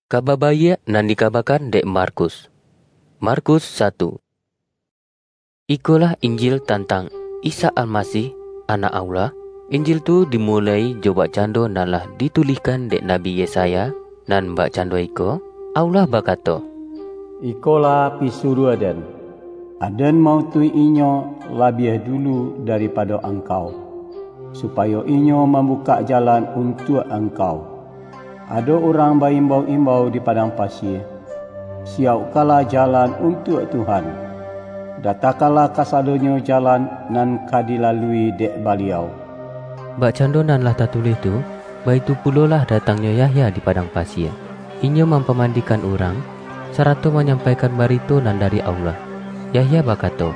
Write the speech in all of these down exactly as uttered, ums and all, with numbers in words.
Kaba Baiak nan dikabakan dek Markus. Markus satu. Ikolah Injil tantang Isa Almasih, Anak Allah. Injil tu dimuloi jo bakcando nan lah ditulihkan dek Nabi Yesaya, nan bakcando iko, Allah bakato, "Ikolah pisuruah-Den, Aden mautuih inyo labiah dulu daripado angkau, supayo inyo mambukak jalan untuak angkau. Ado urang baimbau-imbau di padang pasie, 'Siaukkanlah jalan untuak Tuhan, datakanlah kasadonyo jalan nan ka dilalui dek Baliau.'" Bakcando nan lah tatulih tu, baitu pulolah datangnyo Yahya di padang pasie. Inyo mampamandikan urang, sarato manyampaikan barito nan dari Allah. Yahya bakato,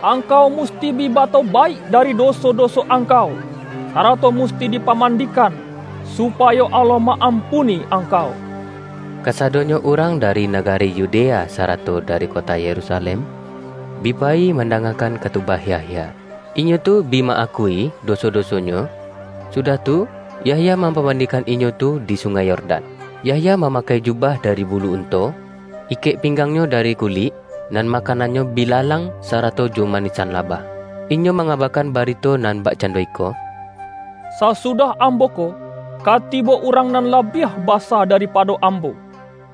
"Angkau musti bi batobaik dari doso-doso angkau, sarato musti dipamandikan, supayo Allah ma-ampuni angkau." Kasadonyo urang dari nagari Yudea sarato dari kota Yerusalem bi payi mandangakan katubah Yahya. Inyo tu bi ma-akui doso-dosonyo, sudah tu, Yahya mampamandikan inyo tu di Sungai Yordan. Yahya mamakai jubah dari bulu unto, ikek pinggangnyo dari kulik, nan makanannyo bilalang sarato jo manisan labah. Inyo mangabakan barito nan bakcando iko, "Sasudah ambo ko, ka tibo urang nan labiah basa daripado ambo.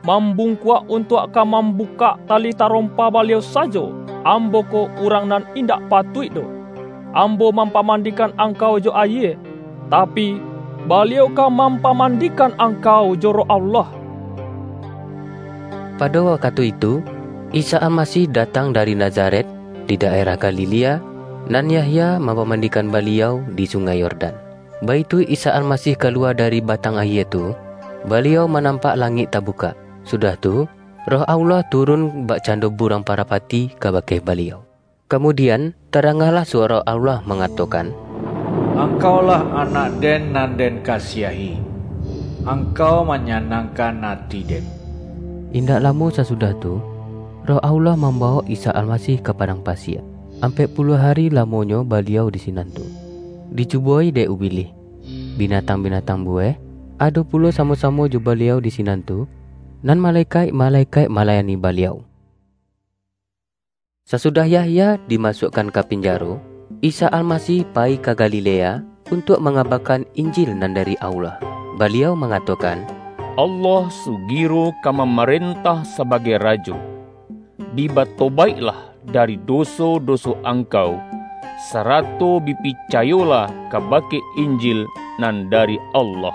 Mambungkuak untuak ka mambukak tali tarompa Baliau sajo, ambo ko urang nan indak patuik doh. Ambo mampamandikan angkau jo ayie, tapi, Baliau ka mampamandikan angkau jo Roh Allah." Pado wakatu itu, Isa Almasih datang dari Nazaret, di daerah Galilea, nan Yahya mampamandikan Baliau di Sungai Yordan. Baitu Isa Almasih kalua dari batang ayie tu, Baliau manampak langik tabukak. Sudah tu, Roh Allah turun bakcando burang parapati kabake Baliau. Kamudian, tadangalah suaro Allah mangatokan, "Angkaulah Anak-Den nan Den kasiahi. Angkau manyanangkan ati-Den." Indak lamo sasudah tu, Roh Allah mambawok Isa Almasih ka padang pasie. Ampek puluah ari lamonyo Baliau di sinan tu, dicubo-i dek Ubilih. Binatang-binatang buweh ado pulo samo-samo jo Baliau di sinan tu, nan malekaik-malekaik malayani Baliau. Sasudah Yahya dimasuakkan ka pinjaro, Isa Almasih payi ka Galilea untuak mangabakan Injil nan dari Allah. Baliau mangatokan, "Allah sugiro ka mamarentah sabagai Rajo. Bi batobaiklah dari doso-doso angkau, sarato bi picayolah kabake Injil nan dari Allah."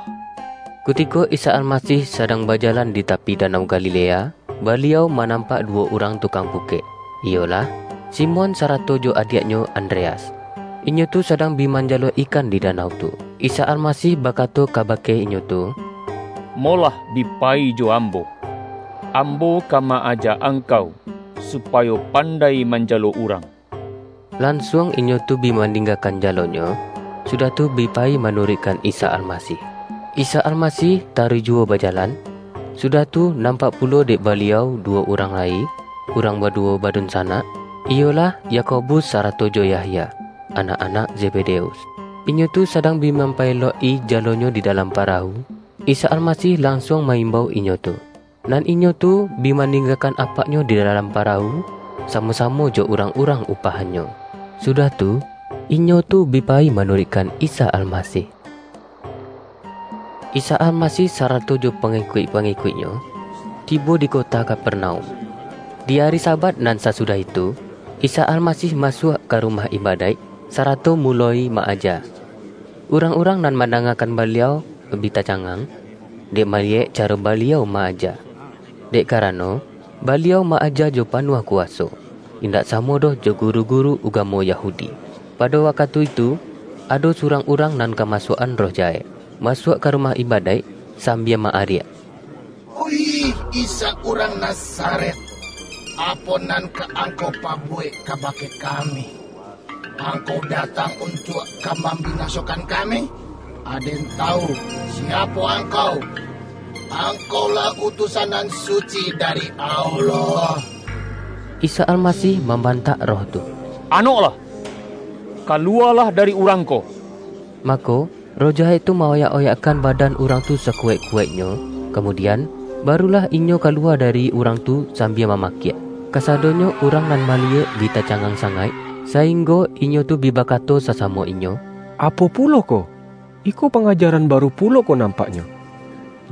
Kutiko Isa Almasih sadang bajalan di tapi Danau Galilea, Baliau manampak duwo urang tukang pukek, iyolah, Simon sarato jo adiaknyo Andreas. Inyo tu sadang bi manjalo ikan di danau tu. Isa Almasih bakato kabake inyo tu, "Molah bi payi jo Ambo. Ambo ka ma-aja angkau, supayo pandai manjalo urang." Lansuang inyo tu bi maninggakan jalonyo, sudah tu bi payi manuruikkan Isa Almasih. Isa Almasih taruih juwo bajalan, sudah tu nampak pulo dek Baliau duwo urang lai, urang baduwo badunsanak, iyolah Yakobus sarato jo Yahya, anak-anak Zebedeus. Inyo tu sadang bi mampaelok-i jalonyo di dalam parahu, Isa Almasih lansuang ma-imbau inyo tu. Nan inyo tu bi maninggakan apaknyo di dalam parahu, samo-samo jo urang-urang upahannyo. Sudah tu, inyo tu bi payi manuruikkan Isa Almasih. Isa Almasih sarato jo pangikuik-pangikuiknyo tibo di kota Kapernaum. Di ari Sabat nan sasudah itu, Isa Almasih masuak ka rumah ibadaik, sarato muloi ma-aja. Urang-urang nan mandangakan Baliau bi tacangang, dek maliyek caro Baliau ma-aja. Dek karano, Baliau ma-aja jo panuah kuwaso, indak samo doh jo guru-guru ugamo Yahudi. Pado wakatu itu, ado surang urang nan kamasuak-an roh jahek, masuak ka rumah ibadaik sambia ma-ariak, "Oih Isa urang Nazaret, apo nan ka Angkau pabuwek kabake kami? Angkau datang untuak ka mambinasokan kami? Aden tawu siapo Angkau. Angkaulah utusan nan suci dari Allah." Isa Almasih mambantak roh tu, "Anoklah! Kaluwalah dari urang ko!" Mako, roh jahek tu maoyak-oyakkan badan urang tu sakuwaik-kuwaiknyo, kamudian, Barulah inyo kalua dari urang tu sambia mamakiak. Kasadonyo urang nan maliek bi tacangang sangaik, sainggo inyo tu bi bakato sasamo inyo, "Apo pulo ko? Iko pangajaran baru pulo ko nampaknyo."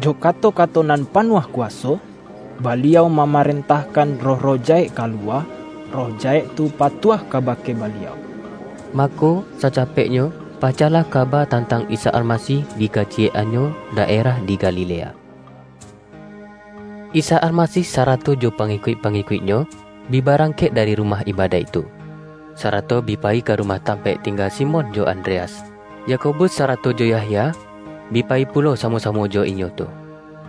Jo kato-kato nan panuah kuaso, Baliau mamarentahkan roh-roh jahek kalua, roh jahek tu patuah kabake Baliau. Mako, sacapeknyo, pacahlah kaba tantang Isa Almasih di kaciyek-annyo daerah di Galilea. Isa Almasih sarato jo pangikuik-pangikuik-Nyo bi barangkek dari rumah ibadaik tu, sarato bi payi ka rumah tampaik tingga Simon jo Andreas. Yakobus sarato jo Yahya bi payi pulo samo-samo jo inyo tu.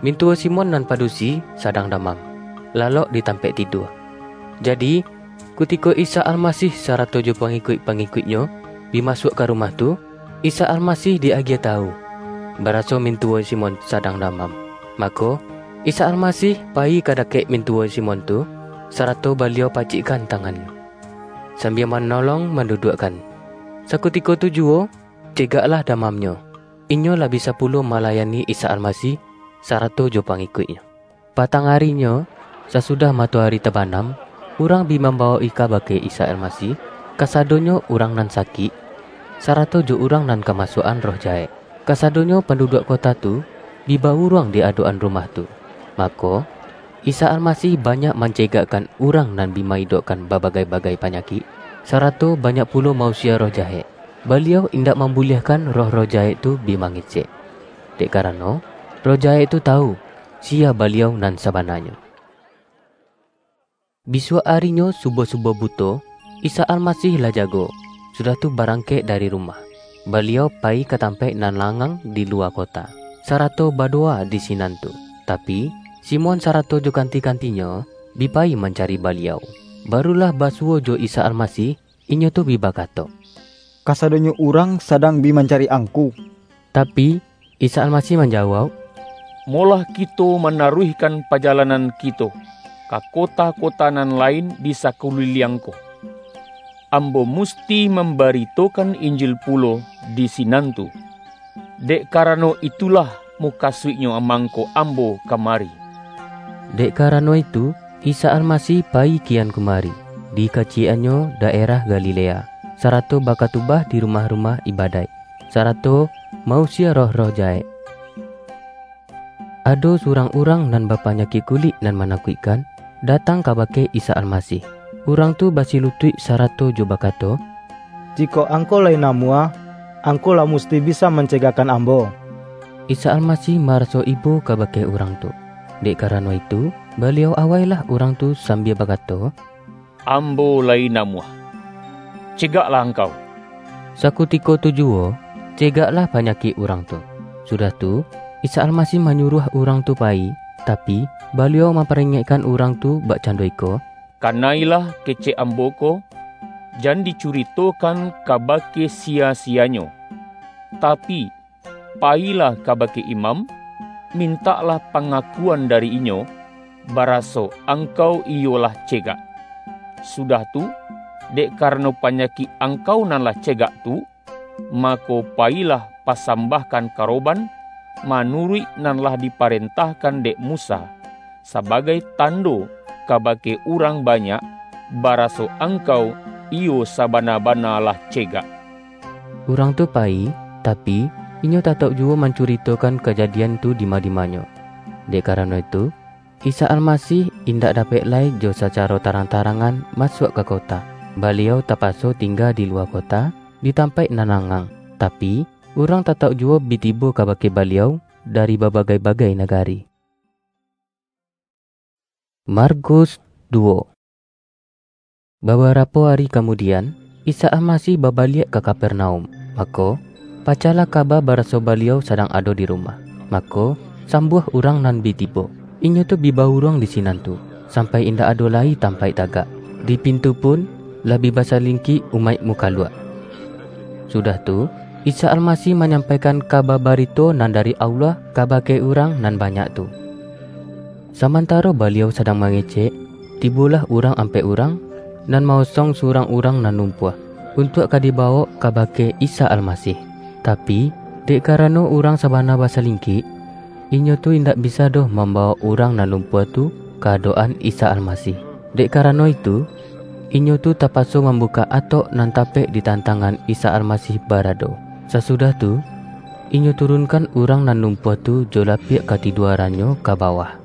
Mintuwo Simon nan padusi sadang damam, lalok di tampaik tidua. Jadi, kutiko Isa Almasih sarato jo pangikuik-pangikuik-Nyo bi masuak ka rumah tu, Isa Almasih di-agiah tawu, baraso mintuwo Simon sadang damam. Mako, Isa Almasih payi ka dakek mintuwo Simon tu, sarato Baliau pacikkan tangan-Nyo, sambia manolong manduduakkan. Sakutiko tu juwo, cegaklah damamnyo. Inyo lah bisa pulo malayani Isa Almasih sarato jo pangikuik-Nyo. Patang arinyo, sasudah matoari tabanam, urang bi mambawok-i kabake Isa Almasih kasadonyo urang nan sakik, sarato jo urang nan kamasuak-an roh jahek. Kasadonyo panduduak kota tu bi bauruang di adok-an rumah tu. Mako, Isa Almasih banyak mancegakkan urang nan bi ma-idokkan babagai-bagai panyakik, sarato banyak pulo mausia roh jahek. Baliau indak mambuliahkan roh-roh jahek tu bi mangecek, dek karano roh jahek tu tawu, siya Baliau nan sabananyo. Bisuak arinyo subuah-subuah buto, Isa Almasih lah jago, sudah tu barangkek dari rumah. Baliau payi ka tampaik nan langang di luwa kota, sarato badowa di sinan tu. Tapi, Simon sarato jo kanti-kantinyo bi payi mancari Baliau. Barulah basuwo jo Isa Almasih, inyo tu bi bakato, "Kasadonyo urang sadang bi mancari Angku." Tapi, Isa Almasih manjawauk, "Molah kito manaruihkan pajalanan kito ka kota-kota nan lain di sakuliliang ko. Ambo musti mambaritokan Injil pulo di sinan tu. Dek karano itulah mukasuiknyo mangko Ambo kamari." Dek karano itu, Isa Almasih payi kian kumari, di kaciyek-annyo daerah Galilea, sarato bakatubah di rumah-rumah ibadaik, sarato mausia roh-roh jahek. Ado surang urang nan bapanyakik kulik nan manakuikkan, datang kabake Isa Almasih. Urang tu basilutuik sarato jo bakato, "Jikok Angku lai namuah, Angku lah musti bisa mancegakkan ambo." Isa Almasih maraso ibo kabake urang tu. Dek karano itu, Baliau awailah urang tu sambia bakato, "Ambo lai namuah. Cegaklah angkau." Sakutiko tu juwo, cegaklah panyakik urang tu. Sudah tu, Isa Almasih manyuruah urang tu payi, tapi, Baliau mamparingekkan urang tu bakcando iko, "Kanailah kecek Ambo ko, jan dicuritokan kabake siya-siyanyo. Tapi, payilah kabake imam, mintaklah pangakuan dari inyo, baraso angkau iyo lah cegak. Sudah tu, dek karano panyakik angkau nan lah cegak tu, mako, payilah pasambahkan karoban manuruik nan lah diparentahkan dek Musa, sabagai tando kabake urang banyak, baraso angkau iyo sabana-bana lah cegak." Urang tu payi, tapi, inyo tatauk juwo mancuritokan kajadian tu dima-dimanyo. Dek karano itu, Isa Almasih indak dapek lai jo sacaro tarang-tarangan masuak ka kota. Baliau tapaso tingga di luwa kota, di tampaik nan langang. Tapi, urang tatauk juwo bi tibo kabake Baliau dari babagai-bagai nagari. Markus duwo. Babarapo ari kamudian, Isa Almasih babaliak ka Kapernaum. Mako, pacahlah kaba baraso Baliau sadang ado di rumah. Mako, sambuah urang nan bi tibo. Inyo tu bi bauruang di sinan tu, sampai indak ado lai tampaik tagak. Di pintu pun, lah bi basalingkik umaik mukaluak. Sudah tu, Isa Almasih manyampaikan kaba barito nan dari Allah kabake urang nan banyak tu. Samantaro Baliau sadang mangecek, tibolah urang ampek urang, nan maosong surang urang nan lumpuah, untuak ka dibawok kabake Isa Almasih. Tapi, dek karano urang sabana basalingkik, Inyo tu indak bisa doh mambawok urang nan lumpuah tu ka adok-an Isa Almasih. Dek karano itu, inyo tu tapaso mambukak atok nan tapek di tantangan Isa Almasih barado. Sasudah tu, inyo turunkan urang nan lumpuah tu jo lapiak katiduarannyo ka bawah.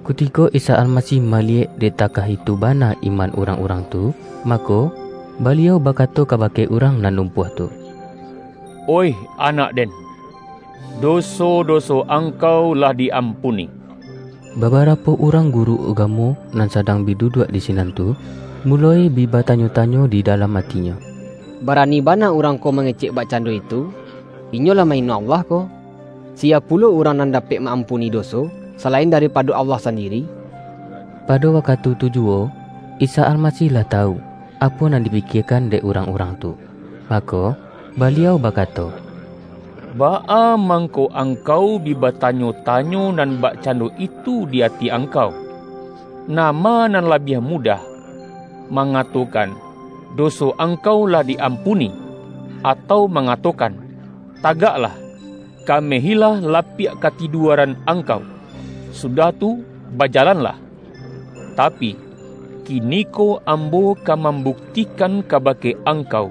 Kutiko Isa Almasih maliyek dek takah itu bana iman urang-urang tu, mako, Baliau bakato kabake urang nan lumpuah tu, "Oih anak den, doso-doso angkau lah di-ampuni." Babarapo urang guru ugamo nan sadang bi duduak di sinan tu, muloi bi batanyo-tanyo di dalam atinyo, "Barani bana urang ko mangecek bakcando itu? Inyo lah mahino Allah ko! Sia pulo urang nan dapek ma-ampuni doso, salain daripado Allah sandiri?" Pado wakatu tu juwo, Isa Almasih lah tawu, apo nan dipikiekan dek urang-urang tu. Mako, Baliau bakato, "Baa mangko angkau bi batanyo-tanyo nan bakcando itu di ati angkau? Nama nan labiah mudah, mangatokan, 'Doso angkau lah di-ampuni,' atau mangatokan, 'Tagaklah, kamehilah lapiak katiduaran angkau, sudah tu, bajalanlah'? Tapi, kiniko Ambo ka mambuktikan kabake angkau,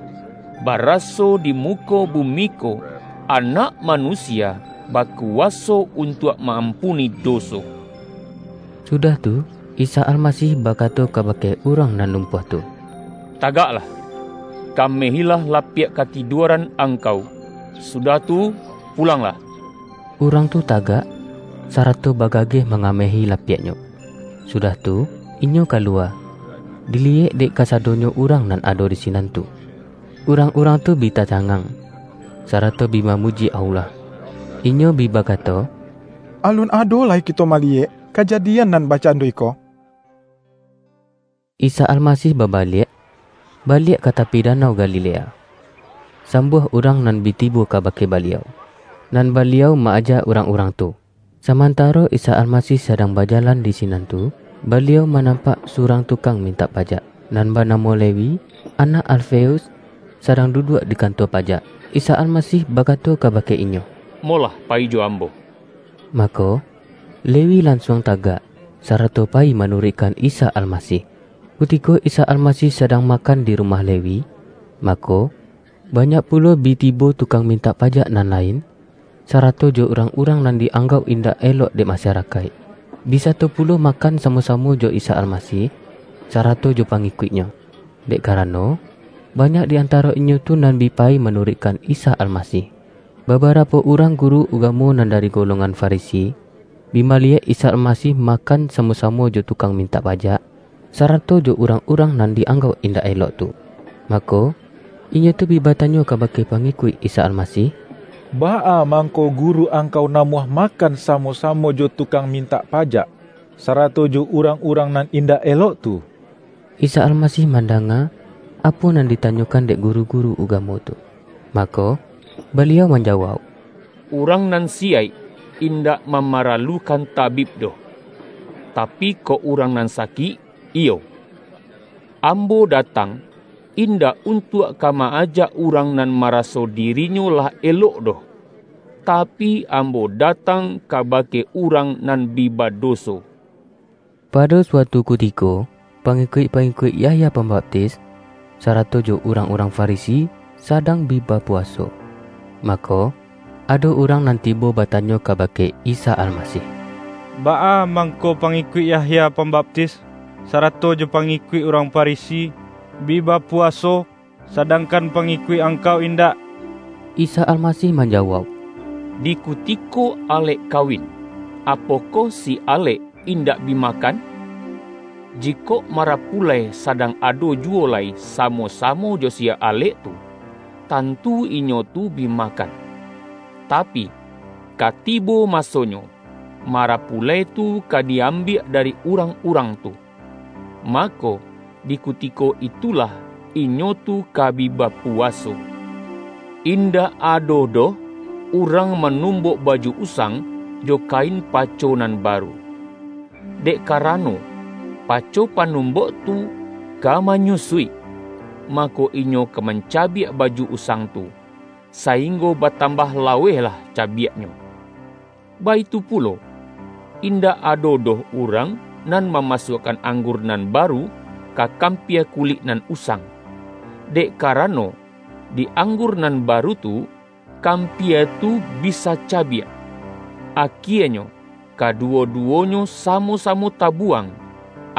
baraso di muko bumi ko, Anak Manusia bakuwaso untuak ma-ampuni doso." Sudah tu, Isa Almasih bakato kabake urang nan lumpuah tu, "Tagaklah, kamehilah lapiak katiduaran angkau, sudah tu, pulanglah." Urang tu tagak, sarato bagageh mangamehi lapiaknyo. Sudah tu, inyo kaluwa, diliyek dek kasadonyo urang nan ado di sinan tu. Urang-urang tu bi tacangang, sarato bi mamuji Allah. Inyo bi bakato, "Alun ado lai kito maliyek kajadian nan bakcando iko." Isa Almasih babaliak, baliak ka tapi Danau Galilea. Sambuah urang nan bi tibo kabake Baliau, nan Baliau ma-aja urang-urang tu. Samantaro Isa Almasih sadang bajalan di sinan tu, Baliau manampak surang tukang mintak pajak, nan banamo Lewi, anak Alfeus, sadang duduak di kantua pajak. Isa Almasih bakato kabake inyo, "Molah pai jo Ambo." Mako, Lewi lansuang tagak, sarato pai manuruikkan Isa Almasih. Kutiko Isa Almasih sadang makan di rumah Lewi, mako, banyak pulo bi tibo tukang mintak pajak nan lain, sarato jo urang-urang nan di-anggauk indak elok dek masarakaik, bi sato pulo makan samo-samo jo Isa Almasih, sarato jo pangikuik-Nyo, dek karano, banyak di antaro inyo tu nan bi pai manuruikkan Isa Almasih. Babarapo urang guru ugamo nan dari golongan Farisi, bi maliyek Isa Almasih makan samo-samo jo tukang mintak pajak, sarato jo urang-urang nan di-anggauk indak elok tu. Mako, inyo tu bi batanyo kabake pangikuik Isa Almasih, "Baa mangko guru angkau namuah makan samo-samo jo tukang mintak pajak, sarato jo urang-urang nan indak elok tu?" Isa Almasih mandanga apo nan ditanyokan dek guru-guru ugamo tu. Mako, Baliau manjawauk, "Urang nan siyaik indak mamaralukan tabib doh, tapi kok urang nan sakik, iyo. Ambo datang, indak untuak ka ma-aja urang nan maraso dirinyo lah elok doh, tapi, Ambo datang kabake urang nan bi badoso." Pado suatu kutiko, pangikuik-pangikuik Yahya Pambaptis, sarato jo urang-urang Farisi, sadang bi bapuwaso. Mako, ado urang nan tibo batanyo kabake Isa Almasih, "Baa mangko pangikuik Yahya Pambaptis, sarato jo pangikuik urang Farisi, bi bapuwaso, sadangkan pangikuik Angkau indak?" Isa Almasih manjawauk, "Di kutiko alek kawin, apokoh si alek indak bi makan? Jikok marapulai sadang ado juwo lai samo-samo jo si alek tu, tantu inyo tu bi makan. Tapi, ka tibo masonyo, marapulai tu ka di-ambiak dari urang-urang tu. Mako, di kutiko itulah inyo tu ka bi bapuwaso. Indak ado doh urang manumbok baju usang jo kain paco nan baru. Dek karano, paco panumbok tu ka manyusuik, mako inyo ka mancabiak baju usang tu, sainggo batambah lawehlah cabiaknyo. Baitu pulo, indak ado doh urang nan mamasuakkan anggur nan baru ka kampia kulik nan usang, dek karano, di anggur nan baru tu, kampia tu bisa cabiak. Akienyo, kaduwo-duwonyo samo-samo tabuwang,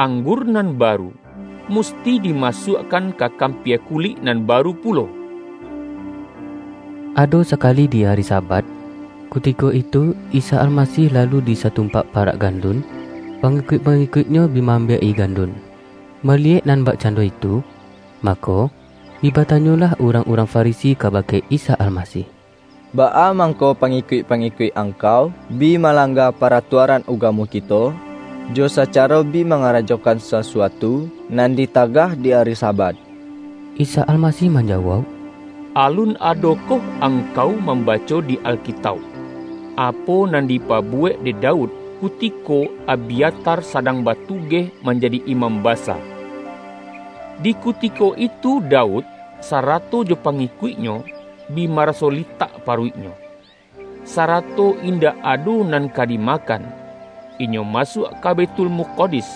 anggur nan baru, musti dimasuakkan ka kampia kulik nan baru pulo. Ado sakali di ari Sabat, kutiko itu Isa Almasih lalu di satumpak parak gandun, pangikuik-pangikuik-Nyo bi maambiak-i gandun. Maliyek nan bakcando itu, mako, bi batanyolah urang-urang Farisi kabake Isa Almasih, "Baa mangko pangikuik-pangikuik Angkau bi malangga paratuaran ugamo kito, jo sacaro bi mangarajokan sasuatu nan ditagah di ari Sabat?" Isa Almasih manjawauk, "Alun adokoh angkau mambaco di Alkitauk, apo nan dipabuwek dek Daud kutiko Abyatar sadang batugeh manjadi imam basa? Di kutiko itu Daud, sarato jo pangikuiknyo, bi maraso litak paruiknyo, sarato indak ado nan ka dimakan. Inyo masuak ka Baitul Mukadis,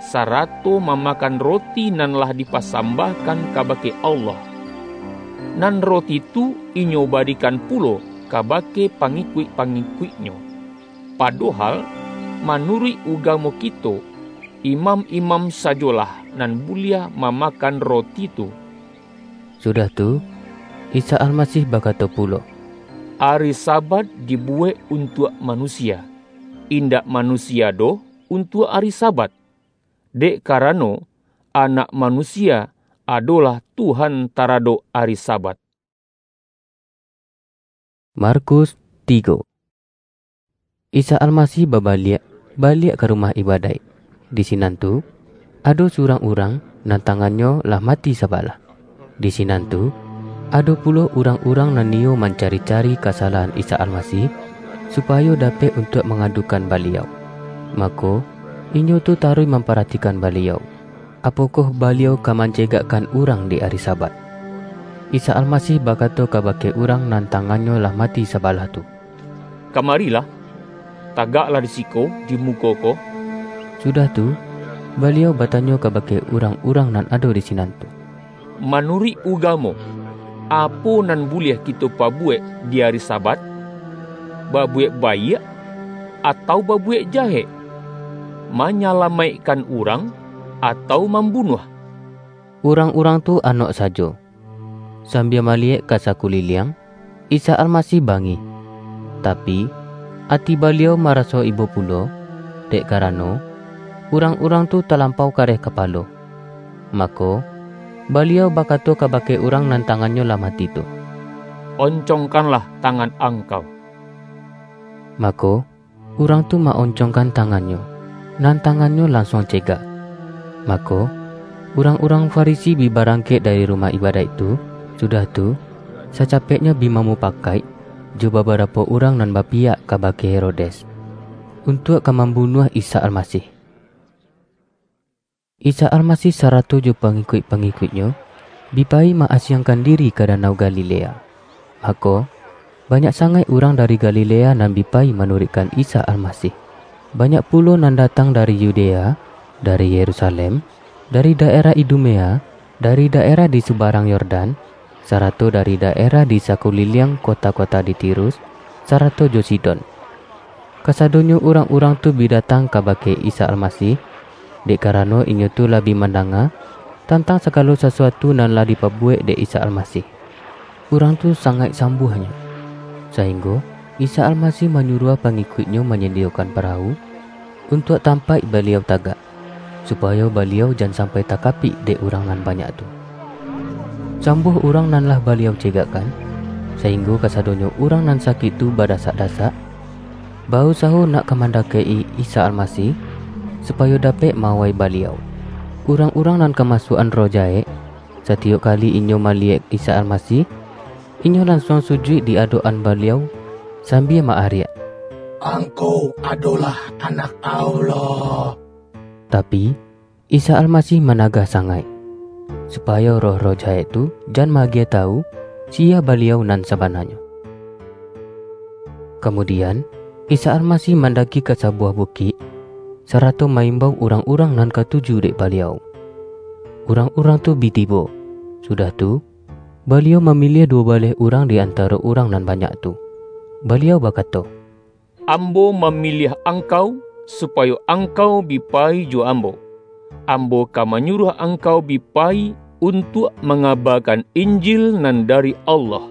sarato mamakan roti nan lah dipasambahkan kabake Allah. Nan roti tu inyo barikan pulo kabake pangikuik-pangikuiknyo. Padohal, manuruik ugamo kito, imam-imam sajolah nan buliah mamakan roti tu." Sudah tu, Isa Almasih bakato pulo, "Ari Sabat dibuwek untuak manusia, indak manusia doh untuak ari Sabat. Dek karano, Anak Manusia adolah Tuhan taradok ari Sabat." Markus tigo. Isa Almasih babaliak, baliak ka rumah ibadaik. Di sinan tu, ado surang urang nan tangannyo lah mati sabalah. Di sinan tu, ado pulo urang-urang nan niyo mancari-cari kasalahan Isa Almasih, supayo dapek untuak mangadukan Baliau. Mako, inyo tu taruih mamparatikan Baliau, apokoh Baliau ka mancegakkan urang di ari Sabat. Isa Almasih bakato kabake urang nan tangannyo lah mati sabalah tu, "Kamarilah, tagaklah di siko, di muko ko." Sudah tu, Baliau batanyo kabake urang-urang nan ado di sinan tu, "Manuruik ugamo, apo nan buliah kito pabuwek di ari Sabat? Babuwek baiak, atau babuwek jahek? Manyalamaikkan urang, atau mambunuah?" Urang-urang tu anok sajo, sambia maliyek ka sakuliliang. Isa Almasih bangih, tapi, ati Baliau maraso ibo pulo, dek karano, urang-urang tu talampau kareh kapalo. Mako, Baliau bakato kabake urang nan tangannyo lah mati tu, "Oncongkanlah tangan angkau." Mako, urang tu ma-oncongkan tangannyo, nan tangannyo lansuang cegak. Mako, urang-urang Farisi bi barangkek dari rumah ibadaik tu, sudah tu, sacapeknyo bi mamupakaik jo babarapo urang nan bapiyak kabake Herodes, untuak ka mambunuah Isa Almasih. Isa Almasih sarato jo pangikuik-pangikuik-Nyo bi payi ma-asiangkan diri ka Danau Galilea. Mako, banyak sangaik urang dari Galilea nan bi payi manuruikkan Isa Almasih. Banyak pulo nan datang dari Yudea, dari Yerusalem, dari daerah Idumea, dari daerah di subarang Yordan, sarato dari daerah di sakuliliang kota-kota di Tirus, sarato jo Sidon. Kasadonyo urang-urang tu bi datang kabake Isa Almasih, dek karano inyo tu lah bi mandanga tantang sagalo sasuatu nan lah dipabuwek dek Isa Almasih. Urang tu sangaik sambuahnyo, sainggo Isa Almasih manyuruah pangikuik-Nyo manyadiyokan parahu, untuak tampaik Baliau tagak, supayo Baliau jan sampai takapik dek urang nan banyak tu. Sambuah urang nan lah Baliau cegakkan, sainggo kasadonyo urang nan sakik tu badasak-dasak, bausaho nak ka mandakek-i Isa Almasih, supayo dapek ma-awai Baliau. Urang-urang nan kamasuakan roh jahek, satiyok kali inyo maliyek Isa Almasih, inyo lansuang sujuik di adok-an Baliau, sambia ma-ariak, "Angku adolah Anak Allah!" Tapi, Isa Almasih managah sangaik, supayo roh-roh jahek tu jan ma-agiah tawu, siya Baliau nan sabananyo. Kamudian, Isa Almasih mandaki ka sabuah bukik, sarato ma-imbau urang-urang nan katuju dek Baliau. Urang-urang tu bi tibo. Sudah tu, Baliau mamiliah duo baleh urang di antaro urang nan banyak tu. Baliau bakato, "Ambo mamiliah angkau, supayo angkau bi payi jo Ambo. Ambo ka manyuruah angkau bi payi untuak mangabakan Injil nan dari Allah.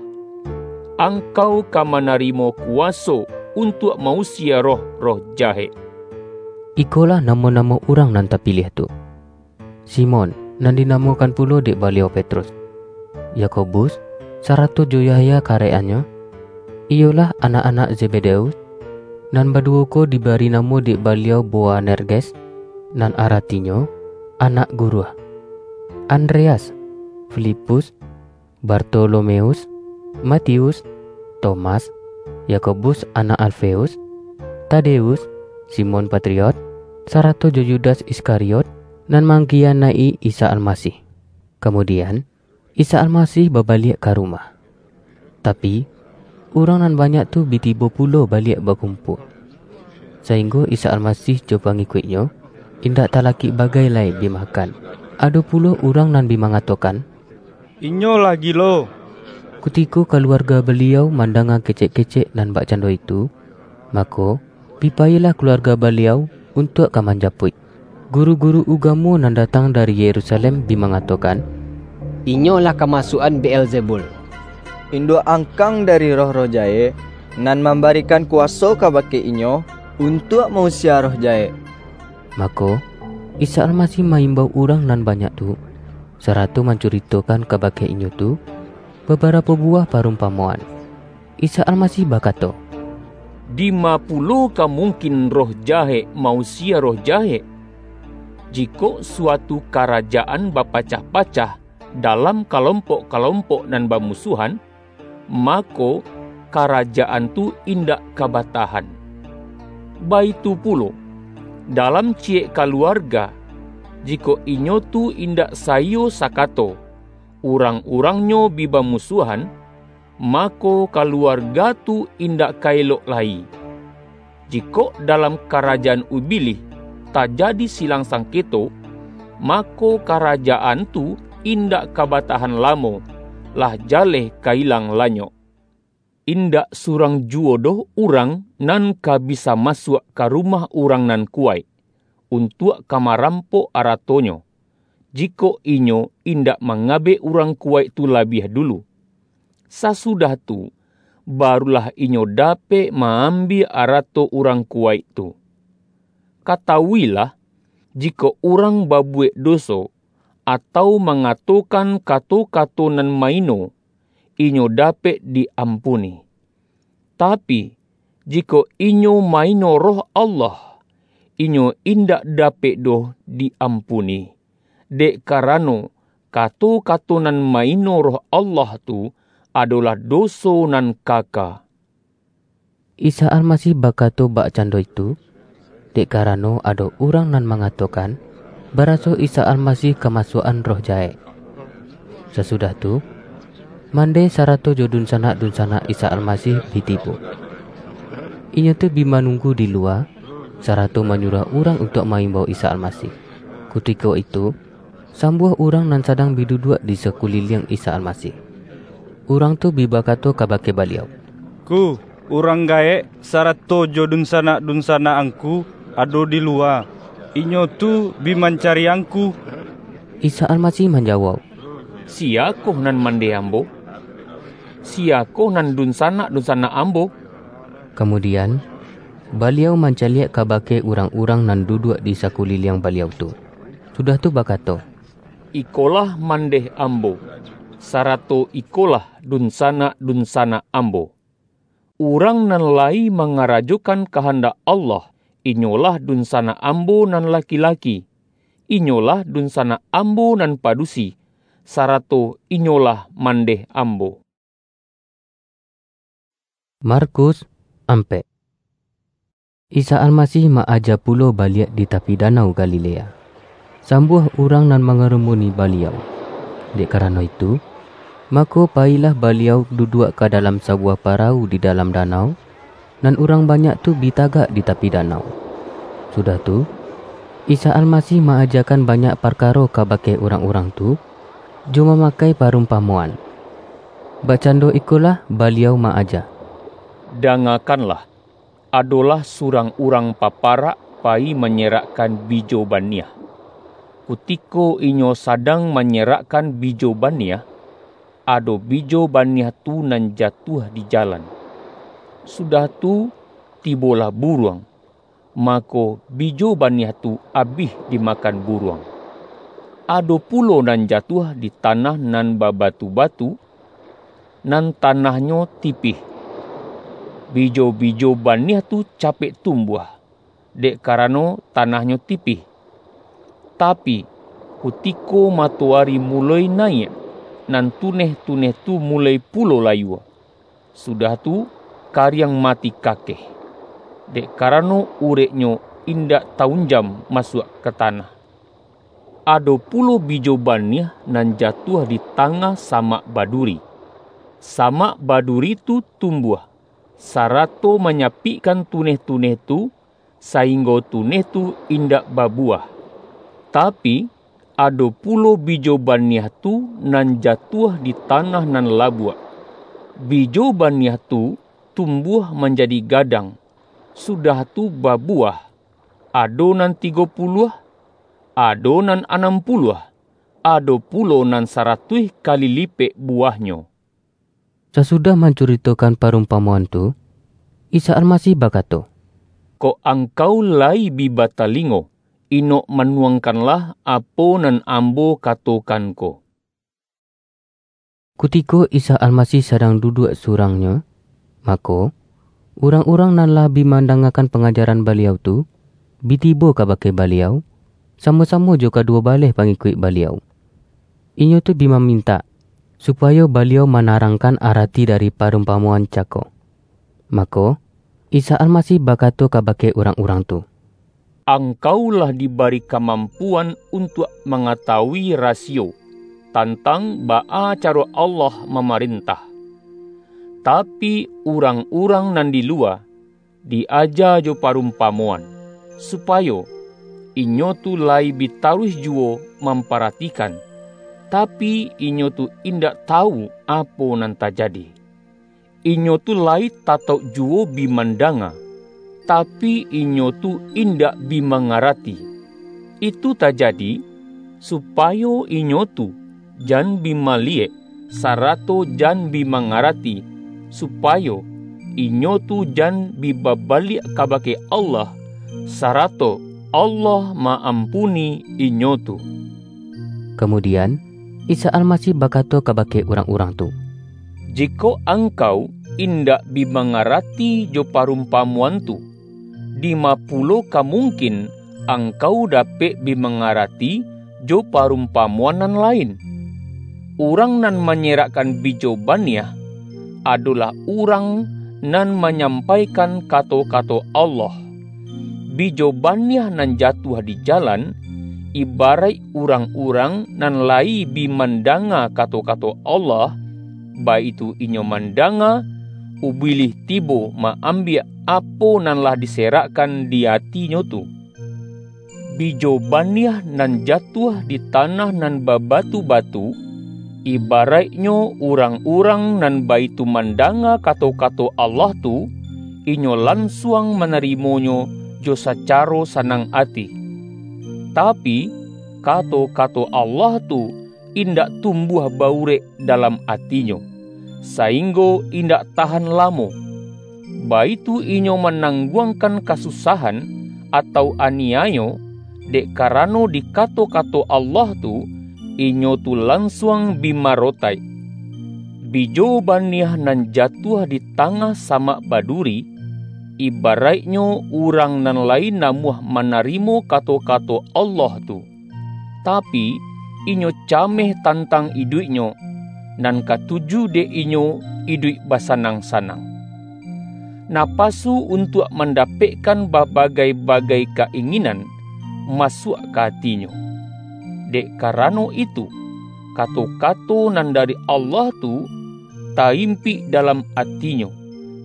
Angkau ka manarimo kuwaso untuak ma-usie roh-roh jahek." Ikolah namo-namo urang nan tapiliah tu: Simon, nan dinamokan pulo dek Baliau Petrus, Yakobus, sarato jo Yahya karek-annyo, iyolah anak-anak Zebedeus, nan baduwo ko dibari namo dek Baliau Boanerges, nan aratinyo, Anak Guruah, Andreas, Filipus, Bartolomeus, Matius, Tomas, Yakobus anak Alfeus, Tadeus, Simon Patriot, sarato jo Yudas Iskariot, nan mangkiyanaik-i Isa Almasih. Kamudian, Isa Almasih babaliak ka rumah. Tapi, urang nan banyak tu bi tibo pulo baliak bakumpua, sainggo Isa Almasih jo pangikuik-Nyo indak talakik bagai lai bi makan. Ado pulo urang nan bi mangatokan, "Inyo lah gilo." Kutiko kaluarga Baliau mandanga kecek-kecek nan bakcando itu, mako, bi payilah kaluarga Baliau untuak ka manjapuik. Guru-guru ugamo nan datang dari Yerusalem bi mangatokan, "Inyo lah kamasuak-an Beelzebul, induak angkang dari roh-roh jahek, nan mambarikan kuwaso kabake inyo untuak ma-usie roh jahek." Mako, Isa Almasih ma-imbau urang nan banyak tu, sarato mancuritokan kabake inyo tu babarapo buwah parumpamoan. Isa Almasih bakato, "Dima pulo ka mungkin roh jahek ma-usie roh jahek? Jikok suatu karajaan bapacah-pacah dalam kalompok-kalompok nan bamusuahan, mako, karajaan tu indak ka batahan. Baitu pulo, dalam ciyek kaluarga, jikok inyo tu indak saiyo sakato, urang-urangnyo bi bamusuahan, mako, kaluarga tu indak ka elok lai. Jikok dalam karajaan Ubilih tajadi silang sangketo, mako, karajaan tu indak ka batahan lamo, lah jaleh ka ilang lanyok. Indak surang juwo doh urang nan ka bisa masuak ka rumah urang nan kuwaik, untuak ka marampok aratonyo, jikok inyo indak mangabek urang kuwaik tu labiah dulu. Sasudah tu, barulah inyo dapek ma-ambiak arato urang kuwaik tu. Katawuilah, jikok urang babuwek doso, atau mangatokan kato-kato nan maino, inyo dapek di-ampuni. Tapi, jikok inyo maino Roh Allah, inyo indak dapek doh di-ampuni, dek karano kato-kato nan maino Roh Allah tu adolah doso nan kaka." Isa Almasih bakato bakcando itu, dek karano ado urang nan mangatokan, baraso Isa Almasih kamasuak-an roh jahek. Sasudah tu, mandeh sarato jo dunsanak-dunsanak Isa Almasih bi tibo. Inyo tu bi manunggu di luwa, sarato manyuruah urang untuak ma-imbau Isa Almasih. Kutiko itu, sambuah urang nan sadang bi duduak di sakuliliang Isa Almasih. Urang tu bi bakato kabake Baliau, "Ngku, urang gaek sarato jo dunsanak-dunsanak Angku ado di luwa. Inyo tu bi mancari Angku." Isa Almasih manjawauk, "Siyakoh nan mandeh Ambo? Siyakoh nan dunsanak-dunsanak Ambo?" Kamudian, Baliau mancaliak kabake urang-urang nan duduak di sakuliliang Baliau tu. Sudah tu bakato, "Ikolah mandeh Ambo, sarato ikolah dunsanak-dunsanak Ambo. Urang nan layi mangarajokan kahandak Allah, inyolah dunsanak Ambo nan laki-laki, inyolah dunsanak Ambo nan padusi, sarato inyolah mandeh Ambo." Markus ampek. Isa Almasih ma-aja pulo baliak di tapi Danau Galilea. Sambuah urang nan mangarumuni Baliau. Dek karano itu, mako payilah Baliau duduak ka dalam sabuwah parawu di dalam danau, nan urang banyak tu bi tagak di tapi danau. Sudah tu, Isa Almasih ma-ajakan banyak parkaro kabake urang-urang tu, jo mamakai parumpamoan. Bakcando ikolah Baliau ma-aja. Dangakanlah, adolah surang urang paparak payi manyerakkan bijo baniah. Kutiko inyo sadang manyerakkan bijo baniah, ado bijo baniah tu nan jatuah di jalan. Sudah tu, tibolah buruang, mako, bijo baniah tu abih dimakan buruang. Ado pulo nan jatuah di tanah nan babatu-batu, nan tanahnyo tipih. Bijo-bijo baniah tu capek tumbuah, dek karano tanahnyo tipih. Tapi, kutiko matoari muloi naiak, nan tuneh-tuneh tu muloi pulo layua. Sudah tu, kariang mati kakeh, dek karano ureknyo indak taunjam masuak ka tanah. Ado pulo bijo baniah nan jatuah di tangah samak baduri. Samak baduri tu tumbuah, sarato manyapikkan tuneh-tuneh tu, sainggo tuneh tu indak babuwah. Tapi, ado pulo bijo baniah tu nan jatuah di tanah nan labuak. Bijo baniah tu tumbuah manjadi gadang, sudah tu babuwah, ado nan tigo puluah, ado nan anam puluah, ado pulo nan saratuih kali lipek buwahnyo. Sasudah mancuritokan parumpamoan tu, Isa Almasih bakato, "Kok angkau lai bi batalingo, inok manuangkanlah apo nan Ambo katokan ko." Kutiko Isa Almasih sadang duduak surang-Nyo, mako, urang-urang nan lah bi mandangakan pangajaran Baliau tu, bi tibo kabake Baliau, samo-samo jo kaduwo baleh pangikuik Baliau. Inyo tu bi mamintak, supayo Baliau manarangkan arati dari parumpamoan cako. Mako, Isa Almasih bakato kabake urang-urang tu, "Angkau lah dibari kamampuan untuak mangatawui rasiyo tantang baa caro Allah mamarentah. Tapi, urang-urang nan di luwa di-aja jo parumpamoan, supayo inyo tu lai bi taruih juwo mamparatikan, tapi, inyo tu indak tawu apo nan tajadi. Inyo tu lai tatauk juwo bi mandanga, tapi, inyo tu indak bi mangarati. Itu tajadi, supayo inyo tu jan bi maliyek, sarato jan bi mangarati, supayo inyo tu jan bi babaliak kabake Allah, sarato Allah ma-ampuni inyo tu." Kamudian, Isa Almasih bakato kabake urang-urang tu, "Jikok angkau indak bi mangarati jo parumpamoan tu, dima pulo ka mungkin angkau dapek bi mangarati jo parumpamoan nan lain? Urang nan manyerakkan bijo baniah, adolah urang nan manyampaikan kato-kato Allah. Bijo baniah nan jatuah di jalan, ibaraik urang-urang nan layi bi mandanga kato-kato Allah, baitu inyo mandanga, Ubilih tibo ma-ambiak apo nan lah diserakkan di atinyo tu. Bijo baniah nan jatuah di tanah nan babatu-batu, ibaraiknyo urang-urang nan baitu mandanga kato-kato Allah tu, inyo lansuang manarimonyo jo sacaro sanang ati. Tapi, kato-kato Allah tu indak tumbuah baurek dalam atinyo, sainggo indak tahan lamo. Baitu inyo manangguangkan kasusahan atau aniayo, dek karano di kato-kato Allah tu, inyo tu lansuang bi marotaik. Bijo baniah nan jatuah di tangah samak baduri, ibaraiknyo urang nan lai namuah manarimo kato-kato Allah tu. Tapi, inyo cameh tantang iduiknyo, nan katuju dek inyo iduik basanang-sanang. Napasu untuak mandapekkan babagai-bagai ka-inginan masuak ka atinyo. Dek karano itu, kato-kato nan dari Allah tu taimpik dalam atinyo,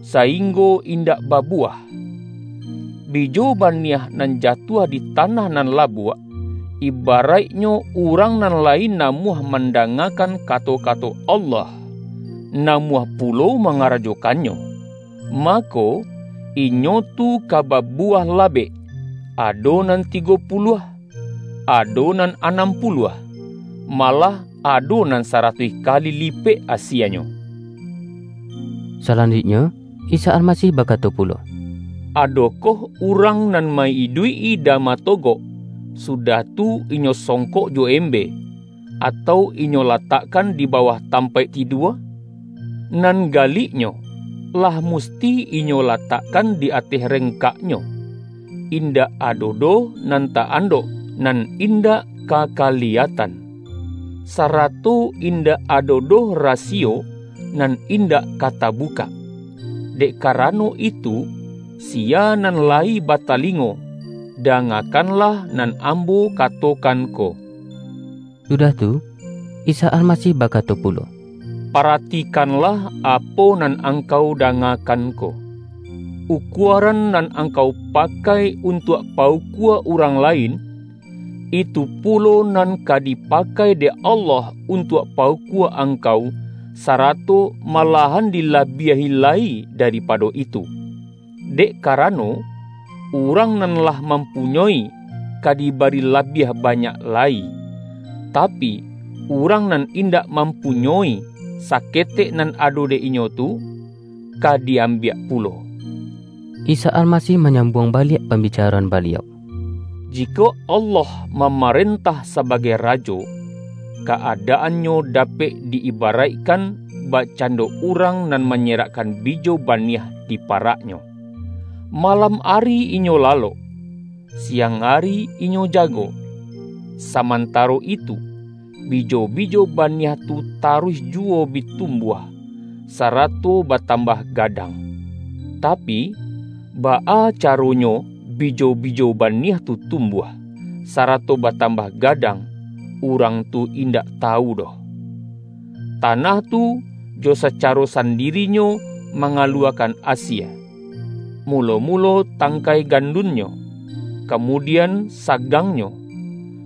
sainggo indak babuwah. Bijo baniah nan jatuah di tanah nan labuak, ibaraiknyo urang nan lai namuah mandangakan kato-kato Allah, namuah pulo mangarajokannyo, mako, inyo tu ka babuwah labek, ado nan tigo puluah, ado nan anam puluah, malah ado nan saratuih kali lipek asianyo. Salanjuiknyo, Isa Almasih bakato pulo, "Adokoh urang nan ma-iduik-i dama togok, sudah tu inyo songkok jo embe, atau inyo latakkan di bawah tampaik tidua? Nan galiknyo, lah musti inyo latakkan di ateh rengkaknyo. Indak ado doh nan ta-andok, nan indak ka kaliyatan, sarato indak ado doh rasiyo nan indak ka tabukak. Dek karano itu, sia nan lai batalingo, dangakanlah nan Ambo katokan ko." Sudah tu, Isa Almasih bakato pulo, "Paratikanlah apo nan angkau dangakan ko. Ukuaran nan angkau pakai untuak paukua urang lain, itu pulo nan ka dipakai dek Allah untuak paukua angkau, sarato malahan dilabiahi lai daripado itu. Dek karano, urang nan lah mampunyoi, ka dibari labiah banyak lai, tapi, urang nan indak mampunyoi, saketek nan ado dek inyo tu, ka di-ambiak pulo." Isa Almasih manyambuang baliak pambicaroan Baliau, "Jikok Allah mamarentah sabagai Rajo, kaadaannyo dapek di-ibaraikkan bakcando urang nan manyerakkan bijo baniah di paraknyo. Malam ari inyo lalok, siang ari inyo jago. Samantaro itu, bijo-bijo baniah tu taruih juwo bi tumbuah, sarato batambah gadang. Tapi, baa caronyo bijo-bijo baniah tu tumbuah, sarato batambah gadang, urang tu indak tawu doh. Tanah tu jo sacaro sandirinyo mangaluakan asie. Mulo-mulo tangkai gandunnyo, kamudian sagangnyo,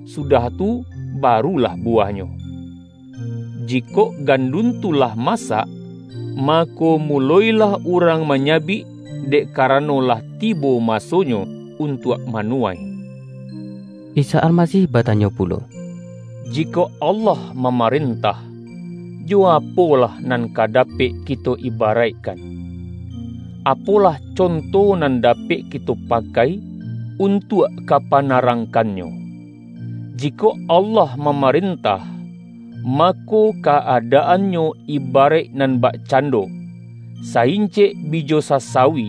sudah tu barulah buwahnyo. Jikok gandun tu lah masak, mako, muloilah urang manyabik, dek karano lah tibo masonyo untuak manuwai." Isa Almasih batanyo pulo, "Jikok Allah mamarentah, jo apolah nan ka dapek kito ibaraikkan? Apolah conto nan dapek kito pakai untuak ka panarangkannyo? Jikok Allah mamarentah, mako, kaadaannyo ibaraik nan bakcando, saincek bijo sasawi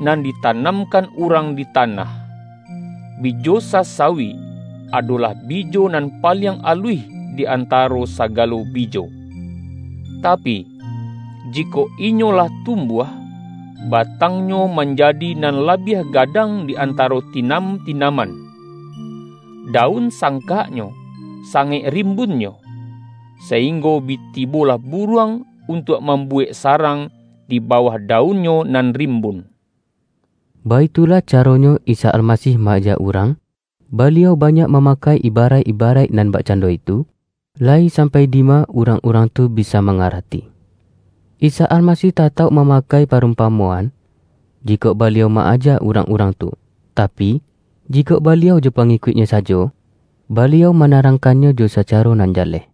nan ditanamkan urang di tanah. Bijo sasawi adolah bijo nan paliang aluih di antaro sagalo bijo. Tapi, jikok inyo lah tumbuah, batangnyo manjadi nan labiah gadang di antaro tinam-tinaman. Daun sangkaknyo sangaik rimbunnyo, sainggo bi tibolah buruang untuak mambuwek sarang di bawah daunnyo nan rimbun." Baitulah caronyo Isa Almasih ma-aja urang. Baliau banyak mamakai ibaraik-ibaraik nan bakcando itu, lai sampai dima urang-urang tu bisa mangarati. Isa Almasih tatauk mamakai parumpamoan, jikok Baliau ma-aja urang-urang tu, tapi, jikok Baliau jo pangikuik-Nyo sajo, Baliau manarangkannyo jo sacaro nan jaleh.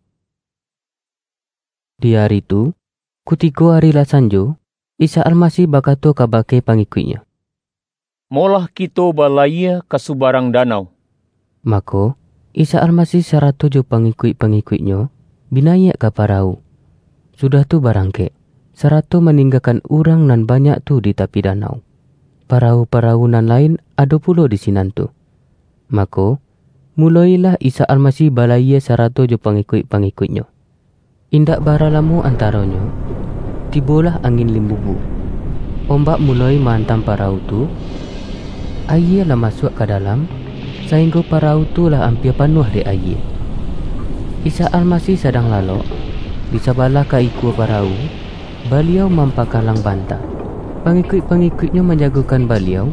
Di ari tu, kutiko ari lah sanjo, Isa Almasih bakato kabake pangikuik-Nyo, "Molah kito balayia ka subarang danau." Mako, Isa Almasih sarato jo pangikuik-pangikuik-Nyo bi nayiak ka parawu, sudah tu barangkek, sarato maninggakan urang nan banyak tu di tapi danau. Parawu-parawu nan lain ado pulo di sinan tu. Mako, muloilah Isa Almasih balayia sarato jo pangikuik-pangikuik-Nyo. Indak bara lamo antaronyo, tibolah angin limbubu. Ombak muloi maantam parawu tu, ayie lah masuak ka dalam, sainggo parawu tu lah ampia panuah dek ayie. Isa Almasih sadang lalok, di sabalah ka ikua parawu, Baliau mampakalang banta. Pangikuik-pangikuik-Nyo manjagokan Baliau,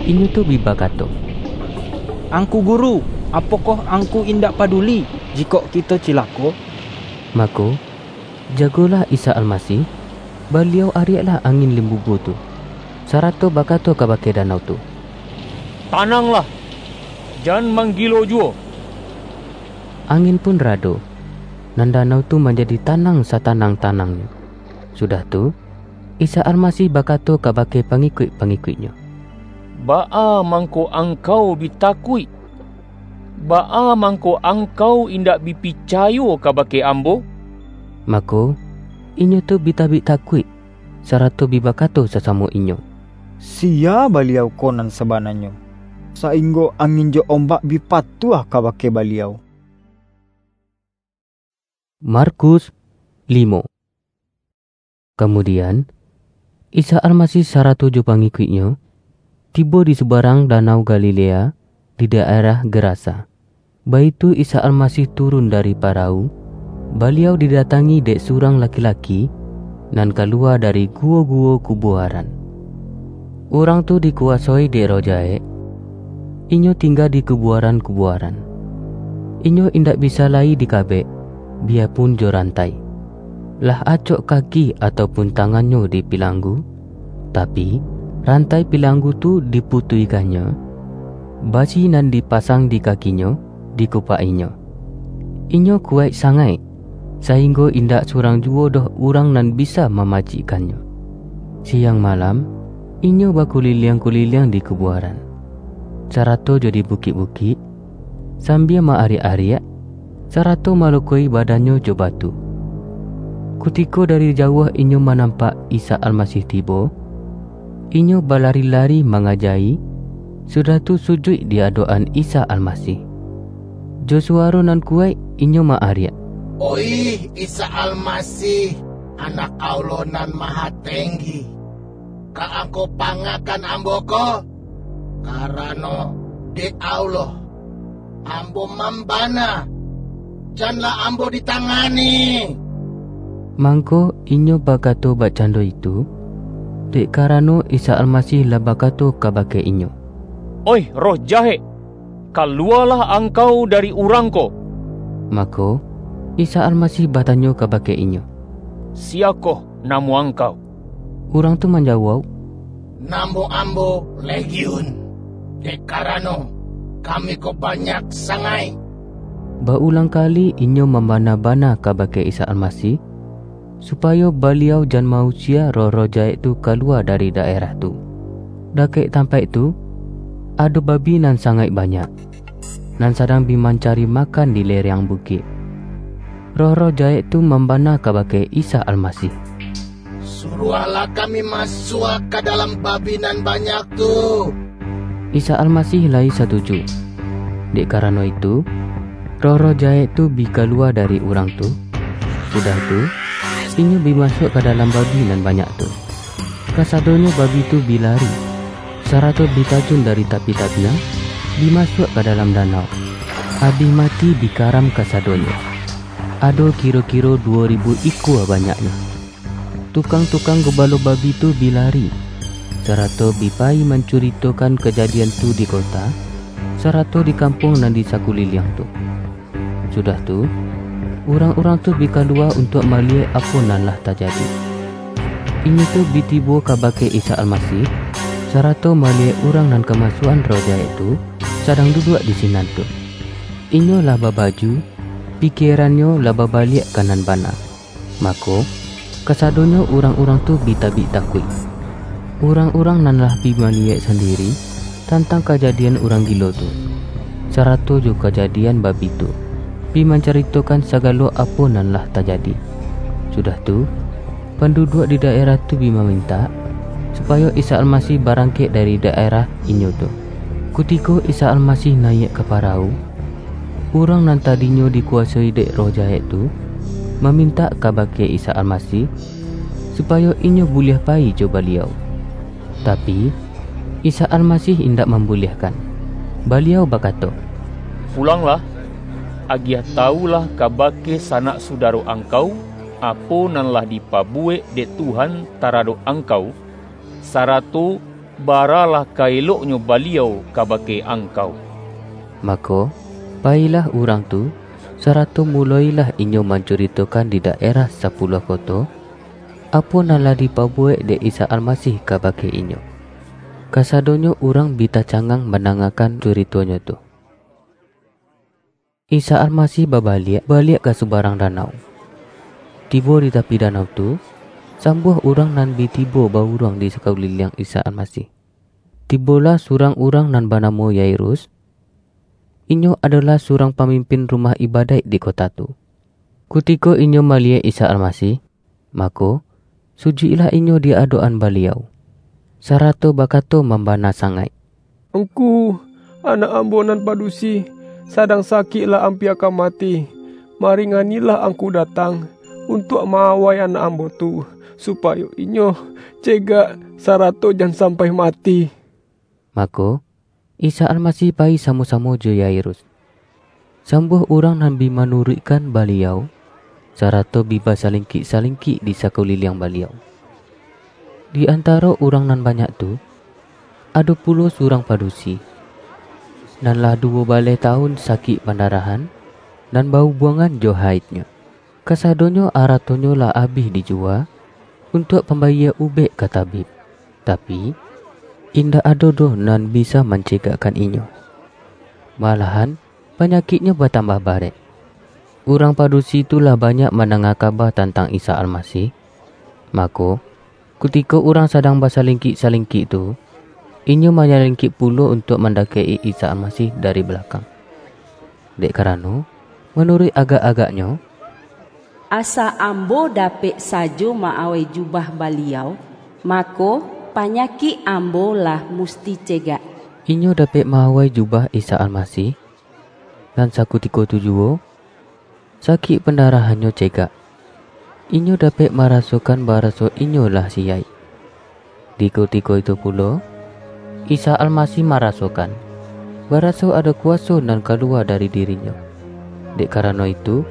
inyo tu bi bakato, "Angku Guru, apokoh Angku indak paduli jikok kito cilako?" Mako, jagolah Isa Almasih, Baliau ariaklah angin limbubu tu, sarato bakato kabake danau tu, "Tananglah, jan manggilo juwo!" Angin pun rado, nan danau tu manjadi tanang satanang-tanangnyo. Sudah tu, Isa Almasih bakato kabake pangikuik-pangikuik-Nyo, "Baa mangko angkau bi takuik? Baa mangko angkau indak bi picayo kabake Ambo?" Mako, inyo tu bi tabik takuik, sarato bi bakato sasamo inyo, "Sia Baliau ko nan sabananyo, sainggo angin jo ombak bi patuah kabake Baliau?" Markus limo. Kamudian, Isa Almasih sarato jo pangikuik-Nyo tibo di subarang Danau Galilea, di daerah Gerasa. Baitu Isa Almasih turun dari parawu, Baliau didatangi dek surang laki-laki nan kalua dari guwo-guwo kubuaran. Urang tu dikuwasoi dek roh jahek. Inyo tingga di kubuaran-kubuaran. Inyo indak bisa lai dikabek, biyapun jo rantai. Lah acok kaki ataupun tangannyo dipilanggu, tapi, rantai pilanggu tu diputuihkannyo, basi nan dipasang di kakinyo dikupak-inyo. Inyo kuwaik sangaik, sainggo indak surang juwo doh urang nan bisa mamacikkannyo. Siang malam, inyo bakuliliang-kuliliang di kubuaran, sarato jo di bukik-bukik, sambia ma-ariak-ariak, sarato malukoi badannyo jo batu. Kutiko dari jauah inyo manampak Isa Almasih tibo, inyo balari-lari mangaja-i, sudah tu sujuik di adok-an Isa Almasih. Jo suwaro nan kuwaik, inyo ma-ariak, "Oih Isa Almasih, Anak Allah Nan Mahatenggi, ka Angkau pangakan ambo ko? Karano dek Allah, ambo mambana, janlah ambo ditangani!" Mangko inyo bakato bakcando itu, dek karano Isa Almasih lah bakato kabake inyo, "Oih roh jahek, kaluwalah angkau dari urang ko!" Mako, Isa Almasih batanyo kabake inyo, "Siyakoh namo angkau?" Urang tu manjawauk, "Namo ambo Legiun, dek karano kami ko banyak sangaik." Baulang kali inyo mambana-bana kabake Isa Almasih, supayo Baliau jan ma-usie roh-roh jahek tu kaluwa dari daerah tu. Dakek tampaik tu, ado babi nan sangaik banyak, nan sadang bi mancari makan di lereng bukik. Roh-roh jahek tu mambana kabake Isa Almasih, "Suruahlah kami masuak ka dalam babi nan banyak tu." Isa Almasih lai satuju. Dek karano itu, roh-roh jahek tu bi kaluwa dari urang tu, sudah tu, inyo bi masuak ka dalam babi nan banyak tu. Kasadonyo babi tu bi lari, sarato bi tajun dari tapi-tapian, bi masuak ka dalam danau. Abih mati bi karam kasadonyo. Ado kiro-kiro duwo ribu ikua banyaknyo. Tukang-tukang gubalo babi tu bi lari, sarato bi payi mancuritokan kajadian tu di kota, sarato di kampuang nan di sakuliliang tu. Sudah tu, urang-urang tu bi kaluwa untuak maliyek apo nan lah tajadi. Inyo tu bi tibo kabake Isa Almasih, sarato maliyek urang nan kamasuak-an roh jahek tu sadang duduak di sinan tu. Inyo lah babaju, pikierannyo lah babaliak ka nan bana. Mako, kasadonyo urang-urang tu bi tabik takuik. Urang-urang nan lah bi maliyek sandiri tantang kajadian urang gilo tu, sarato jo kajadian babi tu, bi mancaritokan sagalo apo nan lah tajadi. Sudah tu, panduduak di daerah tu bi mamintak, supayo Isa Almasih barangkek dari daerah inyo tu. Kutiko Isa Almasih nayiak ka parawu, urang nan tadinyo dikuwasoi dek roh jahek tu, mamintak kabake Isa Almasih, supayo inyo buliah payi jo Baliau. Tapi, Isa Almasih indak mambuliahkan. Baliau bakato, "Pulanglah, agiah tawulah kabake sanak sudaro angkau, apo nan lah dipabuwek dek Tuhan taradok angkau, sarato baralah ka eloknyo Baliau kabake angkau." Mako, payilah urang tu, sarato muloilah inyo mancuritokan di daerah Sapuluah Koto, apo nan lah dipabuwek dek Isa Almasih kabake inyo. Kasadonyo urang bi tacangang mandangakan curitonyo tu. Isa Almasih babaliak, baliak ka subarang danau. Tibo di tapi danau tu, sambuah urang nan bi tibo bauruang di sakuliliang Isa Almasih. Tibolah surang urang nan banamo Yairus. Inyo adolah surang pamimpin rumah ibadaik di kota tu. Kutiko inyo maliyek Isa Almasih, mako, sujuiklah inyo di adok-an Baliau, sarato bakato mambana sangaik, "Ngku, anak ambo nan padusi, sadang sakik lah ampia ka mati. Maringanilah Angku datang, untuak ma-awai anak ambo tu, supayo inyo cegak, sarato jan sampai mati." Mako, Isa Almasih payi samo-samo jo Yairus. Sambuah urang nan bi manuruikkan Baliau, sarato bi basalingkik-salingkik di sakuliliang Baliau. Di antaro urang nan banyak tu, ado pulo surang padusi, nan lah duwo baleh tawun sakik pandarahan, nan bahubuangan jo haidnyo. Kasadonyo aratonyo lah abih dijuwa, untuak pambayia ubek ka tabib, tapi, indak ado doh nan bisa mancegakkan inyo. Malahan, panyakiknyo batambah barek. Urang padusi tu lah banyak mandanga kaba tantang Isa Almasih, mako, kutiko urang sadang basalingkik-salingkik tu, inyo manyalingkik pulo untuak mandakek-i Isa Almasih dari balakang. Dek karano, manuruik agak-agaknyo, "Asa ambo dapek sajo ma-awai jubah Baliau, mako, panyakik ambo lah musti cegak." Inyo dapek ma-awai jubah Isa Almasih, nan sakutiko tu juwo, sakik pandarahannyo cegak. Inyo dapek marasokan baraso inyo lah siyaik. Di kutiko itu pulo, Isa Almasih marasokan, baraso ado kuwaso nan kaluwa dari diri-Nyo. Dek karano itu,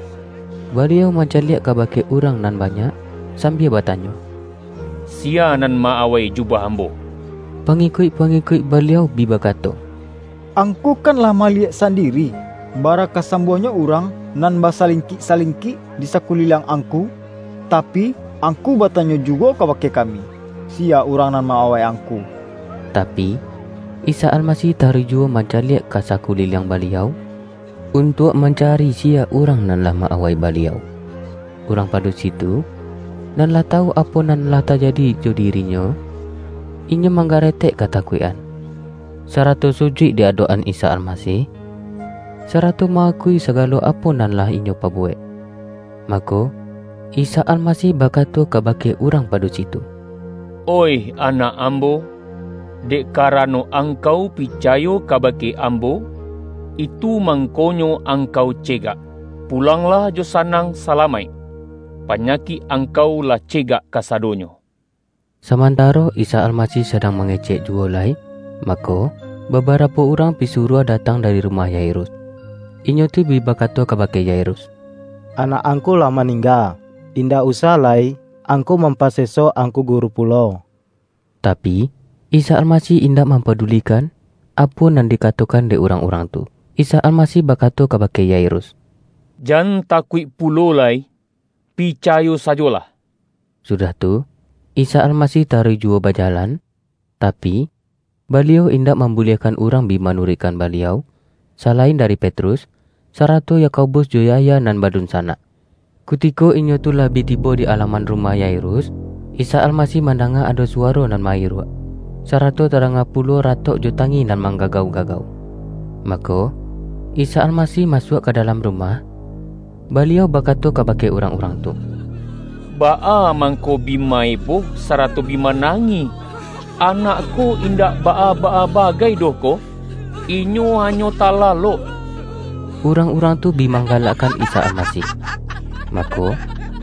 Baliau mancaliak kabake urang nan banyak, sambia batanyo, "Sia nan ma-awai jubah Ambo?" Pangikuik-pangikuik Baliau bi bakato, "Angku kan lah maliyek sandiri, bara kasambuahnyo urang nan basalingkik-salingkik di sakuliliang Angku, tapi, Angku batanyo juwo kabake kami, sia urang nan ma-awai Angku." Tapi, Isa Almasih taruih juwo mancaliak ka sakuliliang Baliau, untuak mancari sia urang nan lah ma-awai Baliau. Urang padusi tu, nan lah tawu apo nan lah tajadi jo dirinyo, inyo manggaretek katakuik-an, sarato sujuik di adok-an Isa Almasih, sarato ma-akui sagalo apo nan lah inyo pabuwek. Mako, Isa Almasih bakato kabake urang padusi tu, "Oih anak Ambo, dek karano angkau picayo kabake Ambo, itu mangkonyo angkau cegak. Pulanglah jo sanang salamaik. Panyakik angkau lah cegak kasadonyo." Samantaro Isa Almasih sadang mangecek juwo lai, mako, babarapo urang pisuruah datang dari rumah Yairus. Inyo tu bi bakato kabake Yairus, "Anak angku lah maningga. Indak usah lai angku mampaseso Angku Guru pulo." Tapi, Isa Almasih indak mampadulikan apo nan dikatokan dek urang-urang tu. Isa Almasih bakato kabake Yairus, "Jan takuik pulo lai, picayo sajolah." Sudah tu, Isa Almasih taruih juwo bajalan, tapi, Baliau indak mambuliahkan urang bi manuruikkan Baliau, salain dari Petrus, sarato Yakobus jo Yahya nan badunsanak. Kutiko inyo tu lah bi tibo di alaman rumah Yairus, Isa Almasih mandanga ado suwaro nan mairuak, sarato tadanga pulo ratok jo tangih nan manggagau-gagau. Mako, Isa Almasih masuak ka dalam rumah, Baliau bakato kabake urang-urang tu, "Baa mangko bi maeboh sarato bi manangih? Anak ko indak baa-baa bagai doh ko. Inyo hanyo talalok." Urang-urang tu bi manggalakkan Isa Almasih. Mako,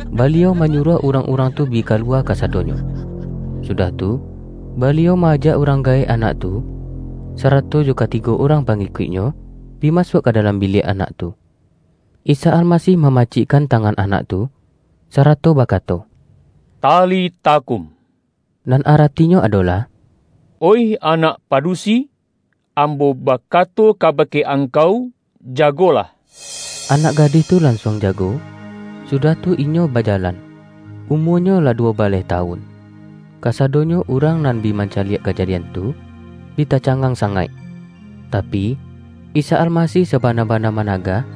Baliau manyuruah urang-urang tu bi kaluwa kasadonyo. Sudah tu, Baliau maajak urang gaek anak tu, sarato jo katigo urang pangikuik-Nyo, bi masuak ka dalam biliak anak tu. Isa Almasih mamacikkan tangan anak tu, sarato bakato, "Talita kum," Nan aratinyo adolah, "Oih anak padusi, ambo bakato kabake angkau, jagolah!" Anak gadih tu lansuang jago, sudah tu inyo bajalan. Umuanyo lah duo baleh tawun. Kasadonyo urang nan bi mancaliak kajadian tu, bi tacangang sangaik. Tapi, Isa Almasih sabana-bana managah,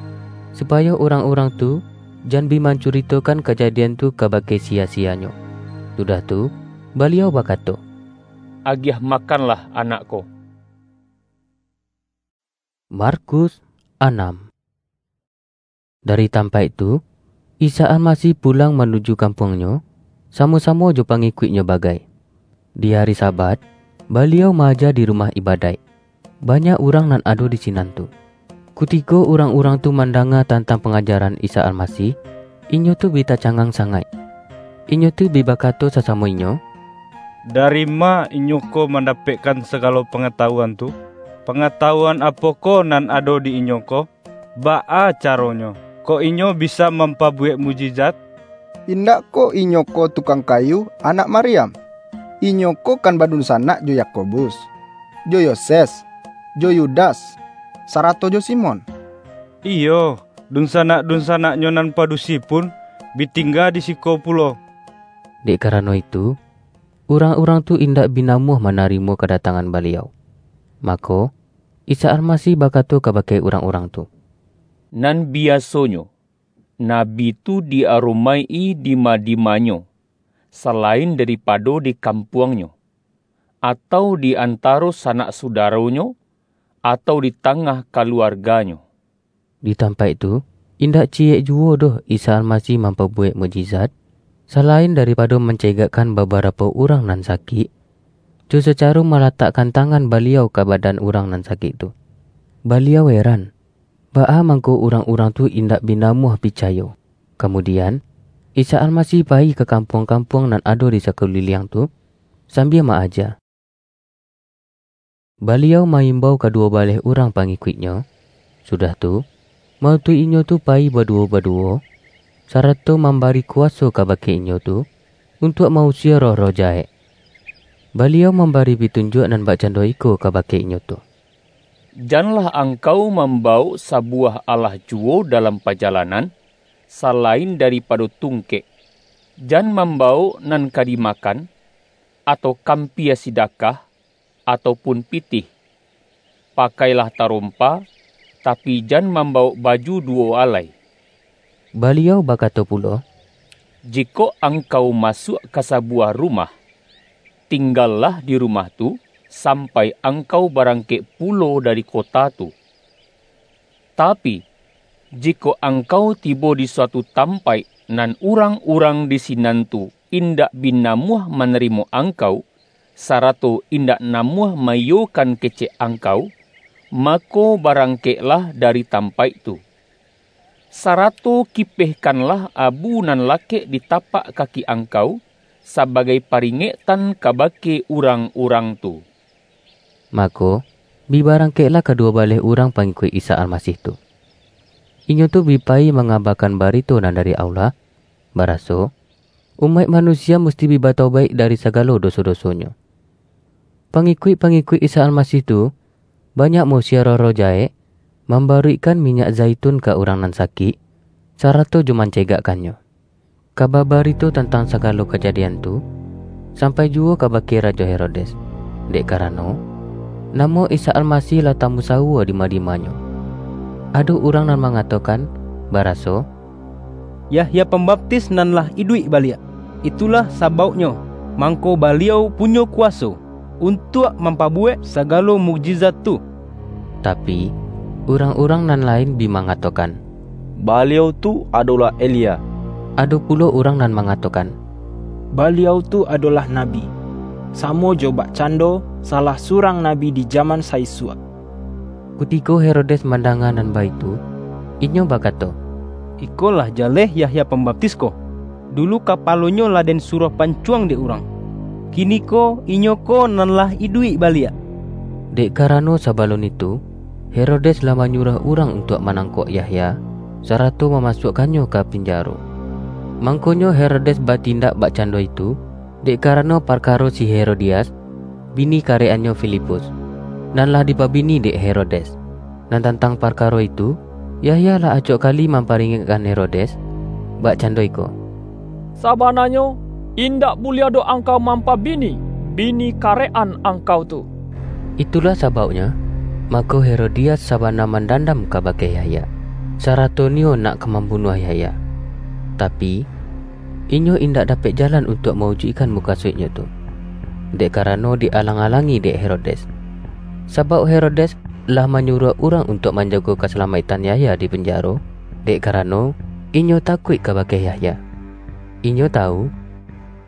supayo urang-urang tu jan bi mancuritokan kajadian tu kabake siya-siyanyo. Sudah tu, Baliau bakato, "Agiah makanlah anak ko." Markus anam. Dari tampaik tu, Isa Almasih pulang manuju kampuang-Nyo, samo-samo jo pangikuik-Nyo bagai. Di ari Sabat, Baliau maaja di rumah ibadaik. Banyak urang nan ado di sinan tu. Kutiko urang-urang tu mandanga tantang pangajaran Isa Almasih, inyo tu bi tacangang sangaik. Inyo tu bi bakato sasamo inyo, "Dari ma inyo ko mandapekkan sagalo pangatahuan tu? Pangatahuan apokoh nan ado di inyo ko? Baa caronyo, kok inyo bisa mampabuwek mukjizat? Indak kok inyo ko tukang kayu, anak Maryam? Inyo ko kan badunsanak jo Yakobus, jo Yoses, jo Yudas, sarato jo Simon. Iyo, dunsanak-dunsanaknyo nan padusi pun bi tingga di siko pulo." Dek karano itu, urang-urang tu indak bi namuah manarimo kadatangan Baliau. Mako, Isa Almasih bakato kabake urang-urang tu, "Nan biasonyo, nabi tu di-aromaik-i di madimanyo, salain daripado di kampuangnyo, atau di antaro sanak sudaronyo, atau di tangah kaluarganyo." Di tampaik tu, indak ciyek juwo doh Isa Almasih mampabuwek mukjizat, salain daripado mancegakkan babarapo urang nan sakik, jo sacaro malatakkan tangan Baliau ka badan urang nan sakik tu. Baliau heran, baa mangko urang-urang tu indak bi namuah picayo. Kamudian, Isa Almasih payi ka kampuang-kampuang nan ado di sakuliliang tu, sambia maaja. Baliau maimbau kaduwo baleh urang pangikuik-Nyo, sudah tu, mautuik inyo tu payi baduwo-baduwo, sarato mambari kuwaso kabake inyo tu, untuak mausia roh-roh jahek. Baliau mambari pitunjuak nan bakcando iko kabake inyo tu, "Janlah angkau mambawok sabuwah alah juwo dalam pajalanan, salain daripado tungkek. Jan mambawok nan ka dimakan, atau kampia sidakah, atau pun pitih. Pakailah tarompa, tapi jan mambawok baju duwo alai." Baliau bakato pulo, "Jikok angkau masuak ka sabuwah rumah, tinggalah di rumah tu, sampai angkau barangkek pulo dari kota tu. Tapi, jikok angkau tibo di suatu tampaik nan urang-urang di sinan tu indak bi namuah manarimo angkau, sarato indak namuah maiyokan kecek angkau, mako, barangkeklah dari tampaik tu. Sarato kipehkanlah abu nan lakek di tapak kaki angkau, sabagai paringektan kabake urang-urang tu." Mako, bi barangkeklah kaduwo baleh urang pangikuik Isa Almasih tu. Inyo tu bi payi mangabakan barito nan dari Allah, baraso, umaik manusia musti bi batobaik dari sagalo doso-dosonyo. Pangikuik-pangikuik Isa Almasih tu, banyak mausia roh-roh jahek, mambaruikkan minyak zaitun ka urang nan sakik, sarato jo mancegakkannyo. Kaba barito tantang sagalo kajadian tu, sampai juwo kabake Rajo Herodes, dek karano, namo Isa Almasih lah tamusawua di madimanyo. Ado urang nan mangatokan, baraso, "Yahya Pambaptis nan lah iduik baliak. Itulah sabauknyo, mangko baliau punyo kuwaso untuak mampabuwek sagalo mukjizat tu." Tapi, urang-urang nan lain bi mangatokan, "Baliau tu adolah Elia." Ado pulo urang nan mangatokan, "Baliau tu adolah nabi, samo jo bakcando salah surang nabi di jaman saisuak." Kutiko Herodes mandanga nan baitu, inyo bakato, "Ikolah jaleh Yahya Pambaptis ko. Dulu kapalonyo lah den suruah pancuang dek urang. Kiniko inyo ko nan lah iduik baliak." Dek karano sabalun itu, Herodes lah manyuruah urang untuak manangkok Yahya, sarato mamasuakkannyo ka pinjaro. Mangkonyo Herodes batindak bakcando itu, dek karano parkaro si Herodias, bini karek-annyo Filipus, nan lah dipabini dek Herodes. Nan tantang parkaro itu, Yahya lah acok kali mamparingekkan Herodes, bakcando iko, "Sabananyo, indak buliah doh angkau mampabini bini karek-an angkau tu." Itulah sabauknyo, mako Herodias sabana mandandam kabake Yahya, sarato niyo nak ka mambunuah Yahya. Tapi, inyo indak dapek jalan untuak mawujuikkan mukasuiknyo tu, dek karano dialang-alangi dek Herodes. Sabauk Herodes lah manyuruah urang untuak manjago kasalamaiktan Yahya di panjaro, dek karano inyo takuik kabake Yahya. Inyo tawu,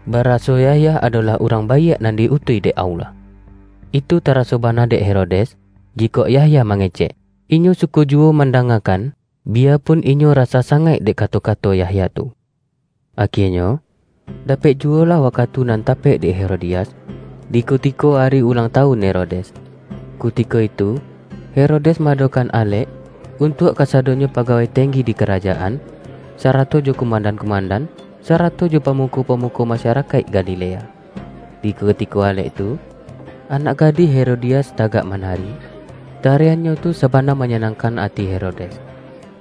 baraso Yahya adolah urang baiak nan di-utuih dek Allah. Itu taraso bana dek Herodes, jikok Yahya mangecek. Inyo suko juwo mandangakan, biyapun inyo rasa sangaik dek kato-kato Yahya tu. Akienyo, dapek juwolah wakatu nan tapek dek Herodias, di kutiko ari ulang tawun Herodes. Kutiko itu, Herodes maadokan alek untuak kasadonyo pagawai tenggi di karajaan, sarato jo kumandan-kumandan, sarato jo pamuko-pamuko masyarakaik Galilea. Di kutiko alek tu, anak gadih Herodias tagak manari. Tariannyo tu sabana manyanangkan ati Herodes,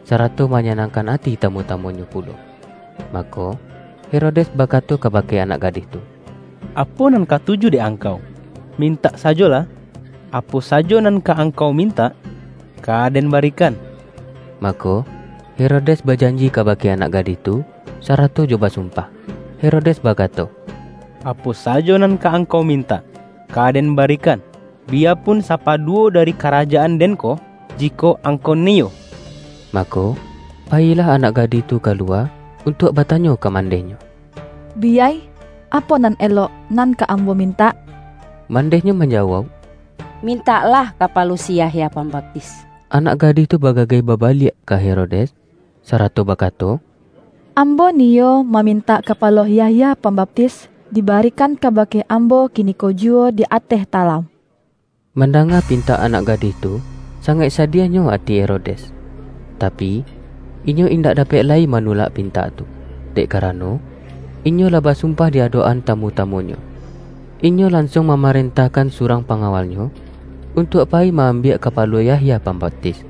sarato manyanangkan ati tamu-tamunyo pulo. Mako, Herodes bakato kabake anak gadih tu, "Apo nan katuju dek angkau? Mintak sajolah, apo sajo nan ka angkau mintak, ka den barikan." Mako, Herodes bajanji kabake anak gadih tu, sarato jo basumpah. Herodes bakato, "Apo sajo nan ka angkau mintak, ka den barikan, biyapun sapaduwo dari karajaan den ko, jikok angkau niyo." Mako, payilah anak gadih tu kalua untuak batanyo ka mandehnyo, "Biyai, apo nan elok nan ka ambo mintak?" Mandehnyo manjawauk, "Mintaklah kapalo si Yahya Pambaptis." Anak gadih tu bagagai babaliak ka Herodes, sarato bakato, "Ambo niyo mamintak kapalo Yahya Pambaptis dibarikan kabake ambo kiniko juwo di ateh talam." Mandanga pintak anak gadih tu, sangaik sadiahnyo ati Herodes. Tapi, inyo indak dapek lai manulak pintak tu, dek karano, inyo lah basumpah di adok-an tamu-tamunyo. Inyo lansuang mamarentahkan surang pangawalnyo untuak payi ma-ambiak kapalo Yahya Pambaptis.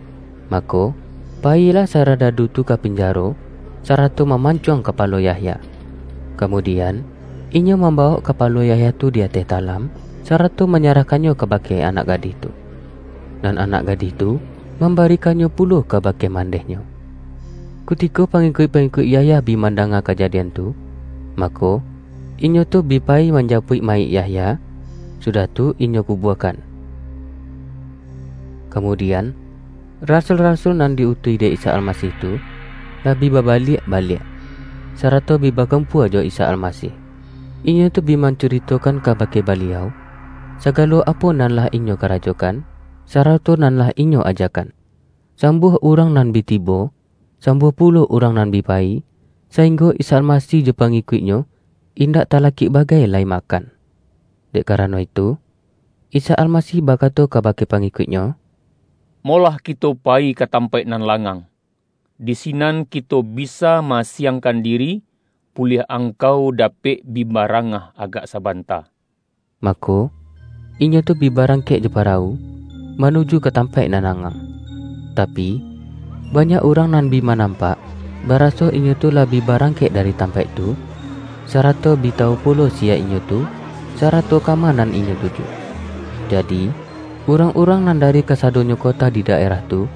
Mako, payilah saradadu tu ka pinjaro, sarato mamancuang kapalo Yahya. Kamudian, inyo mambawok kapalo Yahya tu di ateh talam, sarato manyarahkannyo kabake anak gadih tu. Nan anak gadih tu mambarikannyo pulo kabake mandehnyo. Kutiko pangikuik-pangikuik Yahya bi mandanga kajadian tu, mako, inyo tu bi payi manjapuik mayik Yahya, sudah tu inyo kubuakan. Kamudian, rasul-rasul nan di-utuih dek Isa Almasih tu, lah bi babaliak-baliak, sarato bi bakumpua jo Isa Almasih. Inyo tu bi mancuritokan kabake Baliau, sagalo apo nan lah inyo karajokan, sarato nan lah inyo ajakan. Sambuah urang nan bi tibo, sambuah pulo urang nan bi payi, sainggo Isa Almasih jo pangikuik-Nyo indak talakik bagai lai makan. Dek karano itu, Isa Almasih bakato kabake pangikuik-Nyo, "Molah kito payi ka tampaik nan langang. Di sinan kito bisa ma-asiangkan diri, puliah angkau dapek bi barangah agak sabanta." Mako, inyo tu bi barangkek jo parawu, manuju ka tampaik nan langang. Tapi, banyak urang nan bi manampak, baraso inyo tu lah bi barangkek dari tampaik tu, sarato bi tawu pulo siya inyo tu, sarato kama nan inyo tuju. Jadi, urang-urang nan dari kasadonyo kota di daerah tu,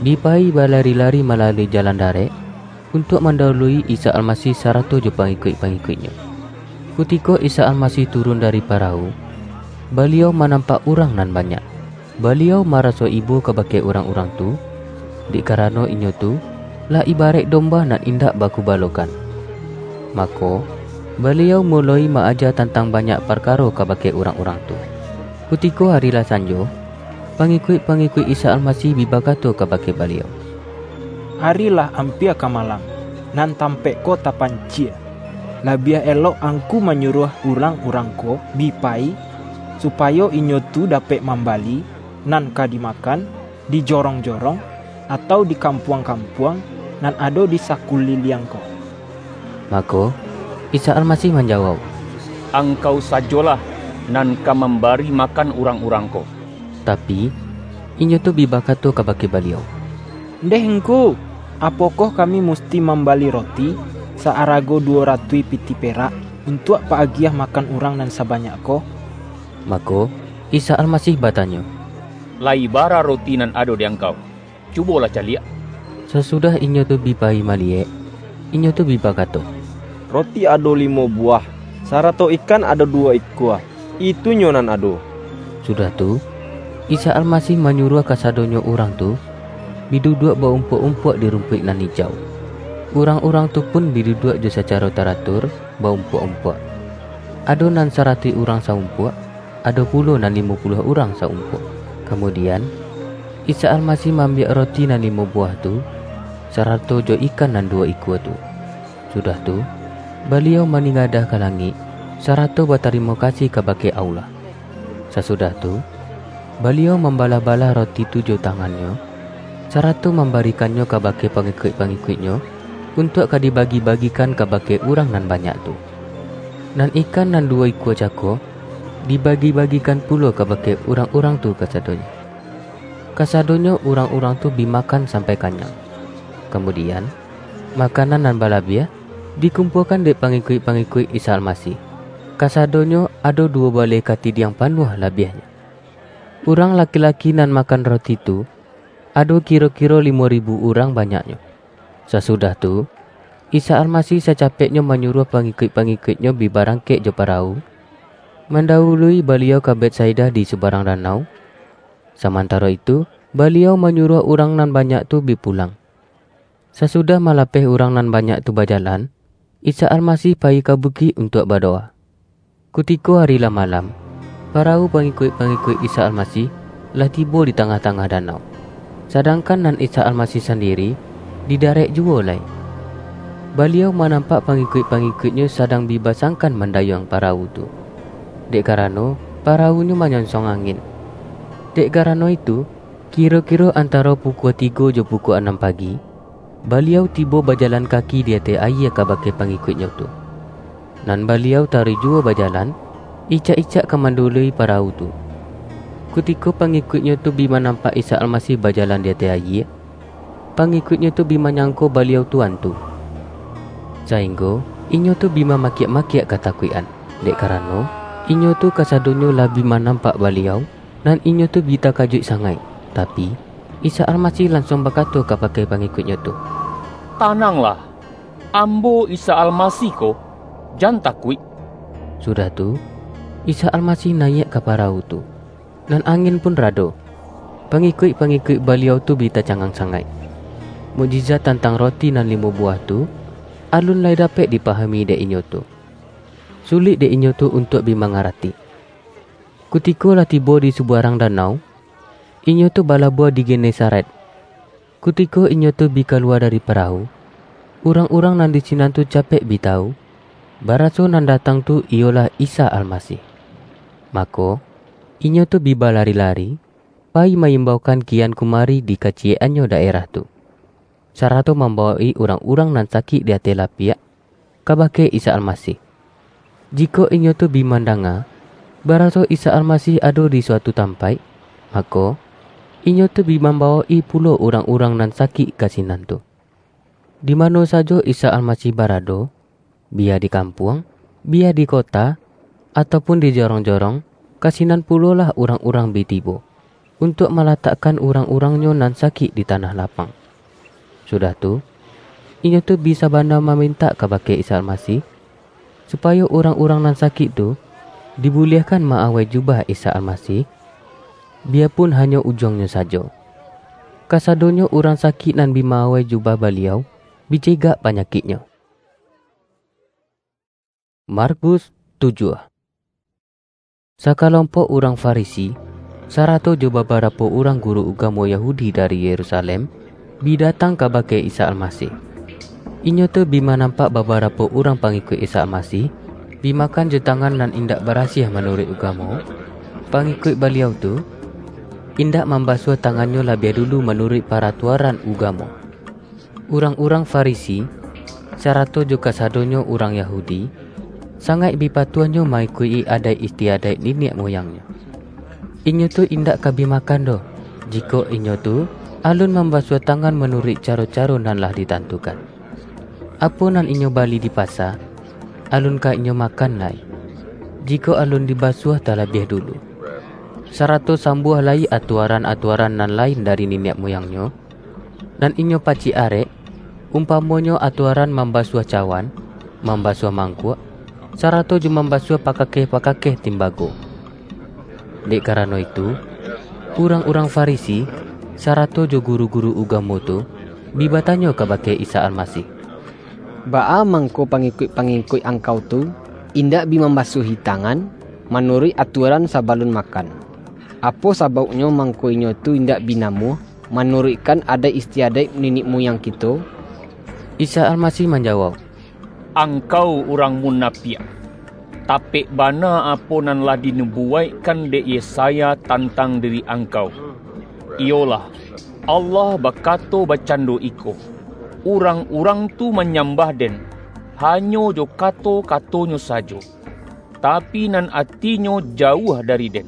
bi payi balari-lari malalui jalan darek, untuak mandahului Isa Almasih sarato jo pangikuik-pangikuik-Nyo. Kutiko Isa Almasih turun dari parawu, Baliau manampak urang nan banyak. Baliau maraso ibo kabake urang-urang tu, dek karano inyo tu lah ibaraik domba nan indak bakubalokan. Mako, Baliau muloi ma-aja tantang banyak parkaro kabake urang-urang tu. Kutiko ari lah sanjo, pangikuik-pangikuik Isa Almasih bi bakato kabake Baliau, "Ari lah ampia ka malam, nan tampaik ko tapancie. Labiah elok Angku manyuruah urang-urang ko bi payi, supayo inyo tu dapek mambali nan ka dimakan di jorong-jorong, atau di kampuang-kampuang nan ado di sakuliliang ko." Mako, Isa Almasih manjawauk, "Angkau sajolah nan ka mambari makan urang-urang ko." Tapi, inyo tu bi bakato kabake Baliau, "Ndeh Ngku, apokoh kami musti mambali roti saarago duwo ratuih pitih perak, untuak pa-agiah makan urang nan sabanyak ko?" Mako, Isa Almasih batanyo, "Lai bara roti nan ado di angkau? Cubolah caliak." Sasudah inyo tu bi payi maliyek, inyo tu bi bakato, "Roti ado limo buwah, sarato ikan ado duwo ikua. Itunyo nan ado." Sudah tu, Isa Almasih manyuruah kasadonyo urang tu bi duduak ba-umpuak-umpuak di rumpuik nan ijau. Urang-urang tu pun bi duduak jo sacaro taratur ba-umpuak-umpuak. Ado nan saratuih urang sa-umpuak, ado pulo nan limo puluah urang sa-umpuak. Kamudian, Isa Almasih maambiak roti nan limo buwah tu, sarato jo ikan nan duwo ikua tu. Sudah tu, Baliau maningadah ka langik, sarato batarimo kasih kabake Allah. Sasudah tu, Baliau mambalah-balah roti tu jo tangan-Nyo, sarato mambarikannyo kabake pangikuik-pangikuik-Nyo, untuak ka dibagi-bagikan kabake urang nan banyak tu. Nan ikan nan duwo ikua cako, dibagi-bagikan pulo kabake urang-urang tu kasadonyo. Kasadonyo urang-urang tu bi makan sampai kanyang. Kamudian, makanan nan balabiah dikumpuakan dek pangikuik-pangikuik Isa Almasih. Kasadonyo ado duwo baleh katidiang panuah labiahnyo. Urang laki-laki nan makan roti tu, ado kiro-kiro limo ribu urang banyaknyo. Sasudah tu, Isa Almasih sacapeknyo manyuruah pangikuik-pangikuik-Nyo bi barangkek jo parawu, mandahului Baliau ka Betsaida di subarang danau, samantaro itu, Baliau manyuruah urang nan banyak tu bi pulang. Sasudah malapeh urang nan banyak tu bajalan, Isa Almasih payi ka bukik untuak badowa. Kutiko ari lah malam, parawu pangikuik-pangikuik Isa Almasih lah tibo di tangah-tangah danau, sadangkan nan Isa Almasih sandiri di darek juwo lai. Baliau manampak pangikuik-pangikuik-Nyo sadang bi basangkan mandayuang parawu tu, dek karano parawunyo manyonsong angin. Dek karano itu, kiro-kiro antaro pukua tigo jo pukua anam pagi, Baliau tibo bajalan kaki di ateh ayie kabake pangikuik-Nyo tu. Nan Baliau taruih juwo bajalan, icak-icak ka mandahului parawu tu. Kutiko pangikuik-Nyo tu bi manampak Isa Almasih bajalan di ateh ayie, pangikuik-Nyo tu bi manyangko Baliau tu antu, sainggo inyo tu bi mamakiak-makiak katakuik-an, dek karano inyo tu kasadonyo lah bi manampak Baliau, nan inyo tu bi takajuik sangaik. Tapi, Isa Almasih lansuang bakato kabake pangikuik-Nyo tu, "Tananglah! Ambo Isa Almasih ko, jan takuik!" Sudah tu, Isa Almasih nayiak ka parawu tu, nan angin pun rado. Pangikuik-pangikuik Baliau tu bi tacangang sangaik. Mukjizat tantang roti nan limo buwah tu, alun lai dapek dipahami dek inyo tu. Sulik dek inyo tu untuak bi mangarati. Kutiko lah tibo di subarang danau, inyo tu balabuah di Genesaret. Kutiko inyo tu bi kaluwa dari parawu, urang-urang nan di sinan tu capek bi tawu, baraso nan datang tu iyolah Isa Almasih. Mako, inyo tu bi balari-lari, payi maimbaukan kian kumari di kaciyek-annyo daerah tu, sarato mambawok-i urang-urang nan sakik di ateh lapiak, kabake Isa Almasih. Jikok inyo tu bi mandanga, baraso Isa Almasih ado di suatu tampaik, mako, inyo tu bi mambawok-i pulo urang-urang nan sakik ka sinan tu. Di mano sajo Isa Almasih barado, biya di kampuang, biya di kota, atau pun di jorong-jorong, ka sinan pulolah urang-urang bi tibo, untuak malatakkan urang-urang-Nyo nan sakik di tanah lapang. Sudah tu, inyo tu bi sabana mamintak kabake Isa Almasih, supayo urang-urang nan sakik tu dibuliahkan ma-awai jubah Isa Almasih, biyapun hanyo ujuangnyo sajo. Kasadonyo urang sakik nan bi ma-awai jubah Baliau bi cegak panyakiknyo. Markus tujuah. Sakalompok urang Farisi, sarato jo babarapo urang guru ugamo Yahudi dari Yerusalem, bi datang kabake Isa Almasih. Inyo tu bi manampak babarapo urang pangikuik Isa Almasih, bi makan jo tangan nan indak barasiah manuruik ugamo. Pangikuik Baliau tu, indak mambasuah tangannyo labiah dulu manuruik paratuaran ugamo. Urang-urang Farisi, sarato jo kasadonyo urang Yahudi, sangaik bi patuahnyo maikuik-i adaik istiadaik niniak muyangnyo. Inyo tu indak ka bi makan doh, jikok inyo tu alun mambasuah tangan manuruik caro-caro nan lah ditantukan. Apo nan inyo bali di pasa, alun ka inyo makan lai, jikok alun dibasuah talabiah dulu. Sarato sambuah lai atuaran-atuaran nan lain dari niniak muyangnyo, nan inyo pacik arek, umpamonyo atuaran mambasuah cawan, mambasuah mangkuak, sarato jo mambasuah pakakeh-pakakeh timbago. Dek karano itu, urang-urang Farisi, sarato jo guru-guru ugamo tu, bi batanyo kabake Isa Almasih, "Baa mangko pangikuik-pangikuik Angkau tu indak bi mambasuahi tangan manuruik atuaran sabalun makan? Apo sabauknyo mangko inyo tu indak bi namuah manuruikkan adaik istiadaik niniak muyang kito?" Isa Almasih manjawauk, "Angkau urang munapiak! Tapek bana apo nan lah dinubuwaikkan dek Yesaya tantang diri angkau, iyolah, Allah bakato bakcando iko, 'Urang-urang tu manyambah Den, hanyo jo kato-katonyo sajo, tapi nan atinyo jauah dari Den.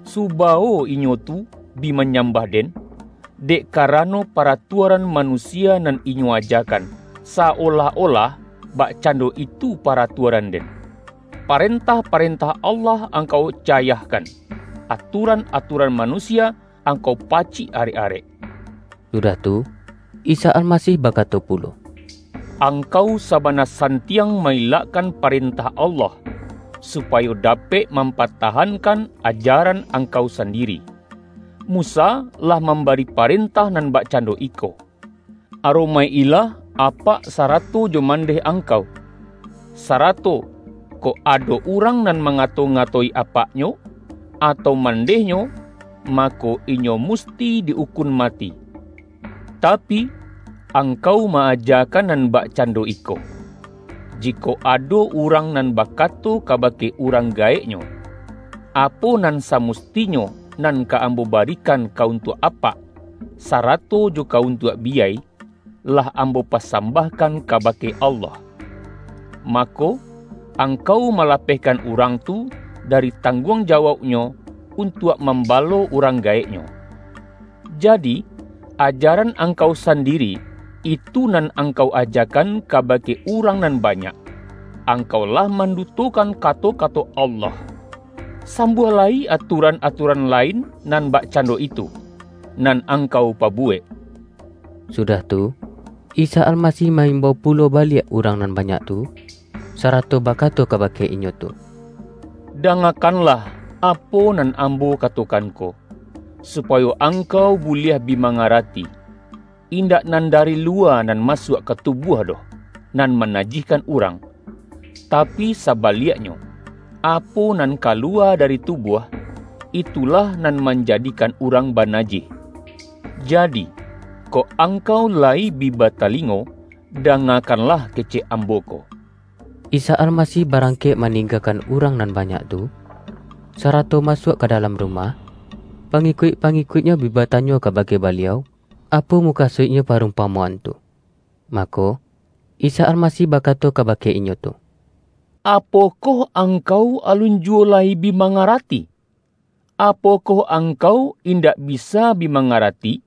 Subawo inyo tu bi manyambah Den, dek karano paratuaran manusia nan inyo ajakan, saolah-olah bakcando itu paratuaran Den. Parentah-parentah Allah angkau cayahkan, aturan-aturan manusia angkau pacik arek-arek.'" Sudah tu, Isa Almasih bakato pulo, "Angkau sabana santiang mailakkan parentah Allah, supayo dapek mampatahankan ajaran angkau sandiri. Musa lah mambari parentah nan bakcando iko, 'Aromaik-ilah apak sarato jo mandeh angkau.' Sarato, kok ado urang nan mangato-ngatoi apaknyo, atau mandehnyo, mako, inyo musti di-ukun mati. Tapi, angkau ma-ajakan nan bakcando iko, 'Jikok ado urang nan bakato kabake urang gaeknyo, apo nan samustinyo nan ka ambo barikan ka untuak apak, sarato jo ka untuak biyai, lah ambo pasambahkan kabake Allah,' mako, angkau malapehkan urang tu dari tangguang jawauknyo untuak mambalo urang gaeknyo. Jadi, ajaran angkau sandiri, itu nan angkau ajakan kabake urang nan banyak, angkau lah mandutokan kato-kato Allah. Sambuah lai aturan-aturan lain nan bakcando itu, nan angkau pabuwek." Sudah tu, Isa Almasih ma-imbau pulo baliak urang nan banyak tu, sarato bakato kabake inyo tu, "Dangakanlah apo nan Ambo katokan ko, supayo angkau buliah bi mangarati. Indak nan dari luwa nan masuak ka tubuah doh, nan manajihkan urang, tapi sabaliaknyo, apo nan kaluwa dari tubuah, itulah nan manjadikan urang banajih. Jadi, kok angkau lai bi batalingo, dangakanlah kecek Ambo ko." Isa Almasih barangkek maninggakan urang nan banyak tu, sarato masuak ka dalam rumah, pangikuik-pangikuik-Nyo bi batanyo kabake Baliau, apo mukasuiknyo parumpamoan tu. Mako, Isa Almasih bakato kabake inyo tu, "Apokoh angkau alun juwo lai bi mangarati? Apokoh angkau indak bisa bi mangarati,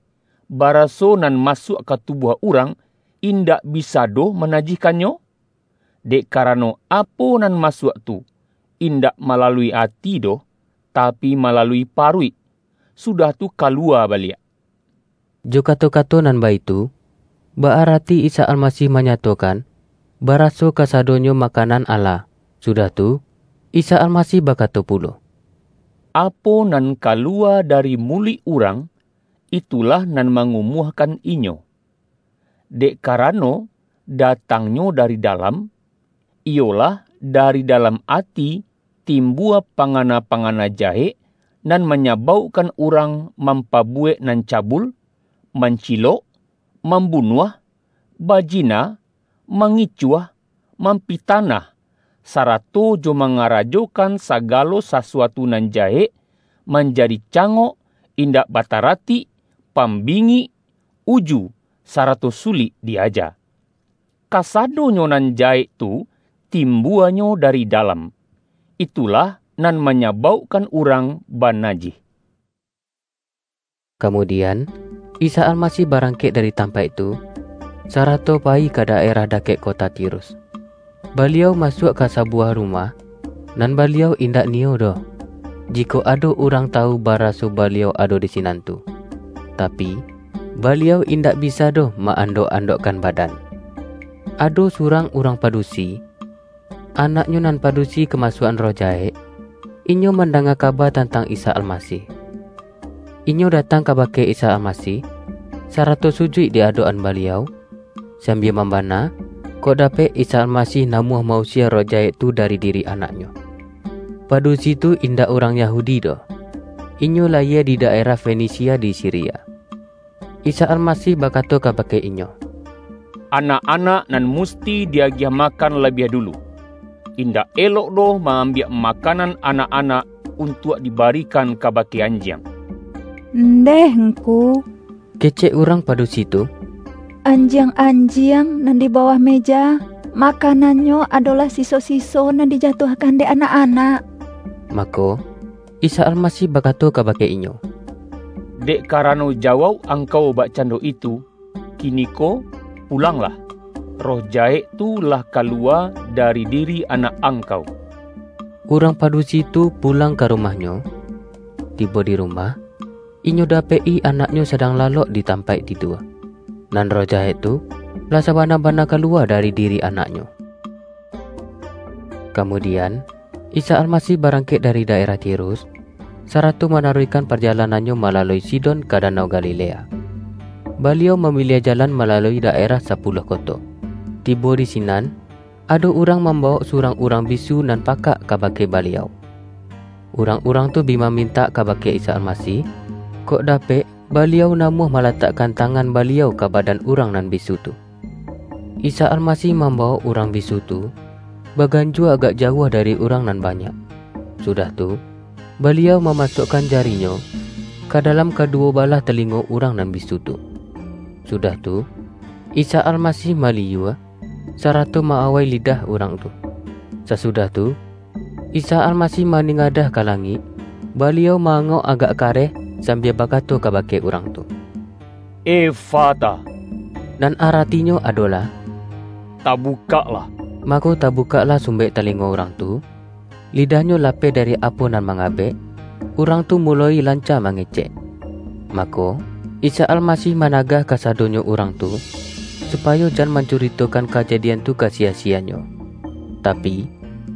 baraso nan masuak ka tubuah urang indak bisa doh manajihkannyo? Dek karano, apo nan masuak tu, indak malalui ati doh, tapi malalui paruik, sudah tu kaluwa baliak." Jo kato-kato nan baitu, baarati Isa Almasih manyatokan, baraso kasadonyo makanan Allah. Sudah tu, Isa Almasih bakato pulo, "Apo nan kaluwa dari muluik urang, itulah nan mangumuahkan inyo. Dek karano, datangnyo dari dalam, iyolah, dari dalam ati, timbua pangana-pangana jahek, nan manyabaukkan urang mampabuwek nan cabul, mancilok, mambunuah, bajina, mangicuah, mampitanah, sarato jo mangarajokan sagalo sasuatu nan jahek, manjadi cangok, indak bataratik, pambingik, uju, sarato sulik diaja. Kasadonyo nan jahek tu timbuanyo dari dalam. Itulah nan manyabaukkan urang banajih. Kamudian, Isa Almasih barangkek dari tampaik tu, sarato payi ka daerah dakek kota Tirus. Baliau masuak ka sabuwah rumah, nan Baliau indak niyo doh, jikok ado urang tawu baraso Baliau ado di sinan tu. Tapi, Baliau indak bisa doh ma-andok-andokkan badan. Ado surang urang padusi, anaknyo nan padusi kamasuak-an roh jahek, inyo mandanga kaba tantang Isa Almasih. Inyo datang kabake Isa Almasih, sarato sujuik di adok-an Baliau, sambia mambana, kok dapek Isa Almasih namuah mausia roh jahek tu dari diri anaknyo. Padusi tu indak urang Yahudi doh. Inyo layie di daerah Fenisia di Siria. Isa Almasih bakato kabake inyo, "Anak-anak nan musti diagiah makan labiah dulu. Indak elok doh ma-ambiak makanan anak-anak untuak dibarikan kabake anjiang." "Ndeh, Ngku," kecek urang padusi tu, "anjiang-anjiang nan di bawah meja, makanannyo adolah siso-siso nan dijatuahkan dek anak-anak." Mako, Isa Almasih bakato kabake inyo, "Dek karano jawauk angkau bakcando itu, kiniko pulanglah. Roh jahek tu lah kaluwa dari diri anak angkau." Urang padusi tu pulang ka rumahnyo. Tibo di rumah, inyo dapek-i anaknyo sadang lalok di tampaik tidua. Nan roh jahek tu lah sabana-bana kaluwa dari diri anaknyo. Kamudian, Isa Almasih barangkek dari daerah Tirus, sarato manaruihkan parjalonannyo malalui Sidon ka Danau Galilea. Baliau mamiliah jalan malalui daerah Sapuluah Koto. Tibo di sinan, ado urang mambawok surang urang bisu nan pakak kabake Baliau. Urang-urang tu bi mamintak kabake Isa Almasih, kok dapek Baliau namuah malatakkan tangan Baliau ka badan urang nan bisu tu. Isa Almasih mambawok urang bisu tu baganjua agak jauah dari urang nan banyak. Sudah tu, Baliau mamasuakkan jari-Nyo ka dalam kaduwo balah talingo urang nan bisu tu. Sudah tu, Isa Almasih maliyua, sarato ma-awai lidah urang tu. Sasudah tu, Isa Almasih maningadah ka langik, Baliau ma-angok agak kareh sambia bakato kabake urang tu, "Efata," nan aratinyo adolah, "Tabukaklah." Mako, tabukaklah sumbek talingo urang tu, lidahnyo lapeh dari apo nan mangabek, urang tu muloi lanca mangecek. Mako, Isa Almasih managah kasadonyo urang tu, supayo jan mancuritokan kajadian tu ka siya-siyanyo. Tapi,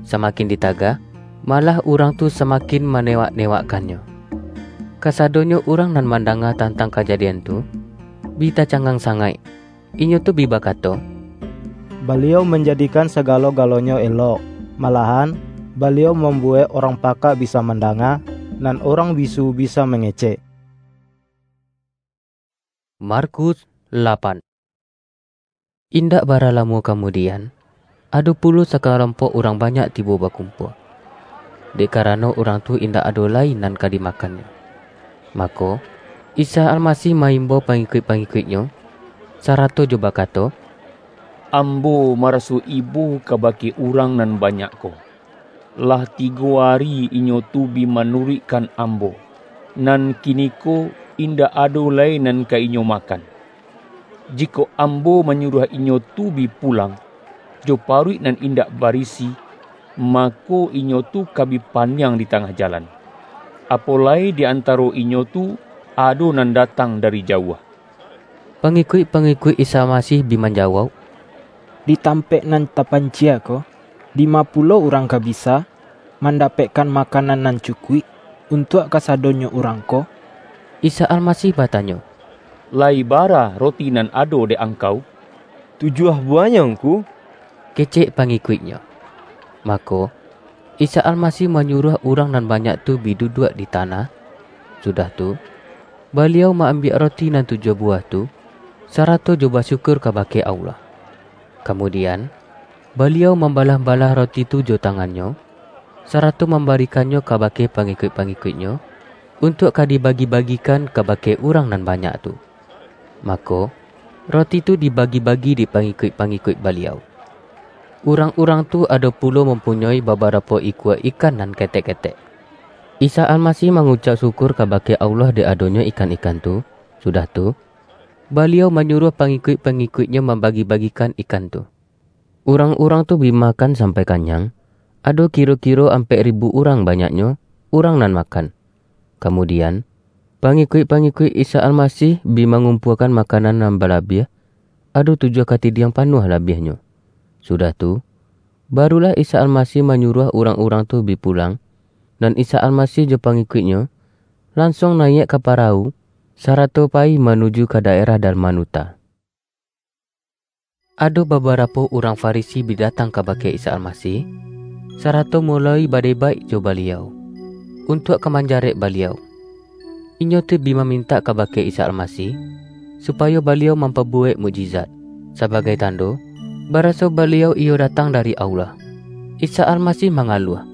samakin ditagah, malah urang tu samakin manewak-newakkannyo. Kasadonyo urang nan mandanga tantang kajadian tu, bi tacangang sangaik. Inyo tu bi bakato, "Baliau manjadikan sagalo-galonyo elok. Malahan, Baliau mambuwek urang pakak bisa mandanga, nan urang bisu bisa mangecek." Markus lapan. Indak bara lamo kamudian, ado pulo sakalompok urang banyak tibo bakumpua, dek karano urang tu indak ado lai nan ka dimakannyo. Mako, Isa Almasih maimbau pangikuik-pangikuik-Nyo, sarato jo bakato, "Ambo maraso ibo kabake urang nan banyak ko. Lah tigo ari inyo tu bi manuruikkan Ambo, nan kiniko indak ado lai nan ka inyo makan. Jikok Ambo manyuruah inyo tu bi pulang, jo paruik nan indak barisi, mako, inyo tu ka bi paniang di tangah jalan. Apo lai di antaro inyo tu ado nan datang dari jauah." Pangikuik-pangikuik Isa Almasih bi manjawauk, "Di tampek nan tapancia ko, dima pulo urang ka bisa mandapekkan makanan nan cukuik untuak kasadonyo urang ko?" Isa Almasih batanyo, "Lai bara roti nan ado dek angkau?" "Tujuah buahnyo, Ngku," kecek pangikuik-Nyo. Mako, Isa Almasih manyuruah urang nan banyak tu bi duduak di tanah. Sudah tu, Baliau ma-ambiak roti nan tujuah buah tu, sarato jo basyukur kabake Allah. Kamudian, Baliau mambalah-balah roti tu jo tangan-Nyo, sarato mambarikannyo kabake pangikuik-pangikuik-Nyo, untuak ka dibagi-bagikan kabake urang nan banyak tu. Mako, roti tu dibagi-bagi dek pangikuik-pangikuik Baliau. Urang-urang tu ado pulo mampunyoi babarapo ikua ikan nan ketek-ketek. Isa Almasih mangucap syukur kabake Allah dek adonyo ikan-ikan tu. Sudah tu, Baliau manyuruah pangikuik-pangikuik-Nyo mambagi-bagikan ikan tu. Urang-urang tu bi makan sampai kanyang, ado kiro-kiro ampek ribu urang banyaknyo, urang nan makan. Kamudian, pangikuik-pangikuik Isa Almasih bi mangumpuakan makanan nan balabiah, ado tujuah katidiang panuah labiahnyo. Sudah tu, barulah Isa Almasih manyuruah urang-urang tu bi pulang, nan Isa Almasih jo pangikuik-Nyo lansuang nayiak ka parawu, sarato payi manuju ka daerah Dalmanuta. Ado babarapo urang Farisi bi datang kabake Isa Almasih, sarato muloi badebaik jo Baliau, untuak ka manjarek Baliau. Inyo tu bi mamintak kabake Isa Almasih, supayo Baliau mampabuwek mukjizat, sabagai tando, baraso Baliau iyo datang dari Allah. Isa Almasih mangaluah,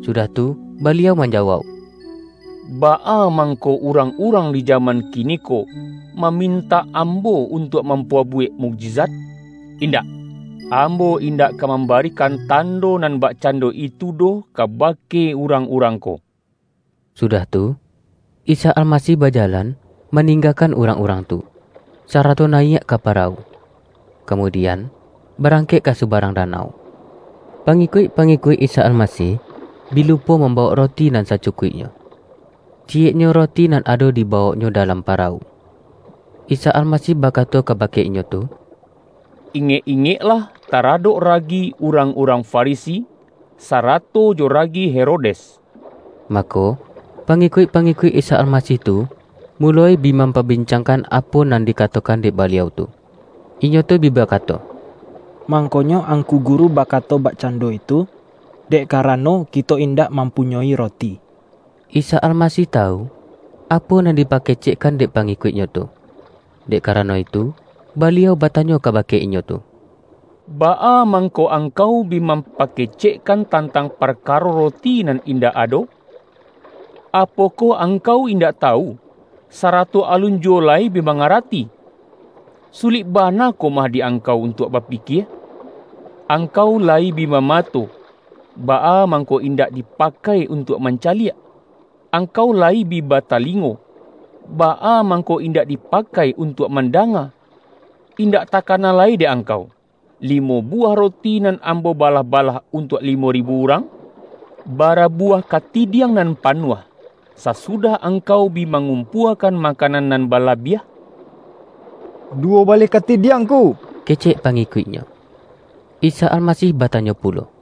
sudah tu, Baliau manjawauk, "Baa mangko urang-urang di jaman kiniko mamintak Ambo untuak mampabuwek mukjizat? Indak! Ambo indak ka mambarikan tando nan bakcando itu doh kabake urang-urang ko." Sudah tu, Isa Almasih bajalan, maninggakan urang-urang tu, sarato nayiak ka parawu. Kamudian, barangkek ka subarang danau. Pangikuik-pangikuik Isa Almasih bi lupo mambawok roti nan sacukuiknyo. Ciyeknyo roti nan ado dibawoknyo dalam parawu. Isa Almasih bakato kabake inyo tu, "Ingek-ingeklah taradok ragi urang-urang Farisi, sarato jo ragi Herodes." Mako, pangikuik-pangikuik Isa Almasih tu muloi bi mampabincangkan apo nan dikatokan dek Baliau tu. Inyo tu bi bakato, "Mangkonyo Angku Guru bakato bakcando itu, dek karano kito indak mampunyoi roti." Isa Almasih tawu, apo nan dipakecekkan dek pangikuik-Nyo tu, dek karano itu, Baliau batanyo kabake inyo tu, "Baa mangko angkau bi mampakecekkan tantang parkaro roti nan indak ado? Apokoh angkau indak tawu, sarato alun juwo lai bi mangarati? Sulik bana ko mah di angkau untuak bapikie? Angkau lai bi bamato, baa mangko indak dipakai untuak mancaliak? Angkau lai bi batalingo, baa mangko indak dipakai untuak mandanga? Indak takana lai dek angkau, limo buwah roti nan Ambo balah-balah untuak limo ribu urang? Bara buwah katidiang nan panuah, sasudah angkau bi mangumpuakan makanan nan balabiah?" "Duwo baleh katidiang ko," kecek pangikuik-Nyo. Isa Almasih batanyo pulo,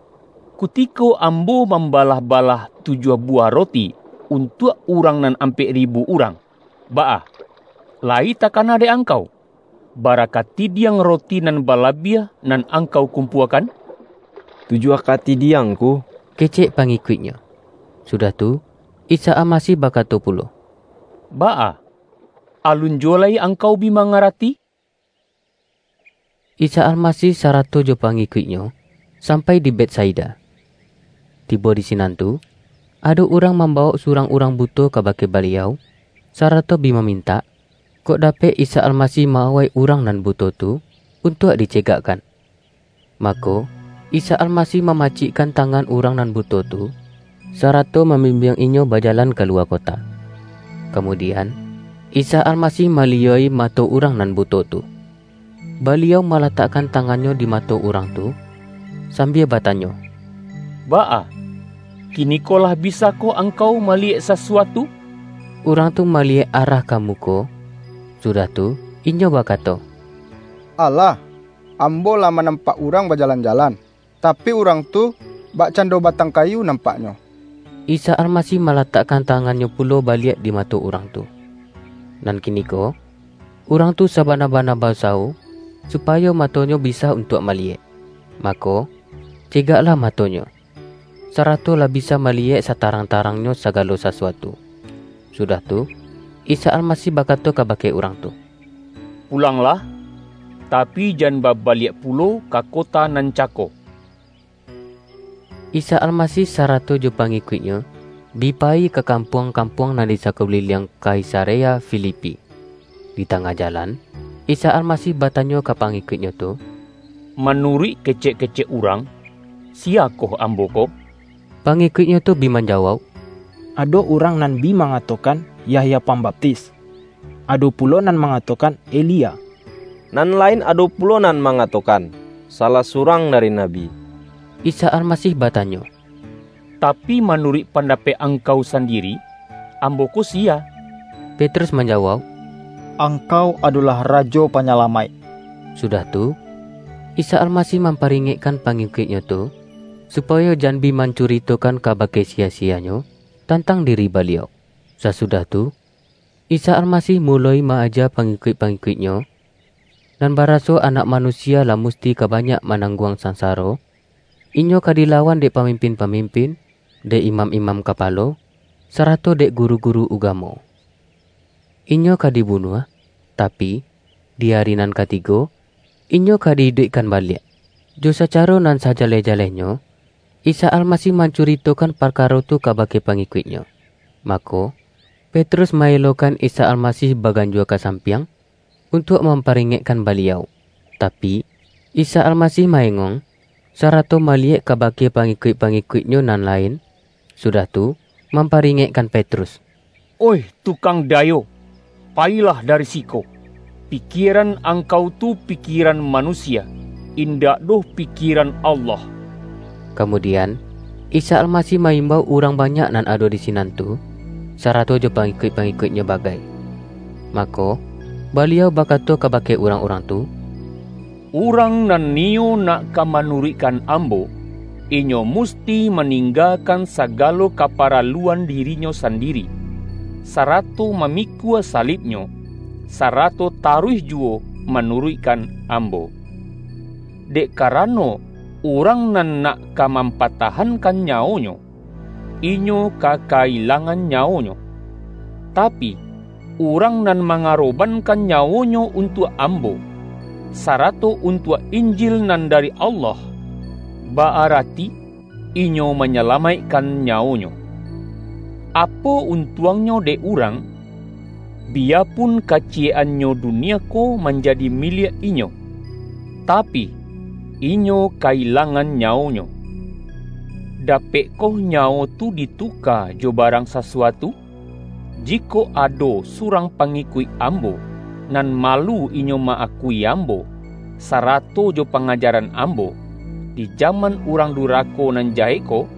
"Kutiko Ambo mambalah-balah tujuah buwah roti untuak urang nan ampek ribu urang, baa, lai takana dek angkau, bara katidiang roti nan balabiah nan angkau kumpuakan?" "Tujuah katidiang ko," kecek pangikuik-Nyo. Sudah tu, Isa Almasih bakato pulo, "Baa, alun juwo lai angkau bi mangarati?" Isa Almasih sarato jo pangikuik-Nyo sampai di Betsaida. Tibo di sinan tu, ado urang mambawok surang urang buto kabake Baliau, sarato bi mamintak, kok dapek Isa Almasih ma-awai urang nan buto tu untuak dicegakkan. Mako, Isa Almasih mamacikkan tangan urang nan buto tu, sarato mambimbiang inyo bajalan kaluwa kota. Kamudian, Isa Almasih maliyoi mato urang nan buto tu. Baliau malatakkan tangan-Nyo di mato urang tu, sambia batanyo, "Baa, kiniko lah bisakoh angkau maliyek sasuatu?" Urang tu maliyek arah ka muko, sudah tu, inyo bakato, "Alah, ambo lah manampak urang bajalan-jalan, tapi, urang tu bakcando batang kayu nampaknyo." Isa Almasih malatakkan tangan-Nyo pulo baliak di mato urang tu. Nan kiniko, urang tu sabana-bana bausawo, supayo matonyo bisa untuak maliyek. Mako, cegaklah matonyo, sarato lah bisa maliyek satarang-tarangnyo sagalo sasuatu. Sudah tu, Isa Almasih bakato kabake urang tu, "Pulanglah, tapi jan babaliak pulo ka kota nan cako." Isa Almasih sarato jo pangikuik-Nyo bi payi ka kampuang-kampuang nan di sakuliliang Kaisarea Filipi. Di tangah jalan, Isa Almasih batanyo ka pangikuik-Nyo tu, "Manuruik kecek-kecek urang, "Siyakoh ambo ko?" Pangikuik-Nyo tu bi manjawauk, "Ado urang nan bi mangatokan, Yahya Pambaptis, ado pulo nan mangatokan, Elia, nan lain ado pulo nan mangatokan, salah surang dari nabi." Isa Almasih batanyo, "Tapi, manuruik pandapek angkau sandiri, ambo ko siya?" Petrus manjawauk, "Angkau adolah Rajo Panyalamaik." Sudah tu, Isa Almasih mamparingekkan pangikuik-Nyo tu, supayo jan bi mancuritokan kabake siya-siyanyo tantang diri Baliau. Sasudah tu, Isa Almasih muloi ma-aja pangikuik-pangikuik-Nyo, nan baraso Anak Manusia lah musti ka banyak manangguang sansaro, Inyo ka dilawan dek pamimpin-pamimpin, dek imam-imam kapalo, sarato dek guru-guru ugamo. Inyo ka dibunuah, tapi, di ari nan katigo, Inyo ka di-iduikkan baliak. Jo sacaro nan sajaleh-jalehnyo, Isa Almasih mancuritokan parkaro tu kabake pangikuik-Nyo. Mako, Petrus ma-elokan Isa Almasih baganjua ka sampiang, untuak mamparingekkan Baliau. Tapi, Isa Almasih maengong, sarato maliyek kabake pangikuik-pangikuik-Nyo nan lain, sudah tu, mamparingekkan Petrus, "Oih tukang dayo, payilah dari siko! Pikieran angkau tu pikieran manusia, indak doh pikieran Allah." Kamudian, Isa Almasih ma-imbau urang banyak nan ado di sinan tu, sarato jo pangikuik-pangikuik-Nyo bagai. Mako, Baliau bakato kabake urang-urang tu, "Urang nan niyo nak ka manuruikkan Ambo, inyo musti maninggakan sagalo kaparaluan dirinyo sandiri, sarato mamikua salibnyo, sarato taruih juwo manuruikkan Ambo. Dek karano, urang nan nak ka mampatahankan nyawonyo, inyo ka ka-ilangan nyawonyo. Tapi, urang nan mangarobankan nyawonyo untuak Ambo, sarato untuak Injil nan dari Allah, ba-arati inyo manyalamaikkan nyawonyo. Apo untuangnyo dek urang, biyapun kaciyek-annyo dunia ko manjadi miliak inyo, tapi, inyo ka-ilangan nyawonyo? Dapekkoh nyawo tu dituka jo barang sasuatu? Jikok ado surang pangikuik Ambo, nan malu inyo ma-akui Ambo, sarato jo pangajaran Ambo, di jaman urang durako nan jahek ko,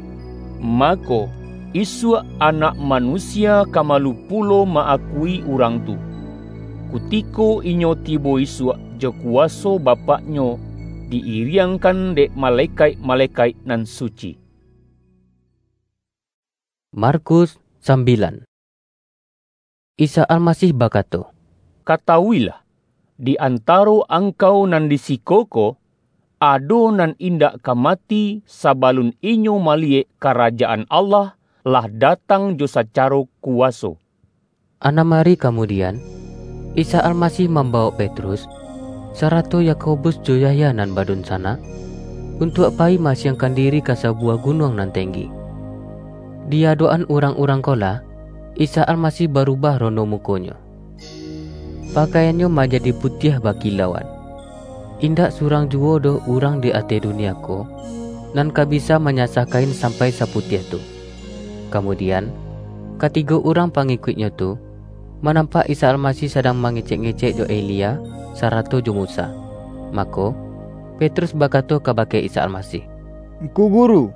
mako, isuak Anak Manusia ka malu pulo ma-akui urang tu, kutiko inyo tibo isuak jo kuwaso Bapak-Nyo di-iriangkan dek malekaik-malekaik nan suci." Markus sambilan. Isa Almasih bakato, "Katawuilah, di antaro angkau nan di siko ko, ado nan indak ka mati sabalun inyo maliyek Karajaan Allah lah datang jo sacaro kuwaso." Anam ari kamudian, Isa Almasih mambawok Petrus, sarato Yakobus jo Yahya nan badunsanak, untuak payi maasiangkan diri ka sabuwah gunuang nan tenggi. Di adok-an urang-urang ko lah, Isa Almasih barubah rono muko-Nyo. Pakaian-Nyo manjadi putiah bakilauan. Indak surang juwo doh urang di ateh dunia ko, nan ka bisa manyasah kain sampai saputiah tu. Kamudian, katigo urang pangikuik-Nyo tu, manampak Isa Almasih sadang mangecek-ngecek jo Elia, sarato jo Musa. Mako, Petrus bakato kabake Isa Almasih, "Ngku Guru,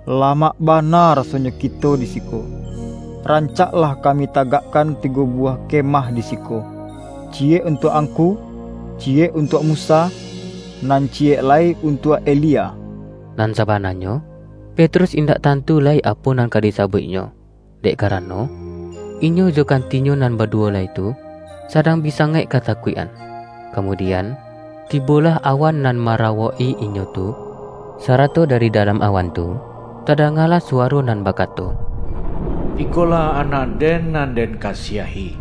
lamak bana rasonyo kito di siko. Rancaklah kami tagakkan tigo buwah kemah di siko, ciyek untuak Angku, ciyek untuak Musa, nan ciyek lai untuak Elia." Nan sabananyo, Petrus indak tantu lai apo nan ka disabuiknyo, dek karano, inyo jo kantinyo nan baduwo lai tu, sadang bi sangaik katakuik-an. Kamudian, tibolah awan nan marawok-i inyo tu, sarato dari dalam awan tu, tadangalah suwaro nan bakato, "Ikolah Anak-Den nan Den kasiahi,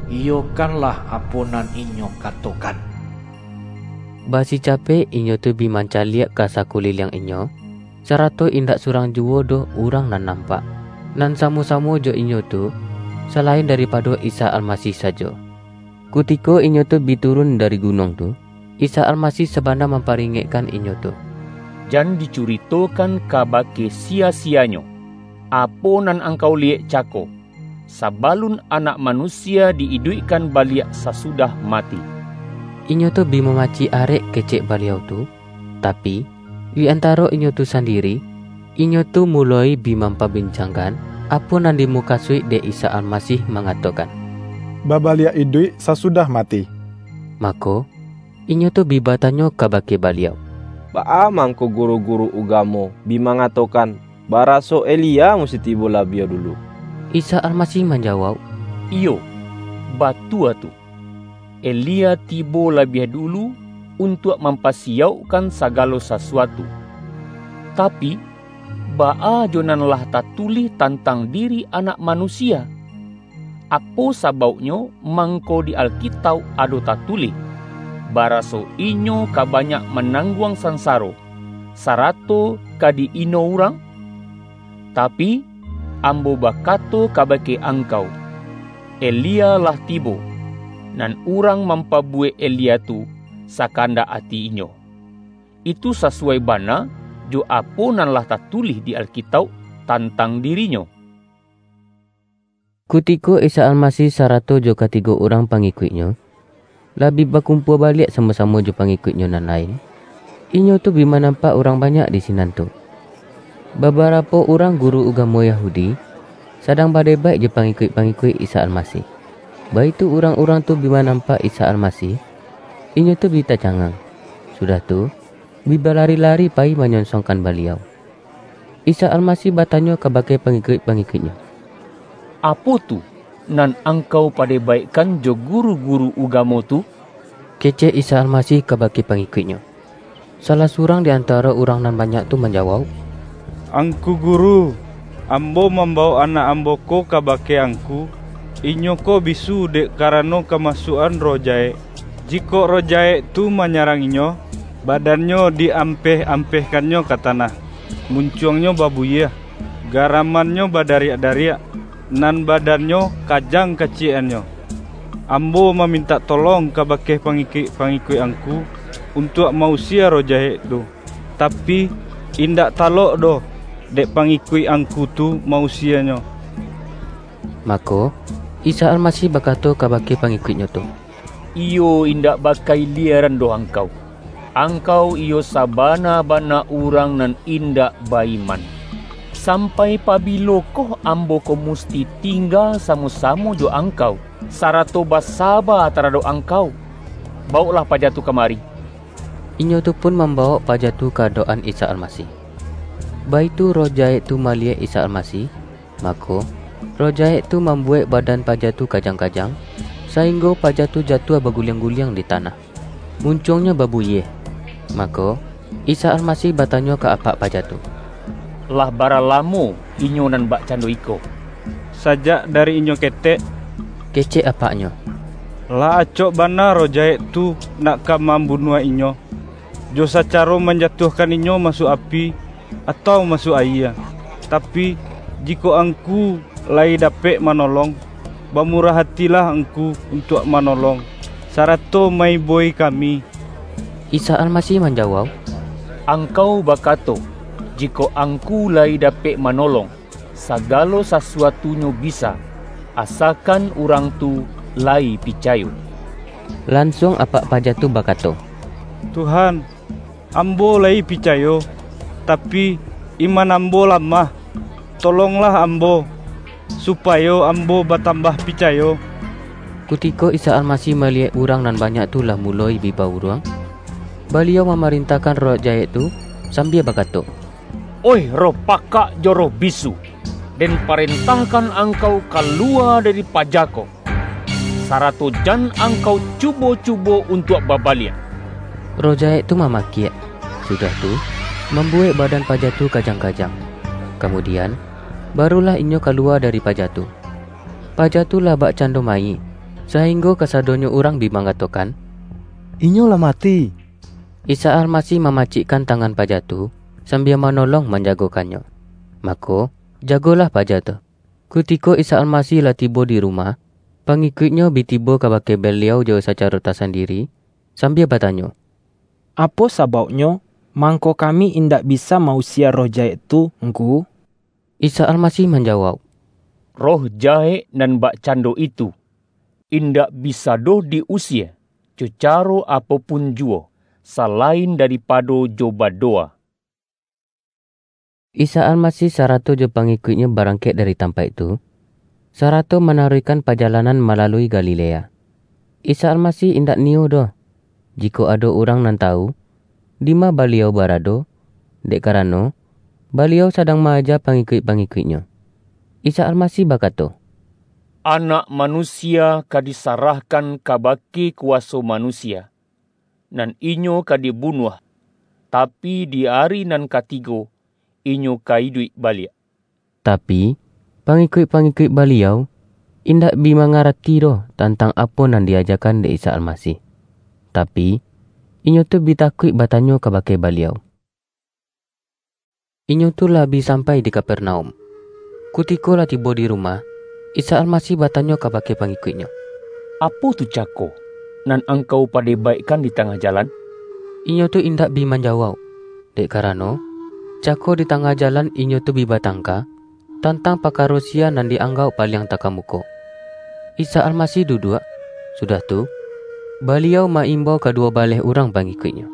iyokanlah apo nan Inyo katokan." Basi capek inyo tu bi mancaliak ka sakuliliang inyo, sarato indak surang juwo doh urang nan nampak. Nan samo-samo jo inyo tu, salain daripado Isa Almasih sajo. Kutiko inyo tu bi turun dari gunuang tu, Isa Almasih sabana mamparingekkan inyo tu, Jan dicuritokan kabake sia-sianyo, apo nan angkau liyek cako, sabalun Anak Manusia di-iduikkan baliak sasudah mati." Inyo tu bi mamacik arek kecek Baliau tu, tapi, di antaro inyo tu sandiri, inyo tu muloi bi mampabincangkan apo nan dimukasuik dek Isa Almasih mangatokan, "Babaliak iduik sasudah mati." Mako, inyo tu bi batanyo kabake Baliau, "Baa mangko guru-guru ugamo bi mangatokan, baraso Elia musti tibo labiah dulu?" Isa Almasih manjawauk, "Iyo, batua tu. Elia tibo labiah dulu untuak mampasiyaukkan sagalo sasuatu. Tapi, baa jo nan lah tatulih tantang diri Anak Manusia? Apo sabauknyo mangko di Alkitauk ado tatulih, baraso Inyo ka banyak manangguang sansaro, sarato ka di-ino urang? Tapi, ambo bakato kabake angkau, Elia lah tibo, nan urang mampabuwek Elia tu sakandak ati inyo. Itu sasuwai bana jo apo nan lah tatulih di Alkitauk tantang dirinyo." Kutiko Isa Almasih sarato jo katigo urang pangikuik-Nyo, lah bi bakumpua baliak samo-samo jo pangikuik-Nyo nan lain, inyo tu bi manampak urang banyak di sinan tu. Babarapo urang guru ugamo Yahudi sadang badebaik jo pangikuik-pangikuik Isa Almasih. Baitu urang-urang tu bi manampak Isa Almasih, inyo tu bi tacangang, sudah tu, bi balari-lari payi manyonsongkan Baliau. Isa Almasih batanyo kabake pangikuik-pangikuik-Nyo, "Apo tu nan angkau padebaikkan jo guru-guru ugamo tu?" Kecek Isa Almasih kabake pangikuik-Nyo. Salah surang di antaro urang nan banyak tu manjawauk, "Angku Guru, ambo mambawok anak ambo ko kabake Angku. Inyo ko bisu dek karano kamasuak-an roh jahek. Jikok roh jahek tu manyarang inyo, badannyo di-ampeh-ampehkannyo ka tanah, muncuangnyo babuyiah, garamannyo badariak-dariak, nan badannyo kajang kaciekannyo. Ambo mamintak tolong kabake pangikuik-pangikuik Angku untuak ma-usie roh jahek tu, tapi, indak talok doh dek pangikuik Angku tu ma-usienyo." Mako, Isa Almasih bakato kabake pangikuik-Nyo tu, "Iyo indak bakailieran doh angkau. Angkau iyo sabana-bana urang nan indak ba-iman. Sampai pabilokoh Ambo ko musti tingga samo-samo jo angkau, sarato basaba taradok angkau? Bawoklah paja tu kamari." Inyo tu pun mambawok paja tu ka adok-an Isa Almasih. Baitu roh jahek tu maliyek Isa Almasih, mako, roh jahek tu mambuwek badan paja tu kajang-kajang, sainggo paja tu jatuah baguliang-guliang di tanah. Muncuangnyo babuyiah. Mako, Isa Almasih batanyo ka apak paja tu, "Lah bara lamo inyo nan bakcando iko?" "Sajak dari inyo ketek," kecek apaknyo. "Lah acok bana roh jahek tu nak ka mambunuah inyo, jo sacaro manjatuahkan inyo masuak api, atau masuak ayie. Tapi, jikok Angku layi dapek manolong, bamurah atilah Angku untuak manolong, sarato ma-ibo-i kami." Isa Almasih manjawauk, "Angkau bakato, jikok Angku layi dapek manolong, sagalo sasuatunyo bisa, asakan urang tu layi picayo." Lansuang apak paja tu bakato, "Tuhan, ambo layi picayo, tapi, iman ambo lamah. Tolonglah ambo, supayo ambo batambah picayo." Kutiko Isa Almasih maliyek urang nan banyak tu lah muloi bi bauruang, Baliau mamarintahkan roh jahek tu, sambia bakato, "Oih roh pakak jo roh bisu, Den parentahkan angkau kaluwa dari paja ko, sarato jan angkau cubo-cubo untuak babaliak!" Roh jahek tu mamakiak, sudah tu, mambuwek badan paja tu kajang-kajang. Kamudian, barulah inyo kaluwa dari paja tu. Paja tu lah bakcando mayik, sainggo kasadonyo urang bi mangatokan, "Inyo lah mati." Isa Almasih mamacikkan tangan paja tu, sambia manolong manjagokannyo. Mako, jagolah paja tu. Kutiko Isa Almasih lah tibo di rumah, pangikuik-Nyo bi tibo kabake Baliau jo sacaro tasandiri, sambia batanyo, "Apo sabauknyo mangko kami indak bisa ma-usie roh jahek tu, Ngku?" Isa Almasih manjawauk, "Roh jahek nan bakcando itu, indak bisa doh di-usie, jo caro apo pun juwo, salain daripado jo badowa." Isa Almasih sarato jo pangikuik-Nyo barangkek dari tampaik tu, sarato manaruihkan pajalanan malalui Galilea. Isa Almasih indak niyo doh, jikok ado urang nan tawu, dima Baliau barado, dek karano, Baliau sadang ma-aja pangikuik-pangikuik-Nyo. Isa Almasih bakato, "Anak Manusia ka disarahkan kabake kuwaso manusia, nan inyo ka dibunuah, tapi di ari nan katigo, inyo ka iduik baliak." Tapi, pangikuik-pangikuik Baliau indak bi mangarati doh tantang apo nan di-ajakan dek Isa Almasih. Tapi, inyo tu bi takuik batanyo kabake Baliau. Inyo tu lah bi sampai di Kapernaum. Kutiko lah tibo di rumah, Isa Almasih batanyo kabake pangikuik-Nyo, "Apo tu cako nan Angkau padebaikkan di tangah jalan?" Inyo tu indak bi manjawauk, dek karano, cako di tangah jalan inyo tu bi batangka tantang pakaro sia nan di-anggauk paliang takamuko. Isa Almasih duduak, sudah tu, Baliau ma-imbau kaduwo baleh urang pangikuik-Nyo.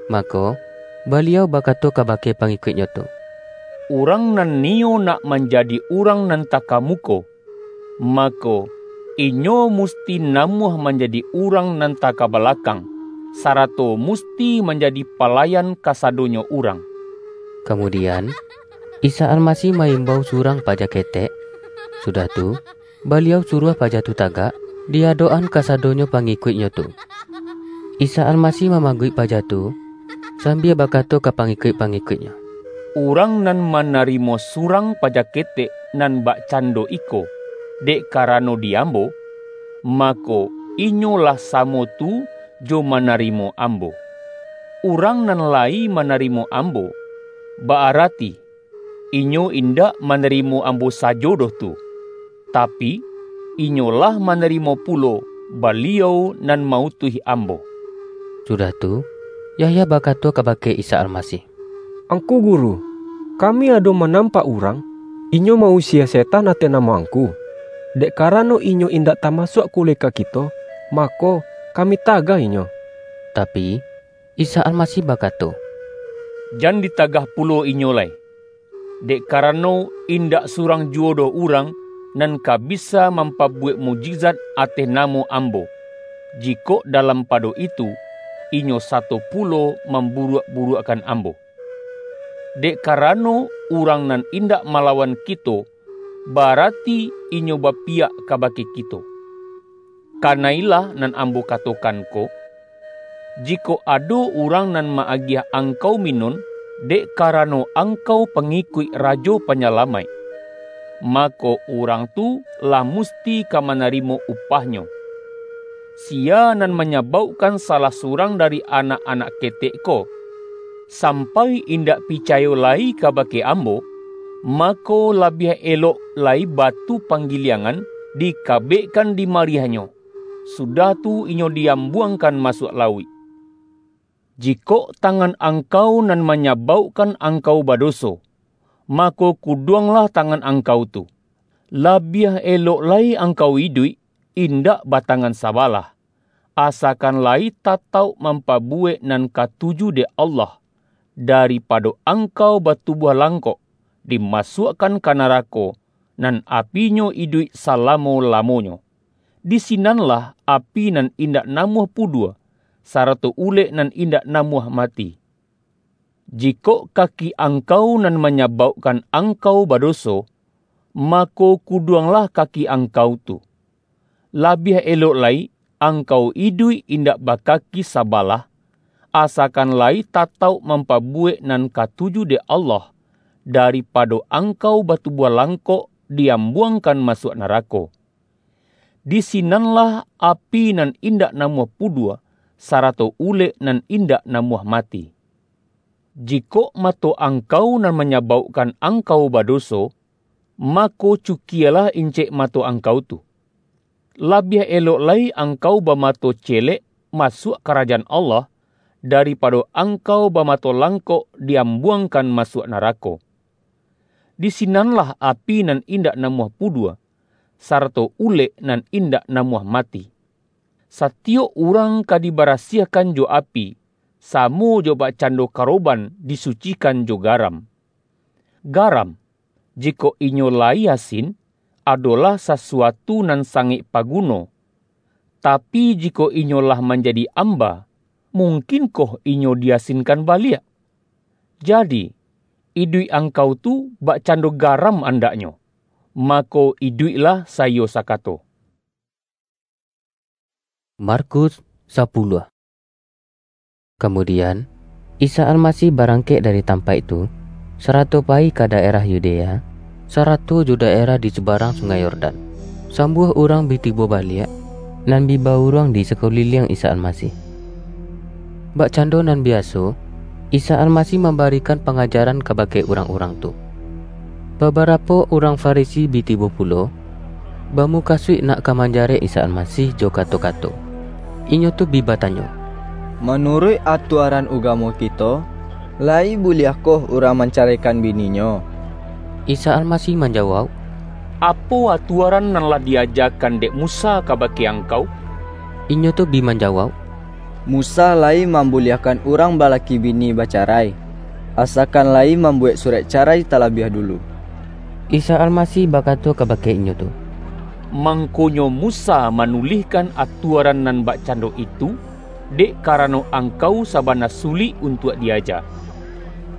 Mako, Baliau bakato kabake pangikuik-Nyo tu, "Urang nan niyo nak manjadi urang nan takamuko, mako, inyo musti namuah manjadi urang nan takabalakang, sarato musti manjadi palayan kasadonyo urang." Kamudian, Isa Almasih ma-imbau surang paja ketek, sudah tu, Baliau suruah paja tu tagak, di adok-an kasadonyo pangikuik-Nyo tu. Isa Almasih mamaguik paja tu, sambia bakato ka pangikuik-pangikuik-Nyo, "Urang nan manarimo surang paja ketek nan bakcando iko, dek karano di Ambo, mako, inyo lah samo tu jo manarimo Ambo. Urang nan layi manarimo Ambo, ba-arati, inyo indak manarimo Ambo sajo doh tu, tapi, inyo lah manarimo pulo Baliau nan ma-utuih Ambo." Sudah tu, Yahya bakato kabake Isa Almasih, "Angku Guru, kami ado manampak urang, inyo ma-usie setan ateh namo Angku. Dek karano inyo indak tamasuak kuleka kito, mako, kami tagah inyo." Tapi, Isa Almasih bakato, "Jan ditagah pulo inyo lai, dek karano, indak surang juwo doh urang nan ka bisa mampabuwek mukjizat ateh namo Ambo, jikok dalam pado itu, inyo sato pulo mamburuak-buruakkan Ambo. Dek karano, urang nan indak malawan kito, barati inyo bapiyak kabake kito. Kanailah nan Ambo katokan ko, jikok ado urang nan ma-agiah angkau minun, dek karano angkau pangikuik Rajo Panyalamaik, mako, urang tu lah musti ka manarimo upahnyo. Sia nan manyabaukkan salah surang dari anak-anak ketek ko, sampai indak picayo lai kabake Ambo, mako, labiah elok lai batu panggiliangan dikabekkan di mariahnyo, sudah tu inyo diambuangkan masuak lauik. Jikok tangan angkau nan manyabaukkan angkau badoso, mako, kuduanglah tangan angkau tu. Labiah elok lai angkau iduik, indak batangan sabalah, asakan lai tatauk mampabuwek nan katuju dek Allah, daripado angkau batubuah langkok, dimasuakkan ka narako, nan apinyo iduik salamo-lamonyo. Di sinanlah api nan indak namuah pudua, sarato ulek nan indak namuah mati. Jikok kaki angkau nan manyabaukkan angkau badoso, mako, kuduanglah kaki angkau tu. Labiah elok lai, angkau iduik indak bakaki sabalah, asakan lai tatauk mampabuwek nan katuju dek Allah, daripado angkau batubuah langkok diambuangkan masuak narako. Di sinanlah api nan indak namuah pudua, sarato ulek nan indak namuah mati. Jikok mato angkau nan manyabaukkan angkau badoso, mako, cukialah incek mato angkau tu. Labiah elok lai angkau bamato celek masuak Karajaan Allah, daripado angkau bamato langkok diambuangkan masuak narako. Di sinanlah api nan indak namuah pudua, sarato ulek nan indak namuah mati. Satiyok urang ka dibarasiahkan jo api, samo jo bakcando karoban disucikan jo garam. Garam, jikok inyo lai asin, adolah sasuatu nan sangaik paguno, tapi, jikok inyo lah manjadi amba, mungkinkoh inyo diasinkan baliak? Jadi, iduik angkau tu bakcando garam andaknyo, mako, iduiklah saiyo sakato. Markus sapuluah. Kamudian, Isa Almasih barangkek dari tampaik tu, sarato payi ka daerah Yudea, sarato jo daerah di subarang Sungai Yordan. Sambuah urang bi tibo baliak, nan bi bauruang di sakuliliang Isa Almasih. Bakcando nan biaso, Isa Almasih mambarikan pangajaran kabake urang-urang tu. Babarapo urang Farisi bi tibo pulo, bamukasuik nak ka manjarek Isa Almasih jo kato-kato. Inyo tu bi batanyo, "Manuruik atuaran ugamo kito, lai buliahkoh urang mancaraikan bininyo?" Isa Almasih manjawauk, "Apo atuaran nan lah diajakan dek Musa kabake angkau?" Inyo tu bi manjawauk, "Musa lai mambuliahkan urang balaki bini bacarai, asakan lai mambuwek surek carai talabiah dulu." Isa Almasih bakato kabake inyo tu, "Mangkonyo Musa manulihkan atuaran nan bakcando itu, dek karano angkau sabana sulik untuak diaja.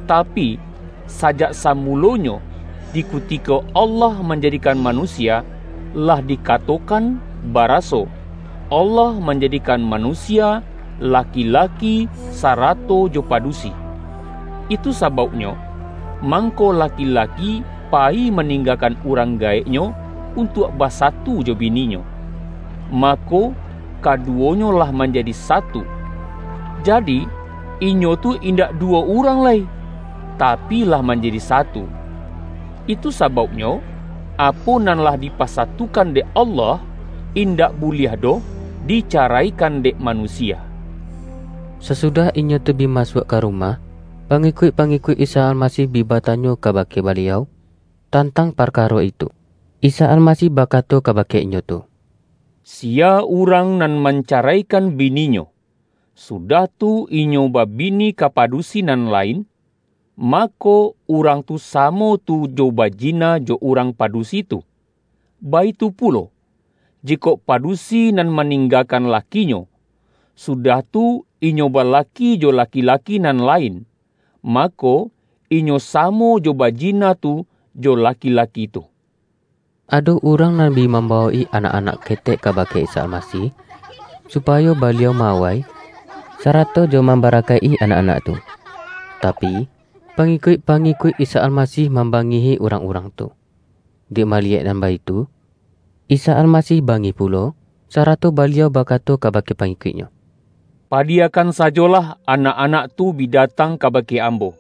Tapi, sajak samulonyo, di kutiko Allah manjadikan manusia, lah dikatokan baraso, Allah manjadikan manusia laki-laki sarato jo padusi. Itu sabauknyo, mangko laki-laki payi maninggakan urang gaeknyo untuak basatu jo bininyo. Mako, kaduwonyo lah manjadi satu. Jadi, inyo tu indak duwo urang lai, tapi lah manjadi satu. Itu sabauknyo, apo nan lah dipasatukan dek Allah, indak buliah doh dicaraikan dek manusia." Sasudah inyo tu bi masuak ka rumah, pangikuik-pangikuik Isa Almasih bi batanyo kabake Baliau tantang parkaro itu. Isa Almasih bakato kabake inyo tu, "Sia urang nan mancaraikan bininyo, sudah tu inyo babini ka padusi nan lain, mako, urang tu samo tu jo bajina jo urang padusi tu. Baitu pulo, jikok padusi nan maninggakan lakinyo, sudah tu inyo balaki jo laki-laki nan lain, mako, inyo samo jo bajina tu jo laki-laki tu." Ado urang nan bi mambawok-i anak-anak ketek kabake Isa Almasih, supayo Baliau ma-awai, sarato jo mambarakaik-i anak-anak tu. Tapi, pangikuik-pangikuik Isa Almasih mambangihi urang-urang tu. Dek maliyek nan baitu, Isa Almasih bangih pulo, sarato Baliau bakato kabake pangikuik-Nyo, "Padiyakan sajolah anak-anak tu bi datang kabake Ambo.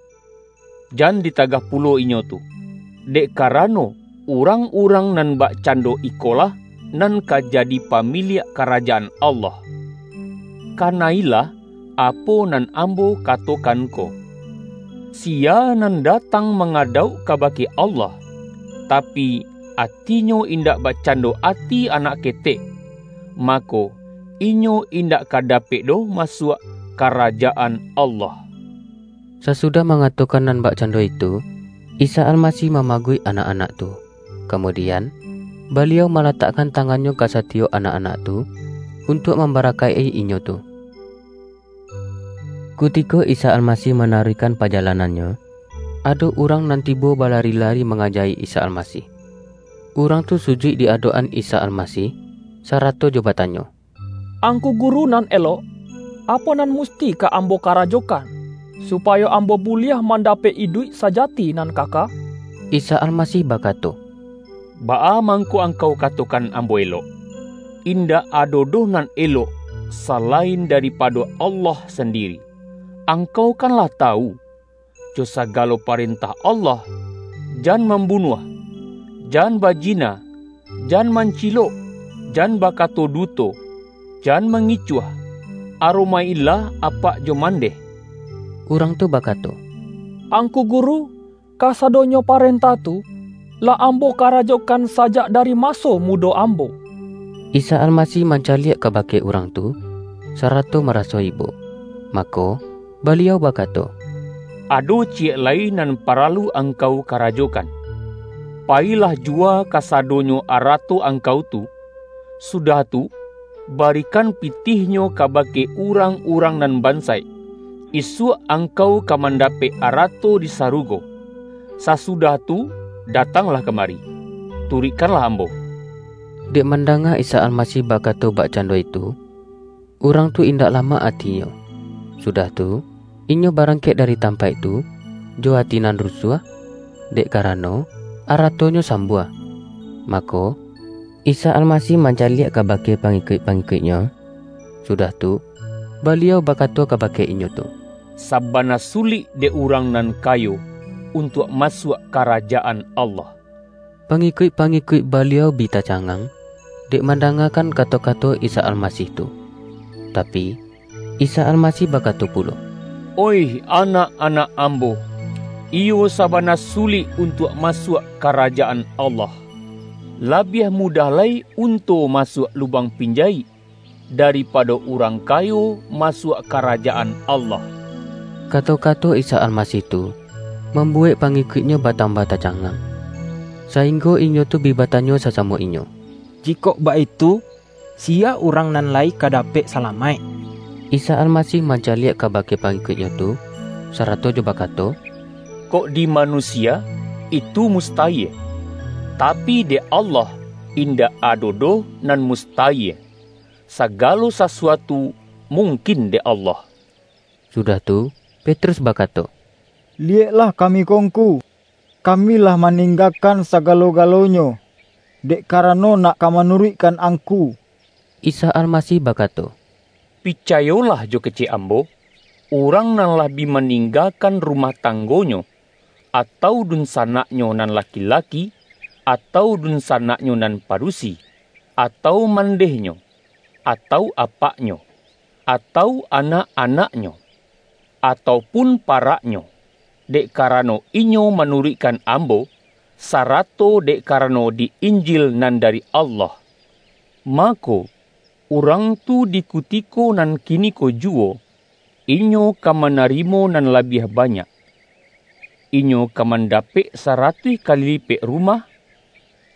Jan ditagah pulo inyo tu, dek karano, urang-urang nan bakcando ikolah nan ka jadi pamiliak Karajaan Allah. Kana-ilah apo nan Ambo katokan ko. Sia nan datang mangadauk kabake Allah, tapi, atinyo indak bakcando ati anak ketek, mako, inyo indak ka dapek doh masuak Karajaan Allah." Sasudah mangatokan nan bakcando itu, Isa Almasih mamaguik anak-anak tu. Kamudian, Baliau malatakkan tangan-Nyo ka satiyok anak-anak tu, untuak mambarakaik-i inyo tu. Kutiko Isa Almasih manaruihkan pajalanan-Nyo, ado urang nan tibo balari-lari mangajai Isa Almasih. Urang tu sujuik di adok-an Isa Almasih, sarato jo batanyo, "Angku Guru nan elok, apo nan musti ka ambo karajokan, supayo ambo buliah mandapek iduik sajati nan kaka?" Isa Almasih bakato, "Baa mangko angkau katokan Ambo elok? Indak ado doh nan elok, salain daripado Allah sandiri. Angkau kan lah tawu, jo sagalo parentah Allah, 'Jan mambunuah, jan bajina, jan mancilok, jan bakato duto, jan mangicuah, aromaik-ilah apak jo mandeh." Urang tu bakato, "Angku Guru, kasadonyo parentah tu, lah ambo karajokan sajak dari maso mudo ambo." Isa Almasih mancaliak kabake urang tu, sarato maraso ibo. Mako, Baliau bakato, "Ado ciek lai nan paralu angkau karajokan. Payilah jua kasadonyo arato angkau tu, sudah tu, barikan pitihnyo kabake urang-urang nan bansaik. Isuak angkau ka mandapek arato di sarugo. Sasudah tu, datanglah kamari, turuikkanlah Ambo." Dek mandanga Isa Almasih bakato bakcando itu, urang tu indak lamak atinyo. Sudah tu, inyo barangkek dari tampaik tu, jo ati nan rusuah, dek karano aratonyo sambuah. Mako, Isa Almasih mancaliak kabake pangikuik-pangikuik-Nyo, sudah tu, Baliau bakato kabake inyo tu, "Sabana sulik dek urang nan kayo untuak masuak Karajaan Allah." Pangikuik-pangikuik Baliau bi tacangang, dek mandangakan kato-kato Isa Almasih tu. Tapi, Isa Almasih bakato pulo, "Oih anak-anak Ambo, iyo sabana sulik untuak masuak Karajaan Allah. Labiah mudah lai unto masuak lubang pinjaik, daripado urang kayo masuak Karajaan Allah." Kato-kato Isa Almasih tu mambuwek pangikuik-Nyo batambah tacangang, sainggo inyo tu bi batanyo sasamo inyo, "Jikok baitu, siya urang nan lai ka dapek salamaik?" Isa Almasih mancaliak kabake pangikuik-Nyo tu, sarato jo bakato, "Kok di manusia, itu mustayie, tapi dek Allah indak ado doh nan mustayie. Sagalo sasuatu mungkin dek Allah." Sudah tu, Petrus bakato, "Liyeklah kami ko, Ngku, kami lah maninggakan sagalo-galonyo, dek karano nak ka manuruikkan Angku." Isa Almasih bakato, "Picayolah jo kecek Ambo, urang nan lah bi maninggakan rumah tanggonyo, atau dunsanaknyo nan laki-laki, atau dunsanaknyo nan padusi, atau mandehnyo, atau apaknyo, atau anak-anaknyo, atau pun paraknyo, dek karano inyo manuruikkan Ambo, sarato dek karano di Injil nan dari Allah, mako, urang tu di kutiko nan kiniko juwo, inyo ka manarimo nan labiah banyak. Inyo ka mandapek saratuih kali lipek rumah,